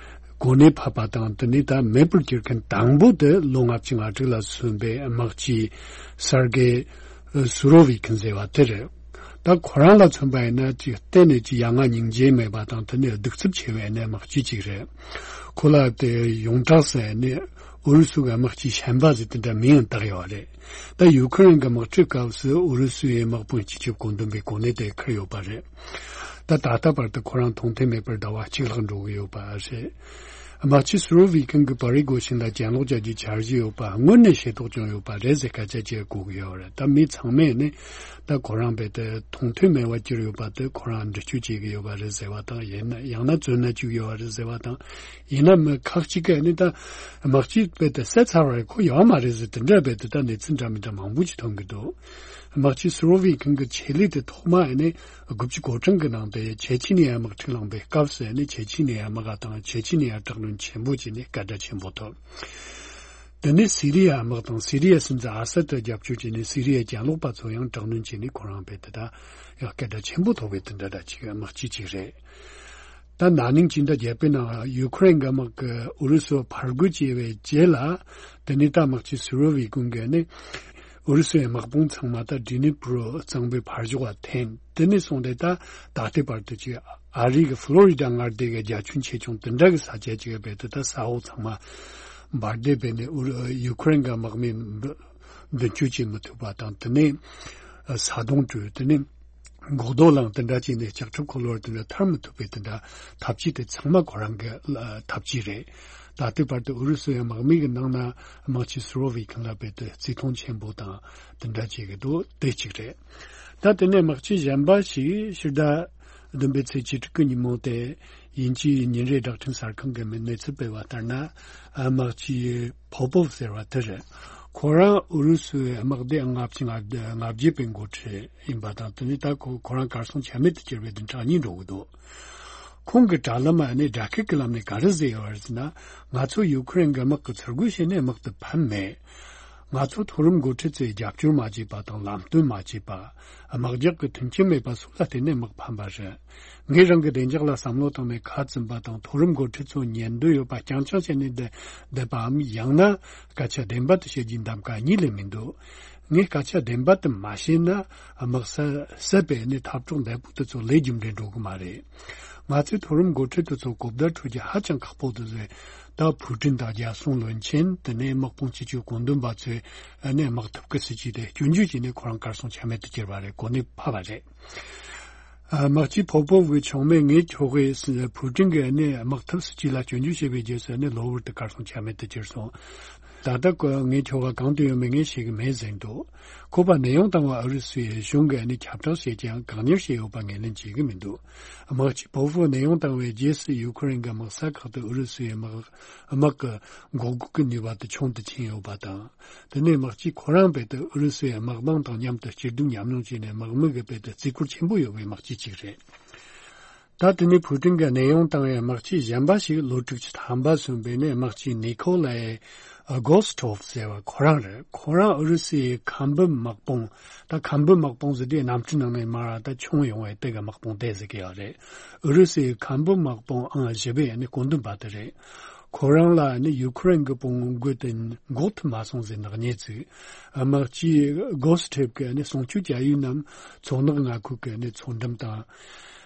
གོ་གནས་ཕབ་པ་དང་དེ་ནས་ད་མེད་པར་གྱུར་མཁན་དང་པོ་དེ་ལོ་ལྔ་བཅུ་ང་དྲུག་ལ་སོན་པའི་དམག་སྤྱི་སར་གེ་སུ་རོ་བི་ཁིན་ཟེར་བ་དེ་རེད། ད་ཁོ་རང་ལ་མཚོན་པ་ཡིན་ན་ཅིག་གཏན་ནས་ཅིག་ཡ་ང་སྙིང་རྗེ་མེད་པ་དང་དེ་ནས་གདུག་རྩུབ་ཆེ་བའི་ནས་དམག་སྤྱི་ཅིག་རེད། ཁོ་ལ་དེ་ཡོངས་གྲགས་སུ་ནས་ཨུ་རུ་སུ་གི་དམག་སྤྱི་ཞན་པ་ཟེར་དེ་འདྲ་མིང་ཡང་བཏགས་ཡོད་རེད། ད་ཡུ་ཁུ་རེན་གྱི་དམག་འཁྲུག་སྐབས་སུ་ཨུ་རུ་སུའི་དམག་དཔོན་སྤྱི་ཁྱབ་བཀོད་འདོམས་པའི་གོ་གནས་དེ་འཁུར་ཡོད་པ་རེད། ད་ད་ལྟ་བར་དུ་ཁོ་རང་མཐོང་ཐོས་མེད་པར་ཟླ་བ་གཅིག་ལྷག་འགྲོ་གི་ཡོད་པ་རེད། དམག་སྤྱི་སུ་རོ་བི་ཀིན་གྱིས་པ་རི་གོ་ཤིན་ལ་གྱེན་ལོག་བྱ་རྒྱུའི་འཆར་གཞི་ཡོད་པ་སྔོན་ནས་ཤེས་རྟོགས་བྱུང་ཡོད་པ་རེད་ཟེར་སྐད་ཆ་བཤད་གོ་གི་ཡོད་རེད། ད་མི་ཚང་མས་ནི་ད་ཁོ་རང་རྦད་དེ་མཐོང་ཐོས་མེད་པར་གྱུར་ཡོད་པ་དེ་ཁོ་རང་འདྲི་གཅོད་བྱེད་ཀྱི་ཡོད་པ་རེད་ཟེར་བ་དང་། ཡིན་ན་ཡང་ན་བཙོན་ན་བཅུག་ཡོད་པ་རེད་ཟེར་བ་དང་། ཡིན་ན་མི་ཁག་ཅིག་གིས་ནི་ད་དམག་སྤྱི་རྦད་དེ་བསད་ཚར་བ་རེད། ཁོ་ཡོད་མ་རེད་ཟེར་དེ་འདྲ་རྦད་དེ་ད་གནས་ཚུལ་འདྲ་མི་འདྲ་མང་པོ་ཅིག་ཐོན་གྱི་འདུག་དམག་སྤྱི་སུ་རོ་བི་ཀིན་གྱི་ཆེད་ལས་དེ་ཐོག་མ་ནི་དགུ་བཅུ་གོ་གྲངས་ཀྱི་ནང་དུ་ཆེ་ཆི་ནི་ཡ་དམག་འཁྲུག་ལངས་པའི་སྐབས་སུ་ནི་ཆེ་ཆི་ནི་ཡ་དམག་དང་ཆེ་ཆི་ནི་ཡ་དྲག་གནོན་ཆེན་པོ་བྱས་ནས་སྐད་གྲགས་ཆེན་པོ་ཐོབ། དེ་ནས་སི་རི་ཡ་དམག་དང་སི་རི་ཡའི་སྲིད་འཛིན་ཨ་སད་དེ་རྒྱབ་སྐྱོར་བྱས་ནས་སི་རི་ཡའི་གྱེན་ལོག་པ་ཚོ་ཡང་དྲག་གནོན་བྱས་ནས་ཁོ་རང་རྦད་དེ་ད་ཡང་སྐད་གྲགས་ཆེན་པོ་ཐོབ་པའི་དེ་འདྲ་འདྲ་ཅིག་དམག་སྤྱི་ཅིག་རེད། ད་ན་ནིང་སྤྱི་ཟླ་བརྒྱད་པའི་ནང་ཡུ་ཁུ་རེན་གྱི་དམག་གིས་ཨུ་རུ་སུ་ཕར་རྒོལ་བྱས་པའི་རྗེས་ལ། དེ་ནས་ད་དམག་སྤྱི་སུ་རོ་བི་ཀིན་གྱིས་ནི་ཨུ་རུ་སུའི་དམག་དཔུང་ཚང་མ་ད་ཌི་ནི་པྲོ་གཙང་པོའི་ཕར་ཕྱོགས་ལ་འཐེན། དེ་ནས་བཟུང་སྟེ་ད་ད་ལྟའི་བར་དུ་ཅིག་ཨ་རི་གི་ཕློ་རི་ཌ་མངའ་སྡེ་གི་རྒྱ་ཁྱོན་ཆེ་ཆུང་དེ་འདྲ་གི་ས་ཆ་ཅིག་རྦད་དེ་ད་ས་འོག་ཚང་མ་འབར་མདེལ་སྤེལ་ནས་ཨུ་རུ་ཡུ་ཁུ་རེན་གྱི་དམག་མི་མདུན་སྐྱོད་བྱེད་མི་ཐུབ་པ་དང་། དེ་ནས་ས་དོང་བྲུས། དེ་ནས་འགོག་རྡོ་བསླངས། དེ་འདྲ་བྱས་ནས་ལྕགས་ཁྲབ་འཁོར་ལོ་དེ་འདྲ་ཐར་མི་ཐུབ་པའི་དེ་འདྲ་ཐབས་ཇུས་དེ་ཚང་མ་ཁོ་རང་གི་ཐབས་ཇུས་རེད། ད་ལྟའི་བར་དུ་ཨུ་རུ་སུའི་དམག་མི་གི་ནང་ན་དམག་སྤྱི་སུ་རོ་བི་ཀིན་ལ་རྦད་དེ་བརྩི་མཐོང་ཆེན་པོ་དང་དེ་འདྲ་བྱེད་ཀྱི་འདུག་དེ་གཅིག་རེད། ད་དེ་ནས་དམག་སྤྱི་གཞན་པ་ཞིག་ཕྱི་ཟླ་བདུན་པའི་ཚེས་བཅུ་དྲུག་གི་ཉིན་མོ་དེ་དབྱིན་ཇིའི་ཉིན་རེའི་བསྒྲགས་འཕྲིན་གསར་ཁང་གིས་གནས་ཚུལ་སྤེལ་བ་ལྟར་ན། དམག་སྤྱི་པོ་པོབ་ཟེར་བ་དེ་རེད། ཁོ་རང་ཨུ་རུ་སུའི་དམག་སྡེ་ལྔ་བཅུ་ང་བརྒྱད་པའི་འགོ་ཁྲིད་ཡིན་པ་དང་། དེ་ནས་ད་ཁོ་ཁོ་རང་གར་སོང་ཆ་མེད་དུ་གྱུར་བའི་བདུན་ཕྲག་གཉིས་འགྲོ་གི་འདུག་ཁོང་གི་དྲ་ལམ་ནས་དྲ་སྐད་ཀྱི་ལམ་ནས་ག་རེ་ཟེར་ཡོད་རེད་ཟེར་ན། ང་ཚོ་ཡུ་ཁུ་རེན་གྱི་དམག་གིས་ཚུར་རྒོལ་བྱས་ནས་དམག་དེ་ཕམ་མེད། ང་ཚོ་མཐོ་རིམ་འགོ་ཁྲིད་ཚོས་རྒྱབ་སྐྱོར་མ་བྱས་པ་དང་ལམ་སྟོན་མ་བྱས་པ། དམག་རྒྱགས་ཀྱི་མཐུན་རྐྱེན་མེད་པ་སོགས་ལ་བརྟེན་ནས་དམག་ཕམ་པ་རེད། ངས་རང་གི་བདེ་འཇགས་ལ་བསམ་བློ་བཏང་ནས་ཁ་བཙུམ་པ་དང་མཐོ་རིམ་འགོ་ཁྲིད་ཚོ་ཉན་འདོད་ཡོད་པ་རྐྱང་རྐྱང་བྱས་ནས་བསྡད་བསྡད་པའམ། ཡང་ན་སྐད་ཆ་བདེན་པ་དེ་བཤད་རྒྱུའི་གདམ་ག་གཉིས་ལས་མི་འདུག་ངས་སྐད་ཆ་བདེན་པ་དེ་མ་བཤད་ན་དམག་ས་བསད་པའི་ནི་འཐབ་གྲོགས་འདས་པོ་དེ་ཚོ་ལས་རྒྱུ་འབྲས་འགྲོ་གི་མ་རེད། ང་ཚོའི་མཐོ་རིམ་འགོ་ཁྲིད་དེ་ཚོ་གོ་བརྡ་འཕྲོད་རྒྱུ་ཧ་ཅང་ཁག་པོ་འདུག་ཟེར། ད་ཕུའུ་ཀྲིན་དང་རྒྱལ་སྲུང་བློན་ཆེན། དེ་ནས་དམག་དཔུང་སྤྱི་ཁྱབ་བཀོད་འདོམས་པ་ཚོས་ནས་དམག་འཐབ་ཀྱི་སྲིད་ཇུས་དེ་སྐྱོན་བརྗོད་བྱས་ནས་ཁོ་རང་གར་སོང་ཆ་མེད་དུ་གྱུར་བ་རེད། གོ་གནས་ཕབ་པ་རེད། ཨ། དམག་སྤྱི་པོ་པོབ་ཀྱི་ཆུང་མས་ངའི་ཁྱོ་གས་ཕུའུ་ཀྲིན་གྱིས་ནི་དམག་འཐབ་སྲིད་ཇུས་ལ་སྐྱོན་བརྗོད་བྱས་པའི་རྗེས་སུ་ནི་གློ་བུར་དུ་གར་སོང་ཆ་མེད་དུ་གྱུར་སོང་། ད་ལྟ་ཁོ་ངའི་ཁྱོ་ག་གང་དུ་ཡོད་མེད་ངས་ཤེས་ཀྱི་མེད་ཟེར་འདུག་ཁོ་པ་གནས་དབྱུང་བཏང་བ་ཨུ་རུ་སུའི་གཞུང་གིས་ནི་ཁྱབ་བསྒྲགས་བྱས་ཀྱང་བཀག་ཉར་བྱས་ཡོད་པ་ངོས་ལེན་བྱེད་ཀྱི་མི་འདུག་དམག་སྤྱི་པོ་པོབ་གནས་དབྱུང་བཏང་བའི་རྗེས་སུ་ཡུ་ཁུ་རེན་གྱི་དམག་ས་ཁག་ཏུ་ཨུ་རུ་སུའི་དམག་དམག་གི་འགོག་རྒོལ་གྱི་ནུས་པ་དེ་ཆུང་དུ་ཕྱིན་ཡོད་པ་དང་། དེ་ནས་དམག་སྤྱི་ཁོ་རང་རྦད་དེ་ཨུ་རུ་སུའི་དམག་དཔུང་དང་མཉམ་དུ་སྐྱིད་སྡུག་མཉམ་མྱོང་བྱས་ནས་དམག་མི་གི་རྦད་དེ་བརྩི་བཀུར་ཆེན་པོ་ཡོད་པའི་དམག་སྤྱི་ཅིག་རེད། ད་ ད་དེ་ནས་ཕུའུ་ཀྲིན་གྱིས་གནས་དབྱུང་བཏང་བའི་དམག་སྤྱི་གཞན་པ་ཞིག་ལོ་དྲུག་ཅུ་ཐམ་པ་སོན་པའི་ནས་དམག་སྤྱི་ནི་ཁོ་ལའེ་གོ་སི་ཐོབ་ཟེར་བ་ཁོ་རང་རེད། ཁོ་རང་ཨུ་རུ་སུའི་ཁམས་བུམ་དམག་དཔུང་། ད་ཁམས་བུམ་དམག་དཔུང་ཟེར་དུས་གནམ་གྲུ་ནང་ནས་མར་ད་མཆོང་ཡོང་བའི་དེ་ག་དམག་དཔུང་དེ་ཟེར་གི་ཡོད་རེད། ཨུ་རུ་སུའི་ཁམས་བུམ་དམག་དཔུང་ཨང་བཞི་པའི་ནི་བཀོད་འདོམས་པ་དེ་རེད། ཁོ་རང་ལ་ནི་ཡུ་ཁུ་རེན་གྱི་དཔུང་དགོས་དེ་འགོག་ཐུབ་མ་སོང་ཟེར་ནག་ཉེས་བཙུགས། དམག་སྤྱི་གོ་སི་ཐེབ་ཀྱིས་ནི་སྲུང་སྐྱོབ་བྱ་ཡུལ་རྣམས་མཚོ་ནག་མངའ་ཁུལ་གྱི་ནི་མཚོ་འགྲམ་དང་།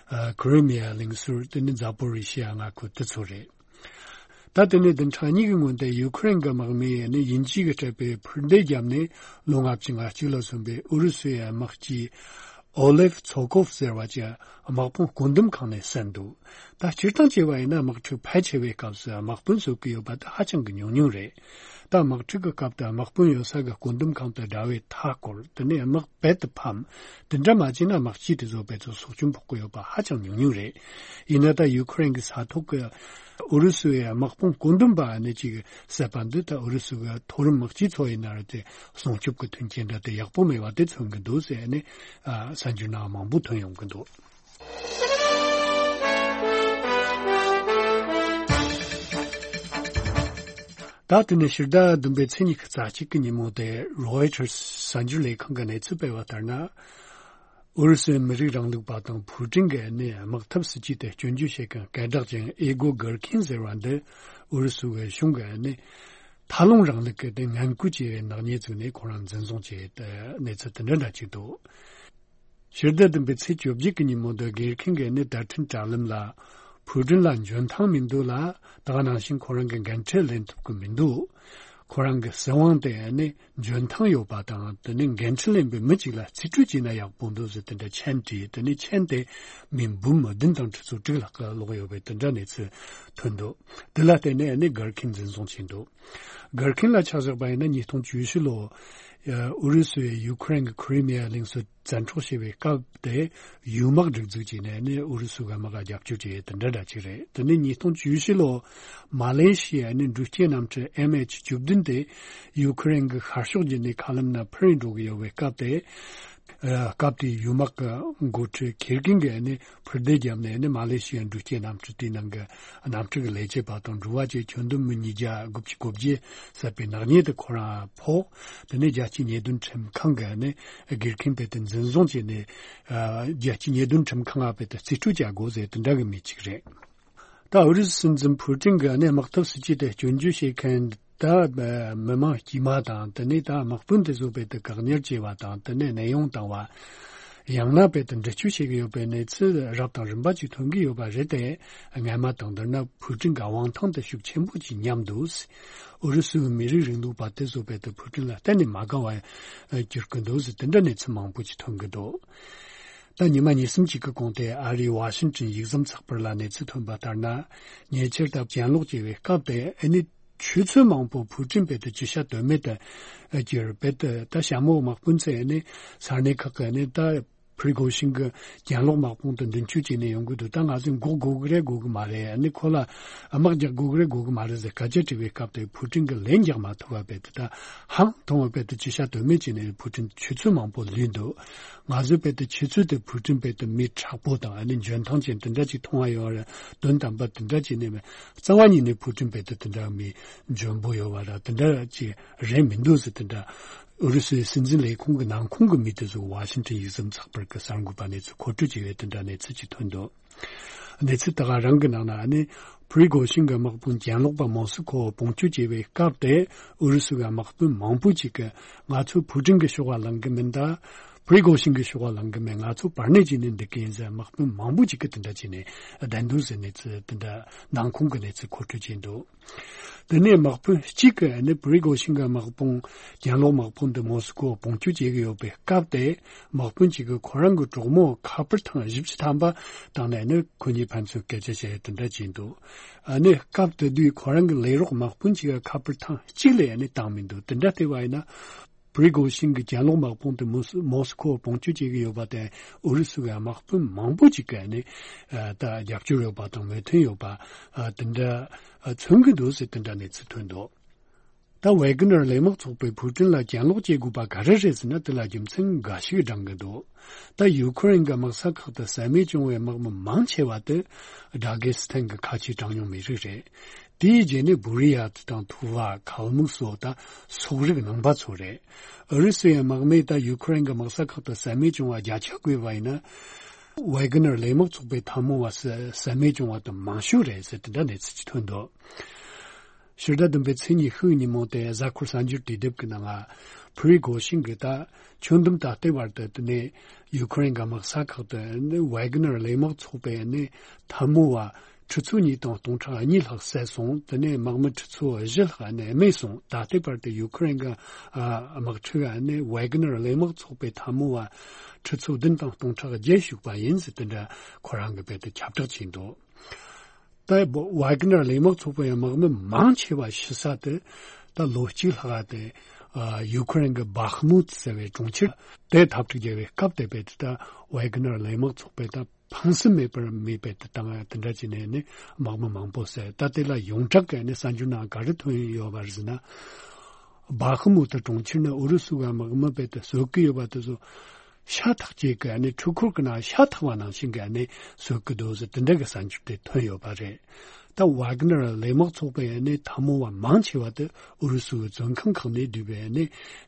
ཨ། ཁི་རི་མི་ཡ་གླིང་ཟུར་དེ་ནི་ཛ་པོ་རི་ཤི་ཡ་མངའ་ཁུལ་དེ་ཚོ་རེད། ད་དེ་ནས་བདུན་ཕྲག་གཉིས་ཀྱི་སྔོན་དུ་ཡུ་ཁུ་རེན་གྱི་དམག་མིས་ནི་དབྱིན་ཇི་གིས་སྤྲད་པའི་འཕུར་མདེལ་བརྒྱབ་ནས་ལོ་ལྔ་བཅུ་ང་གཅིག་ལ་སོན་པའི་ཨུ་རུ་སུའི་དམག་སྤྱི་ཨོ་ལེབ་ཚོ་ཀོབ་ཟེར་བ་ཅིག་དམག་དཔུང་བཀོད་འདོམས་ཁང་ནས་གསན་འདུག་ད་སྤྱིར་བཏང་བྱས་པ་ཡིན་ན་དམག་འཁྲུག་ཕལ་ཆེ་བའི་སྐབས་སུ་དམག་དཔོན་བཟོ་གི་ཡོད་པ་དེ་ཧ་ཅང་གི་ཉུང་ཉུང་རེད། ད་དམག་འཁྲུག་གི་སྐབས་དུ་དམག་དཔོན་ཡོད་ས་གི་བཀོད་འདོམས་ཁང་དུ་དགྲ་བོའི་མཐའ་བསྐོར། དེ་ནས་དམག་རྦད་དེ་ཕམ། དེ་འདྲ་མ་བྱས་ན་དམག་སྤྱི་དེ་ཚོ་རྦད་དེ་སྲོག་སྐྱོན་ཕོག་གི་ཡོད་པ་ཧ་ཅང་ཉུང་ཉུང་རེད། ཡིན་ན་ད་ཡུ་ཁུ་རེན་གྱི་ས་ཐོག་གི་ཨུ་རུ་སུའི་དམག་དཔུང་བཀོད་འདོམས་པ་ནི་ཅིག་བསད་པ་འདི་ད་ཨུ་རུ་སུ་གི་མཐོ་རིམ་དམག་སྤྱི་ཚོ་ཡིན་ན་རེད་དེ། སྲུང་སྐྱོབ་ཀྱི་མཐུན་རྐྱེན་འདྲ་དེ་ཡག་པོ་མེད་པ་དེ་མཚོན་གྱི་འདུག་ཟེར་ནས། ཨ། གསར་འགྱུར་ནང་མང་པོ་ཐོན་ཡོང་གི་འདུག་ད་དེ་ནས་ཕྱི་ཟླ་བདུན་པའི་ཚེས་ཉི་ཤུ་རྩ་གཅིག་གི་ཉིན་མོ་དེ་རོའི་ཊར་གསར་འགྱུར་ལས་ཁང་གི་གནས་ཚུལ་སྤེལ་བ་ལྟར་ན། ཨུ་རུ་སུའི་མི་རིགས་རིང་ལུགས་པ་དང་ཕུའུ་ཀྲིན་གྱི་ནས་དམག་འཐབ་སྲིད་ཇུས་དེ་སྐྱོན་བརྗོད་བྱེད་མཁན་སྐད་གྲགས་ཅན་ཨེ་གོ་གར་ཁིན་ཟེར་བ་འདི་ཨུ་རུ་སུའི་གཞུང་གི་ནས་མཐའ་ལྷུང་རིང་ལུགས་ཀྱི་དེ་ངན་སྐུལ་བྱས་པའི་ནག་ཉེས་བཙུགས་ནས་ཁོ་རང་འཛིན་བཟུང་བྱས་ཏེ་གནས་ཚུལ་དེ་འདྲ་འདྲ་ཅིག་འདུག་ཕྱི་ཟླ་བདུན་པའི་ཚེས་བཅོ་བརྒྱད་ཀྱི་ཉིན་མོ་འདི་གར་ཁིན་གྱི་ནི་བརྡ་འཕྲིན་དྲ་ལམ་ལ་ཕུའུ་ཀྲིན་ལ་འཇོན་ཐང་མི་འདུག་ལ། ད་ག་ནང་བཞིན་ཁོ་རང་གི་འགན་འཁྲི་ལེན་ཐུབ་ཀྱི་མི་འདུག་ཁོ་རང་གི་སྲིད་དབང་དེ་ནི་འཇོན་ཐང་ཡོད་པ་དང་། དེ་ནི་འགན་འཁྲི་ལེན་པའི་མི་གཅིག་ལ་རྩིས་སྤྲོད་བྱས་ན་ཡག་པོ་འདུག་ཟེར་དེ་འདྲ་མཆན་བྲིས། དེ་ནི་མཆན་དེ་མི་འབུམ་བདུན་དང་ཁྲི་ཚོ་དྲུག་ལྷག་གི་ཀློག་ཡོད་པའི་དེ་འདྲ་གནས་ཚུལ་ཐོན་འདུག་དེ་ལ་བརྟེན་ནས་ནི་གར་ཁིན་འཛིན་བཟུང་བྱས་འདུག་གར་ཁིན་ལ་ཆ་བཞག་པ་ཡིན་ན་ཉིས་སྟོང་བཅུ་བཞི་ལོ། ཨུ་རུ་སུས་ཡུ་ཁུ་རེན་གྱི་ཁི་རི་མི་ཡ་གླིང་ཕྱོགས་བཙན་འཕྲོག་བྱས་པའི་སྐབས་དེ་ཡུལ་དམག་སྒྲིག་འཛུགས་བྱས་ནས་ནི་ཨུ་རུ་སུ་གི་དམག་ག་རྒྱབ་སྐྱོར་བྱས་དེ་འདྲ་འདྲ་ཅིག་རེད། དེ་ནི་ཉིས་སྟོང་བཅུ་བཞི་ལོ་མ་ལེ་ཤི་ཡ་ནི་འགྲུལ་སྐྱེལ་གནམ་གྲུ་ཨེམ་ཨེཆ་བཅུ་བདུན་དེ་ཡུ་ཁུ་རེན་གྱི་ཤར་ཕྱོགས་ཀྱི་ནི་མཁའ་ལམ་ན་འཕུར་རིན་འགྲོ་གི་ཡོད་པའི་སྐབས་དེ། ཨ། སྐབས་དེའི་ཡུལ་དམག་གི་འགོ་ཁྲིད་ཁེར་གིན་གྱིས་ནི་འཕུར་མདེལ་བརྒྱབ་ནས་ནི་མ་ལེ་ཤི་ཡའི་འགྲུལ་སྐྱེལ་གནམ་གྲུ་དེའི་ནང་གི་གནམ་གྲུ་གི་ལས་བྱེད་པ་དང་འགྲུལ་བ་བཅས་ཁྱོན་བསྡོམས་མི་ཉིས་བརྒྱ་དགུ་བཅུ་གོ་བརྒྱད་བསད་པའི་ནག་ཉེས་དེ་ཁོ་རང་ཕོག་དེ་ནས་རྒྱལ་སྤྱིའི་ཉེས་དོན་ཁྲིམས་ཁང་གིས་ནི་སྒེར་ཁེངས་དཔེ་དེ་འཛིན་བཟུང་བྱས་ནས། ཨ། རྒྱལ་སྤྱིའི་ཉེས་དོན་ཁྲིམས་ཁང་ང་དཔེ་དེ་རྩིས་སྤྲོད་བྱ་དགོས་ཟེར་དེ་འདྲ་གི་མི་གཅིག་རེད། ད་ཨུ་རུ་སུ་སྲིད་འཛིན་ཕུའུ་ཀྲིན་གྱིས་ནི་དམག་འཐབ་སྲིད་ཇུས་དེ་སྐྱོན་བརྗོད་བྱེད་མཁན་ད་མི་མང་དཀྱུས་མ་དང་། དེ་ནས་ད་དམག་དཔོན་དེ་ཚོ་དཔེ་དེ་བཀག་ཉར་བྱས་པ་དང་། དེ་ནས་གནས་དབྱུང་བཏང་བ། ཡང་ན་དཔེ་དེ་འདྲི་གཅོད་བྱེད་ཀྱི་ཡོད་པའི་གནས་ཚུལ་རབ་དང་རིམ་པ་ཅིག་ཐོན་གྱི་ཡོད་པ་རེད་དེ། སྔ་མ་དང་བསྡུར་ན་ཕུའུ་ཀྲིན་གྱི་དབང་ཐང་དེ་ཤུགས་ཆེན་པོ་ཅིག་ཉམས་འདུག་ཨུ་རུ་སུའི་མི་རིགས་རིང་ལུགས་པ་དེ་ཚོ་དཔེ་དེ་ཕུའུ་ཀྲིན་ལ་གཏན་ནས་མ་དགའ་བ་གྱུར་གྱི་འདུག་ཟེར་དེ་འདྲ་གནས་ཚུལ་མང་པོ་ཅིག་ཐོན་གྱི་འདུག་ད་ཉི་མ་ཉིན་གསུམ་ཅིག་གི་གོང་དེ་ཨ་རིའི་ཝ་ཤིང་ཊོན་ཡིག་ཟམ་ཚགས་པར་ལ་གནས་ཚུལ་ཐོན་པ་ལྟར་ན། ཉེ་ཆར་ད་གྱེན་ལོག་བྱས་པའི་སྐབས་དེ་ཨ་ནི་ཆུ་ཚོད་མང་པོ་ཕུའུ་ཀྲིན་དཔེ་དེ་ཅི་བྱ་གཏོལ་མེད་དུ་གྱུར། དཔེ་དེ་ད་ཞྭ་མོ་དམག་དཔོན་ཚོས་ཨ་ནི་ས་གནས་ཁག་གི་ཨ་ནི་ད་ཕི་རི་གོ་ཤིན་གྱི་གྱེན་ལོག་དམག་དཔུང་དེ་མདུན་སྐྱོད་བྱས་ནས་ཡོང་གི་འདུག་ད་ང་ཚོས་འགོག་དགོས་ཀྱི་རེད་དགོས་ཀྱི་མ་རེད། ཨ་ནི་ཁོ་ལ་དམག་རྒྱག་དགོས་ཀྱི་རེད་དགོས་ཀྱི་མ་རེད་ཟེར་སྐད་ཆ་དྲིས་པའི་སྐབས་དེ་ཕུའུ་ཀྲིན་གྱིས་ལན་རྒྱག་མ་ཐུབ་པ་དཔེ་དེ་ད་ཧང་ཐོང་བ་དཔེ་དེ་ཅི་བྱ་གཏོལ་མེད་བྱས་ནས་ཕུའུ་ཀྲིན་ཆུ་ཚོད་མང་པོ་ལུས་འདུག་ང་ཚོས་དཔེ་དེ་ཆུ་ཚོད་དེ་ཕུའུ་ཀྲིན་དཔེ་དེ་མི་དྲག་པོ་དང་ཨ་ནི་འཇོན་ཐང་ཅན་དེ་འདྲ་ཅིག་མཐོང་བ་ཡོད་རེད། དོན་དམ་པ་དེ་འདྲ་ཅིག་ནས་མེད། རྩ་བ་ཉིད་ནས་ཕུའུ་ཀྲིན་དཔེ་དེ་དེ་འདྲ་མི་འཇོན་པོ་ཡོད་པ་ར་དེ་འདྲ་ཅིག་རེད་མི་འདུག་ཟེར། དེ་འདྲ་ཨུ་རུ་སུའི་སྲིད་འཛིན་ལས་ཁུངས་ཀྱི་ནང་ཁོངས་ཀྱི་མི་དེ་ཚོ་ཝ་ཤིང་ཊོན་ཡིག་ཟམ་ཚགས་པར་གྱི་གསར་འགོད་པ་གནས་ཚུལ་མཁོ་སྤྲོད་བྱས་པའི་དེ་འདྲ་གནས་ཚུལ་ཅིག་ཐོན་འདུག་གནས་ཚུལ་དེ་ག་རང་གི་ནང་ན་ནི་ཕི་རི་གོ་ཤིན་གྱི་དམག་དཔུང་གྱེན་ལོག་པ་མོ་སི་ཁོ་དཔུང་སྐྱོད་བྱས་པའི་སྐབས་དེ་ཨུ་རུ་སུ་གི་དམག་དཔོན་མང་པོ་ཅིག་གིས་ང་ཚོས་ཕུའུ་ཀྲིན་གྱི་ཕྱོགས་ལ་ལངས་གི་མིན། ད་ཕི་རི་གོ་ཤིན་གྱི་ཕྱོགས་ལ་ལངས་གི་མིན། ང་ཚོ་བར་གནས་བྱས་ནས་འདུག་གི་ཡིན་ཟེར་དམག་དཔོན་མང་པོ་ཅིག་གིས་དེ་འདྲ་བྱས་ནས་བསྡད་འདུག་ཟེར་གནས་ཚུལ་དེ་འདྲ་ནང་ཁོངས་ཀྱི་གནས་ཚུལ་མཁོ་སྤྲོད་བྱས་འདུག་དེ་ནས་དམག་དཔོན་གཅིག་གིས་ནི་པི་རི་གོ་ཤིན་གྱི་དམག་དཔུང་གྱེན་ལོག་དམག་དཔུང་དེ་མོ་སི་ཀོ་དཔུང་སྐྱོད་བྱེད་ཀྱི་ཡོད་པའི་སྐབས་དེ། དམག་དཔོན་གཅིག་གིས་ཁོ་རང་གི་གྲོགས་མོ་ཁ་པར་ཐེངས་བཞི་བཅུ་ཐམ་པ་བཏང་ནས་ནི་ཁོ་གཉིས་ཕན་ཚུན་སྐད་ཆ་བཤད་དེ་འདྲ་བྱས་འདུག་ཨ་ནི་སྐབས་དེ་དུས་ཁོ་རང་གི་ལས་རོགས་དམག་དཔོན་གཅིག་གིས་ཁ་པར་ཐེངས་གཅིག་ལས་ནི་བཏང་མི་འདུག་དེ་འདྲ་བལྟས་པ་ཡིན་ན། པི་རི་གོ་ཤིན་གྱི་གྱེན་ལོག་དམག་དཔུང་དེ་མོ་སི་མོ་སི་ཁོ་དཔུང་སྐྱོད་བྱེད་ཀྱི་ཡོད་པ་དང་། ཨུ་རུ་སུ་གི་དམག་དཔོན་མང་པོ་ཅིག་གིས་ནི་ཨ་ད་རྒྱབ་སྐྱོར་ཡོད་པ་དང་མོས་མཐུན་ཡོད་པ་ཨ་དེ་འདྲ་ཨ་མཚོན་གྱི་འདུག་ཟེར་དེ་འདྲ་གནས་ཚུལ་ཐོན་འདུག་ད་ཝེ་གི་ནར་གླས་དམག་ཚོགས་པས་ཕུའུ་ཀྲིན་ལ་གྱེན་ལོག་བྱེད་དགོས་པ་ག་རེ་རེད་ཟེར་ན། དེ་ལ་རྒྱུ་མཚན་འགའ་ཞིག་བགྲང་གི་འདུག་ད་ཡུ་ཁུ་རེན་གྱི་དམག་ས་ཁག་ཏུ་ཟ་མས་བཅིངས་པའི་དམག་མི་མང་ཆེ་བ་དེ་ཌ་གེ་སི་ཐན་གྱི་ཁ་ཆེའི་གྲངས་ཉུང་མི་རིགས་རེད། དེའི་རྗེས་ནས་བུ་རི་ཡ་དང་ཐུ་བ། གལ་མུག་སོགས་དང་སོག་རིགས་ནང་པ་ཚོ་རེད། ཨུ་རུ་སུའི་དམག་མིས་ད་ཡུ་ཁུ་རེན་གྱི་དམག་ས་ཁག་ཏུ་ཟ་མས་བཅིངས་པ་བརྒྱ་ཆ་བགོས་པ་ཡིན་ན། ཝེ་གི་ནར་གླས་དམག་ཚོགས་པའི་འཐབ་མོ་བ་ཟ་ཟ་མས་བཅིངས་པ་དང་མང་ཤོས་རེད་ཟེར། དེ་འདྲ་གནས་ཚུལ་ཅིག་ཐོན་འདུག་ཕྱི་ཟླ་བདུན་པའི་ཚེས་ཉི་ཤུ་ཉིན་མོ་དེ་གཟའ་འཁོར་གསར་འགྱུར་དུས་དེབ་ཀྱི་ནང་ང་ཕུ་རི་གོ་ཤིན་གྱིས་ད་ཆུ་འདམ་ད་ལྟའི་བར་དུ་དེ་ནས་ཡུ་ཁུ་རེན་གྱི་དམག་ས་ཁག་ཏུ་ནི་ཝེ་གི་ནར་གླས་དམག་ཚོགས་པའི་ནི་འཐབ་མོ་བ་ཁྲི་ཚོ་གཉིས་དང་སྟོང་ཕྲག་གཉིས་ལྷག་བསད་སོང་། དེ་ནས་དམག་མི་ཁྲི་ཚོ་བཞི་ལྷག་ནི་རྨས་སོང་། ད་ལྟའི་བར་དུ་ཡུ་ཁུ་རེན་གྱི་ཨ་དམག་འཁྲུག་ནི་ཝེ་གི་ནར་གླས་དམག་ཚོགས་པའི་འཐབ་མོ་བ་ཁྲི་ཚོ་བདུན་དང་སྟོང་ཕྲག་བརྒྱད་ཞུགས་པ་ཡིན་ཟེར། དེ་འདྲ་ཁོ་རང་གིས་རྦད་དེ་ཁྱབ་བསྒྲགས་བྱས་འདུག་ད་ཝེ་གི་ནར་གླས་དམག་ཚོགས་པའི་དམག་མི་མང་ཆེ་བ་ཤི་ས་དེ་ད་ལོ་གཅིག་ལྷག་དེ་ཨ་ཡུ་ཁུ་རེན་གྱི་བྷག་མུད་ཟེར་བའི་གྲོང་ཁྱེར་དེ་འཐབ་འཁྲུག་བརྒྱབ་པའི་སྐབས་དེ་རྦད་དེ་ད་ཝེ་གི་ནར་གླས་དམག་ཚོགས་པས་ད་ཕངས་སེམས་མེད་པར་མེད་པའི་དེ་དང་དེ་འདྲ་བྱས་ནས་ནི་དམག་མི་མང་པོ་བསད། ད་དེ་ལ་ཡོངས་གྲགས་ཀྱི་ནི་གསར་འགྱུར་ནང་ག་རེ་ཐོན་ཡོད་པ་རེད་ཟེར་ན། བྷག་མུད་གྲོང་ཁྱེར་ནི་ཨུ་རུ་སུ་གི་དམག་མི་རྦད་དེ་གསོད་ཀྱི་ཡོད་པ་དེ་ཚོ་ཤ་ཐག་ཅིག་གི་ནི་འཕྲུལ་འཁོར་གྱི་ནང་ཤ་ཐག་པ་ནང་བཞིན་གྱི་ནི་གསོད་ཀྱི་འདུག་ཟེར། དེ་འདྲ་གི་གསར་འགྱུར་དེ་ཐོན་ཡོད་པ་རེད། ད་ཝེ་གི་ནར་གླས་དམག་ཚོགས་པའི་ནི་འཐབ་མོ་བ་མང་ཆེ་བ་དེ་ཨུ་རུ་སུའི་བཙོན་ཁང་ཁག་ནས་བསྡུས་པའི་ནི་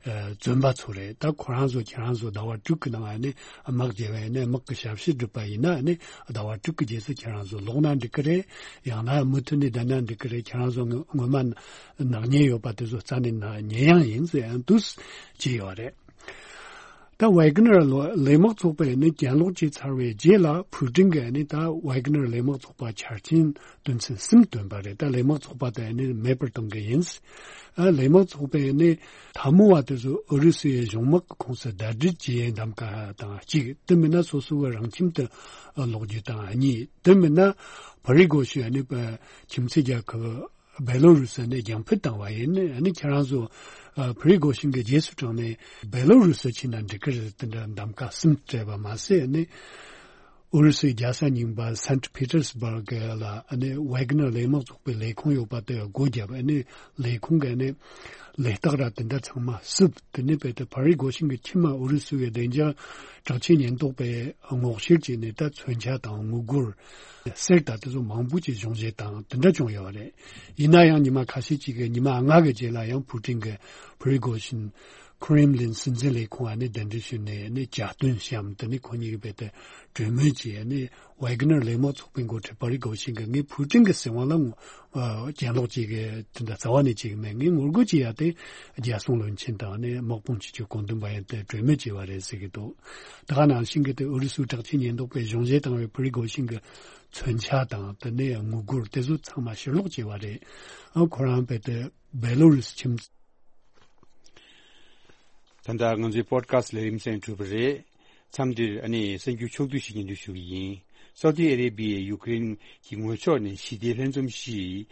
ཨ་བཙོན་པ་ཚོ་རེད། ད་ཁོ་རང་ཚོ་ཁྱེད་རང་ཚོ་ཟླ་བ་དྲུག་གི་ནང་ནི་དམག་བརྗེ་བའི་ནི་དམག་གི་ཞབས་ཕྱི་བསྒྲུབས་པ་ཡིན་ན་ནི་ཟླ་བ་དྲུག་གི་རྗེས་སུ་ཁྱེད་རང་ཚོ་ལོག་ན་འགྲིག་གི་རེད། ཡང་ན་མུ་མཐུད་ནས་བསྡད་ན་འགྲིག་གི་རེད། ཁྱེད་རང་ཚོ་ངོ་སྔོན་མ་ནག་ཉེས་ཡོད་པ་དེ་ཚོ་རྩ་ནས་ནག་ཉེས་ཡང་ཡིན་ཟེར་ཡང་འདུག་ཅེས་ཡོད་རེད། ད་ཝེ་གི་ནར་གླས་དམག་ཚོགས་པས་ནི་གྱེན་ལོག་བྱས་ཚར་བའི་རྗེས་ལ་ཕུའུ་ཀྲིན་གྱིས་ནི་ད་ཝེ་གི་ནར་གླས་དམག་ཚོགས་པ་ཆ་རྐྱེན་དོན་ཚན་གསུམ་བཏོན་པ་རེད། ད་གླས་དམག་ཚོགས་པ་དེ་ནི་མེད་པར་གཏོང་གི་ཡིན། ཨ་གླས་དམག་ཚོགས་པས་ནི་འཐབ་མོ་བ་དེ་ཚོ་ཨུ་རུ་སུའི་གཞུང་དམག་གི་ཁོངས་སུ་ཟླ་སྒྲིལ་བྱེད་ཡའི་གདམ་ག་དང་གཅིག་དེ་མིན་ན་སོ་སོ་གི་རང་ཁྱིམ་དུ་ལོག་རྒྱུ་དང་གཉིས། དེ་མིན་ན་ཕུ་རི་གོ་ཤིན་ནི་ཁྱིམ་མཚེས་རྒྱལ་ཁབ་བེ་ལོ་རུ་སི་ནས་རྒྱང་འཕུད་བཏང་བ་ཡིན། ཨ་ནི་ཁྱེད་རང་ཚོ་ཨ་ཕུ་རི་གོ་ཤིན་གྱི་རྗེས་སུ་འབྲངས་ནས་བེ་ལོ་རུ་སི་ཕྱིན་ན་འགྲིག་གི་རེད། དེ་འདྲ་གདམ་ག་གསུམ་སྤྲད་པ་མ་ཟད། ཨ་ནི་ཨུ་རུ་སུའི་རྒྱལ་ས་རྙིང་པ་སན་ཊི་པི་ཏེར་སི་བྷར་གི་ལ་ཨ་ནི་ཝེ་གི་ནར་གླས་དམག་ཚོགས་པའི་ལས་ཁུངས་ཡོད་པ་དེ་སྒོ་བརྒྱབ། ཨ་ནི་ལས་ཁུངས་ཀྱི་ཨ་ནི་ལས་རྟགས་ར་དེ་འདྲ་ཚང་མ་བསུབས། དེ་ནས་རྦད་དེ་ཕུ་རི་གོ་ཤིན་གྱི་ཁྱིམ་མ་ཨུ་རུ་སུ་བའི་བདེ་འཇགས་དྲག་ཆས་ཉེན་རྟོག་པས་སྔོག་བཤེར་བྱས་ནས་ད་མཚོན་ཆ་དང་དངུལ་སྒོར་གསེར་དང་དེ་ཚོ་མང་པོ་ཅིག་གཞུང་བཞེས་དང་དེ་འདྲ་བྱུང་ཡོད་རེད། ཡིན་ན་ཡང་ཉི་མ་ཁ་ཤས་ཅིག་གི་ཉི་མ་ལྔ་གི་རྗེས་ལ་ཡང་ཕུའུ་ཀྲིན་གྱིས་ཕུ་རི་གོ་ཤིན་ཁུ་རེམ་ལིན་སྲིད་འཛིན་ལས་ཁུངས་ཨ་ནི་གདན་འདྲེན་ཞུས་ནས་ནི་གྱ་སྟོན་བཤམས། དེ་ནི་ཁོ་གཉིས་ཀྱིས་རྦད་དེ་གྲོས་མོལ་བྱས། ཨ་ནི་ཝེ་གི་ནར་གླས་དམག་ཚོགས་པའི་འགོ་ཁྲིད་ཕུ་རི་གོ་ཤིན་གྱིས་ངས་ཕུའུ་ཀྲིན་གྱི་སྲིད་དབང་ལ་ངོ་ཨ་གྱེན་ལོག་བྱེད་ཀྱི་དེ་འདྲ་རྩ་བ་ནས་བྱེད་ཀྱི་མེད། ངས་ངོ་རྒོལ་བྱེད་ཡ་དེ་རྒྱལ་སྲུང་བློན་ཆེན་དང་ནི་དམག་དཔུང་སྤྱི་ཁྱབ་བཀོད་འདོམས་པ་ཡིན་ཏེ་གྲོས་མོལ་བྱས་པ་རེད་ཟེར་གྱི་འདུག་ད་ག་ནང་བཞིན་གྱི་དེ་ཨུ་རུ་སུའི་དྲག་ཆས་ཉེན་རྟོག་པས་གཞུང་བཞེས་བཏང་བའི་ཕུ་རི་གོ་ཤིན་གྱི་མཚོན་ཆ་དང་དེ་ནས་དངུལ་སྒོར་དེ་ཚོ་ཚང་མ་ཕྱིར་སློག་བྱས་པ་རེད། ཨ་ཁོ་རང་རྦད་དེ་བེ་ལོ་རུ་སི་ཁྱིམ། ད་ལྟ་ང་ཚོའི་པོ་ཌི་ཁ་སི་ཊི་ལས་རིམ་གསན་གྲུབ་པ་རེད། མཚམས་འདིར་ཨ་ནི་གསར་འགྱུར་ཕྱོགས་བསྡུས་ཤིག་སྙན་སྒྲོན་ཞུ་གི་ཡིན། སའུ་ཏི་ཨ་རེ་བྷི་ཡས་ཡུཀ་རེན་གྱི་ངོས་ཕྱོགས་ནས་ཞི་བདེའི་ལྷན་འཛོམས་ཤིག་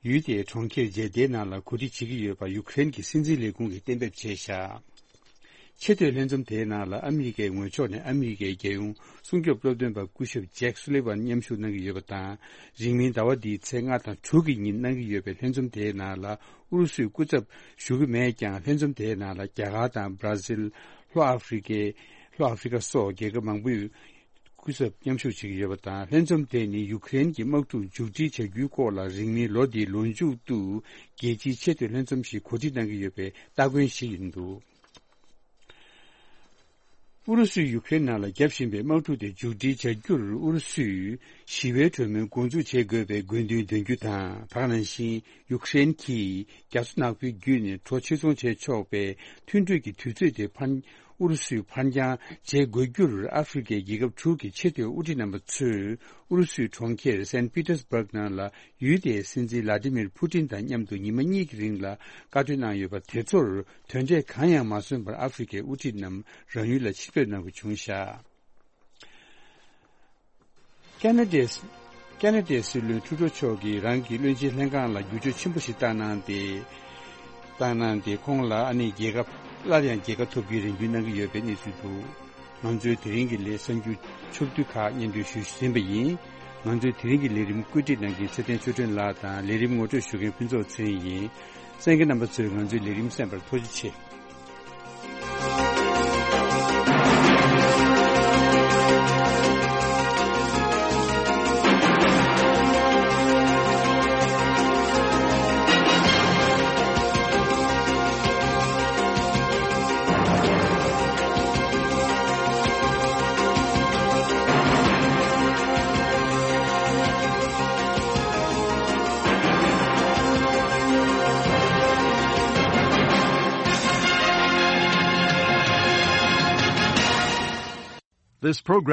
ཡུལ་དེའི་གྲོང་ཁྱེར་ཇེ་དའི་ནང་ལ་གོ་སྒྲིག་བྱེད་ཀྱི་ཡོད་པ་ཡུཀ་རེན་གྱི་སྲིད་འཛིན་ལས་ཁུངས་ཀྱིས་གཏན་འབེབས་བྱས་བཞག་ཆེས་མཐོའི་ལྷན་འཛོམས་དེའི་ནང་ལ་ཨ་མི་རི་ཀའི་ངོས་ཕྱོགས་ནས་ཨ་མི་རི་ཀའི་རྒྱལ་ཡོངས་སྲུང་སྐྱོབ་སློབ་སྟོན་པ་སྐུ་ཞབས་ཇེག་སུ་ལི་ཝན་མཉམ་ཞུགས་གནང་གི་ཡོད་པ་དང་། རིང་མིན་ཟླ་བ་འདིའི་ཚེས་ལྔ་དང་དྲུག་གི་ཉིན་གནང་གི་ཡོད་པའི་ལྷན་འཛོམས་དེའི་ནང་ལ་ཨུ་རུ་སུའི་སྐུ་ཚབ་ཞུགས་ཀྱི་མེད་ཀྱང་། ལྷན་འཛོམས་དེའི་ནང་ལ་རྒྱ་གར་དང་བྷ་ར་ཟིལ། ལྷོ་ཨ་ཧྥེ་རི་ཀའི་ལྷོ་ཨ་ཧྥེ་རི་ཀ་སོགས་རྒྱལ་ཁབ་མང་པོས་སྐུ་ཚབ་མཉམ་ཞུགས་བྱེད་ཀྱི་ཡོད་པ་དང་། ལྷན་འཛོམས་དེ་ནི་ཡུཀ་རེན་གྱི་དམག་འཁྲུག་མཇུག་སྒྲིལ་བྱ་རྒྱུའི་སྐོར་ལ་རིང་མིན་ལོ་འདིའི་ལོ་མཇུག་ཏུ་རྒྱལ་སྤྱིའི་ཆེས་མཐོའི་ལྷན་འཛོམས་ཤིག་གོ་སྒྲིག་གནང་གི་ཡོད་པའི་སྟ་གོན་ཞིག་ཡིན་འདུག་ཨུ་རུ་སུས་ཡུཀ་རེན་ནང་ལ་བརྒྱབ་བཞིན་པའི་དམག་འཁྲུག་དེ་མཇུག་སྒྲིལ་བྱ་རྒྱུར་ཨུ་རུ་སུས་ཞི་བའི་གྲོས་མོལ་འགོ་འཛུགས་བྱེད་དགོས་པའི་དགོས་འདུན་འདོན་རྒྱུ་དང་། ད་ག་ནང་བཞིན་ཡུཀ་རེན་གྱིས་རྒྱ་མཚོ་ནག་པོའི་བརྒྱུད་ནས་གྲོ་ཕྱིར་ཚོང་བྱེད་ཆོག་པའི་མཐུན་གྲོས་ཀྱི་དུས་ཚོད་དེ་ཕར་ཨུ་རུ་སུས་ཕར་འགྱངས་བྱེད་དགོས་རྒྱུར་ཨ་ཧྥེ་རི་ཀའི་རྒྱལ་ཁབ་དྲུག་གི་ཆེས་མཐོའི་དབུ་ཁྲིད་རྣམ་པ་ཚོས་ཨུ་རུ་སུའི་གྲོང་ཁྱེར་སན་པི་ཏེར་སྦུག་ནང་ལ་ཡུལ་དེའི་སྲིད་འཛིན་ལ་ཏི་མིར་ཕུ་ཏིན་དང་མཉམ་དུ་ཉི་མ་གཉིས་ཀྱི་རིང་ལ་བཀའ་གྲོས་གནང་ཡོད་པ་དེ་ཚོར་དོན་འབྲས་གང་ཡང་མ་སོན་པར་ཨ་ཧྥེ་རི་ཀའི་དབུ་ཁྲིད་རྣམས་རང་ཡུལ་ལ་ཕྱིར་ཕེབས་གནང་དགོས་བྱུང་བཞག་ཁ་ན་ཌའི་ཁ་ན་ཌའི་སྲིད་བློན་ཁྲུ་ཌོ་མཆོག་གིས་རང་གི་བློན་ཆེན་ལྷན་ཁང་ལ་བསྒྱུར་བཅོས་ཆེན་པོ་ཞིག་བཏང་གནང་སྟེ། བཏང་གནང་སྟེ་ཁོང་ལ་ཨ་ནི་རྒྱལ་ཁ་སླར་ཡང་རྒྱལ་ཁ་ཐོབ་རྒྱུའི་རེ་འདུན་གནང་གི་ཡོད་པའི་གནས་ཚུལ་འདུག་ང་ཚོའི་དེ་རིང་གི་ལས་གསར་འགྱུར་ཕྱོགས་བསྡུས་ཁག་སྙན་སྒྲོན་ཞུས་ཟིན་པ་ཡིན། ང་ཚོའི་དེ་རིང་གི་ལས་རིམ་བཀོད་སྒྲིག་གནང་མཁན་ཚེ་བརྟན་ཆོས་སྒྲོན་ལགས་དང་ལས་རིམ་ངོ་སྤྲོད་ཞུ་མཁན་ཕུན་ཚོགས་ཚེ་རིང་ཡིན། གསན་མཁན་རྣམ་པ་ཚོས་ང་ཚོའི་ལས་རིམ་གསན་པར་ཐུགས་རྗེ་ཆེ། This program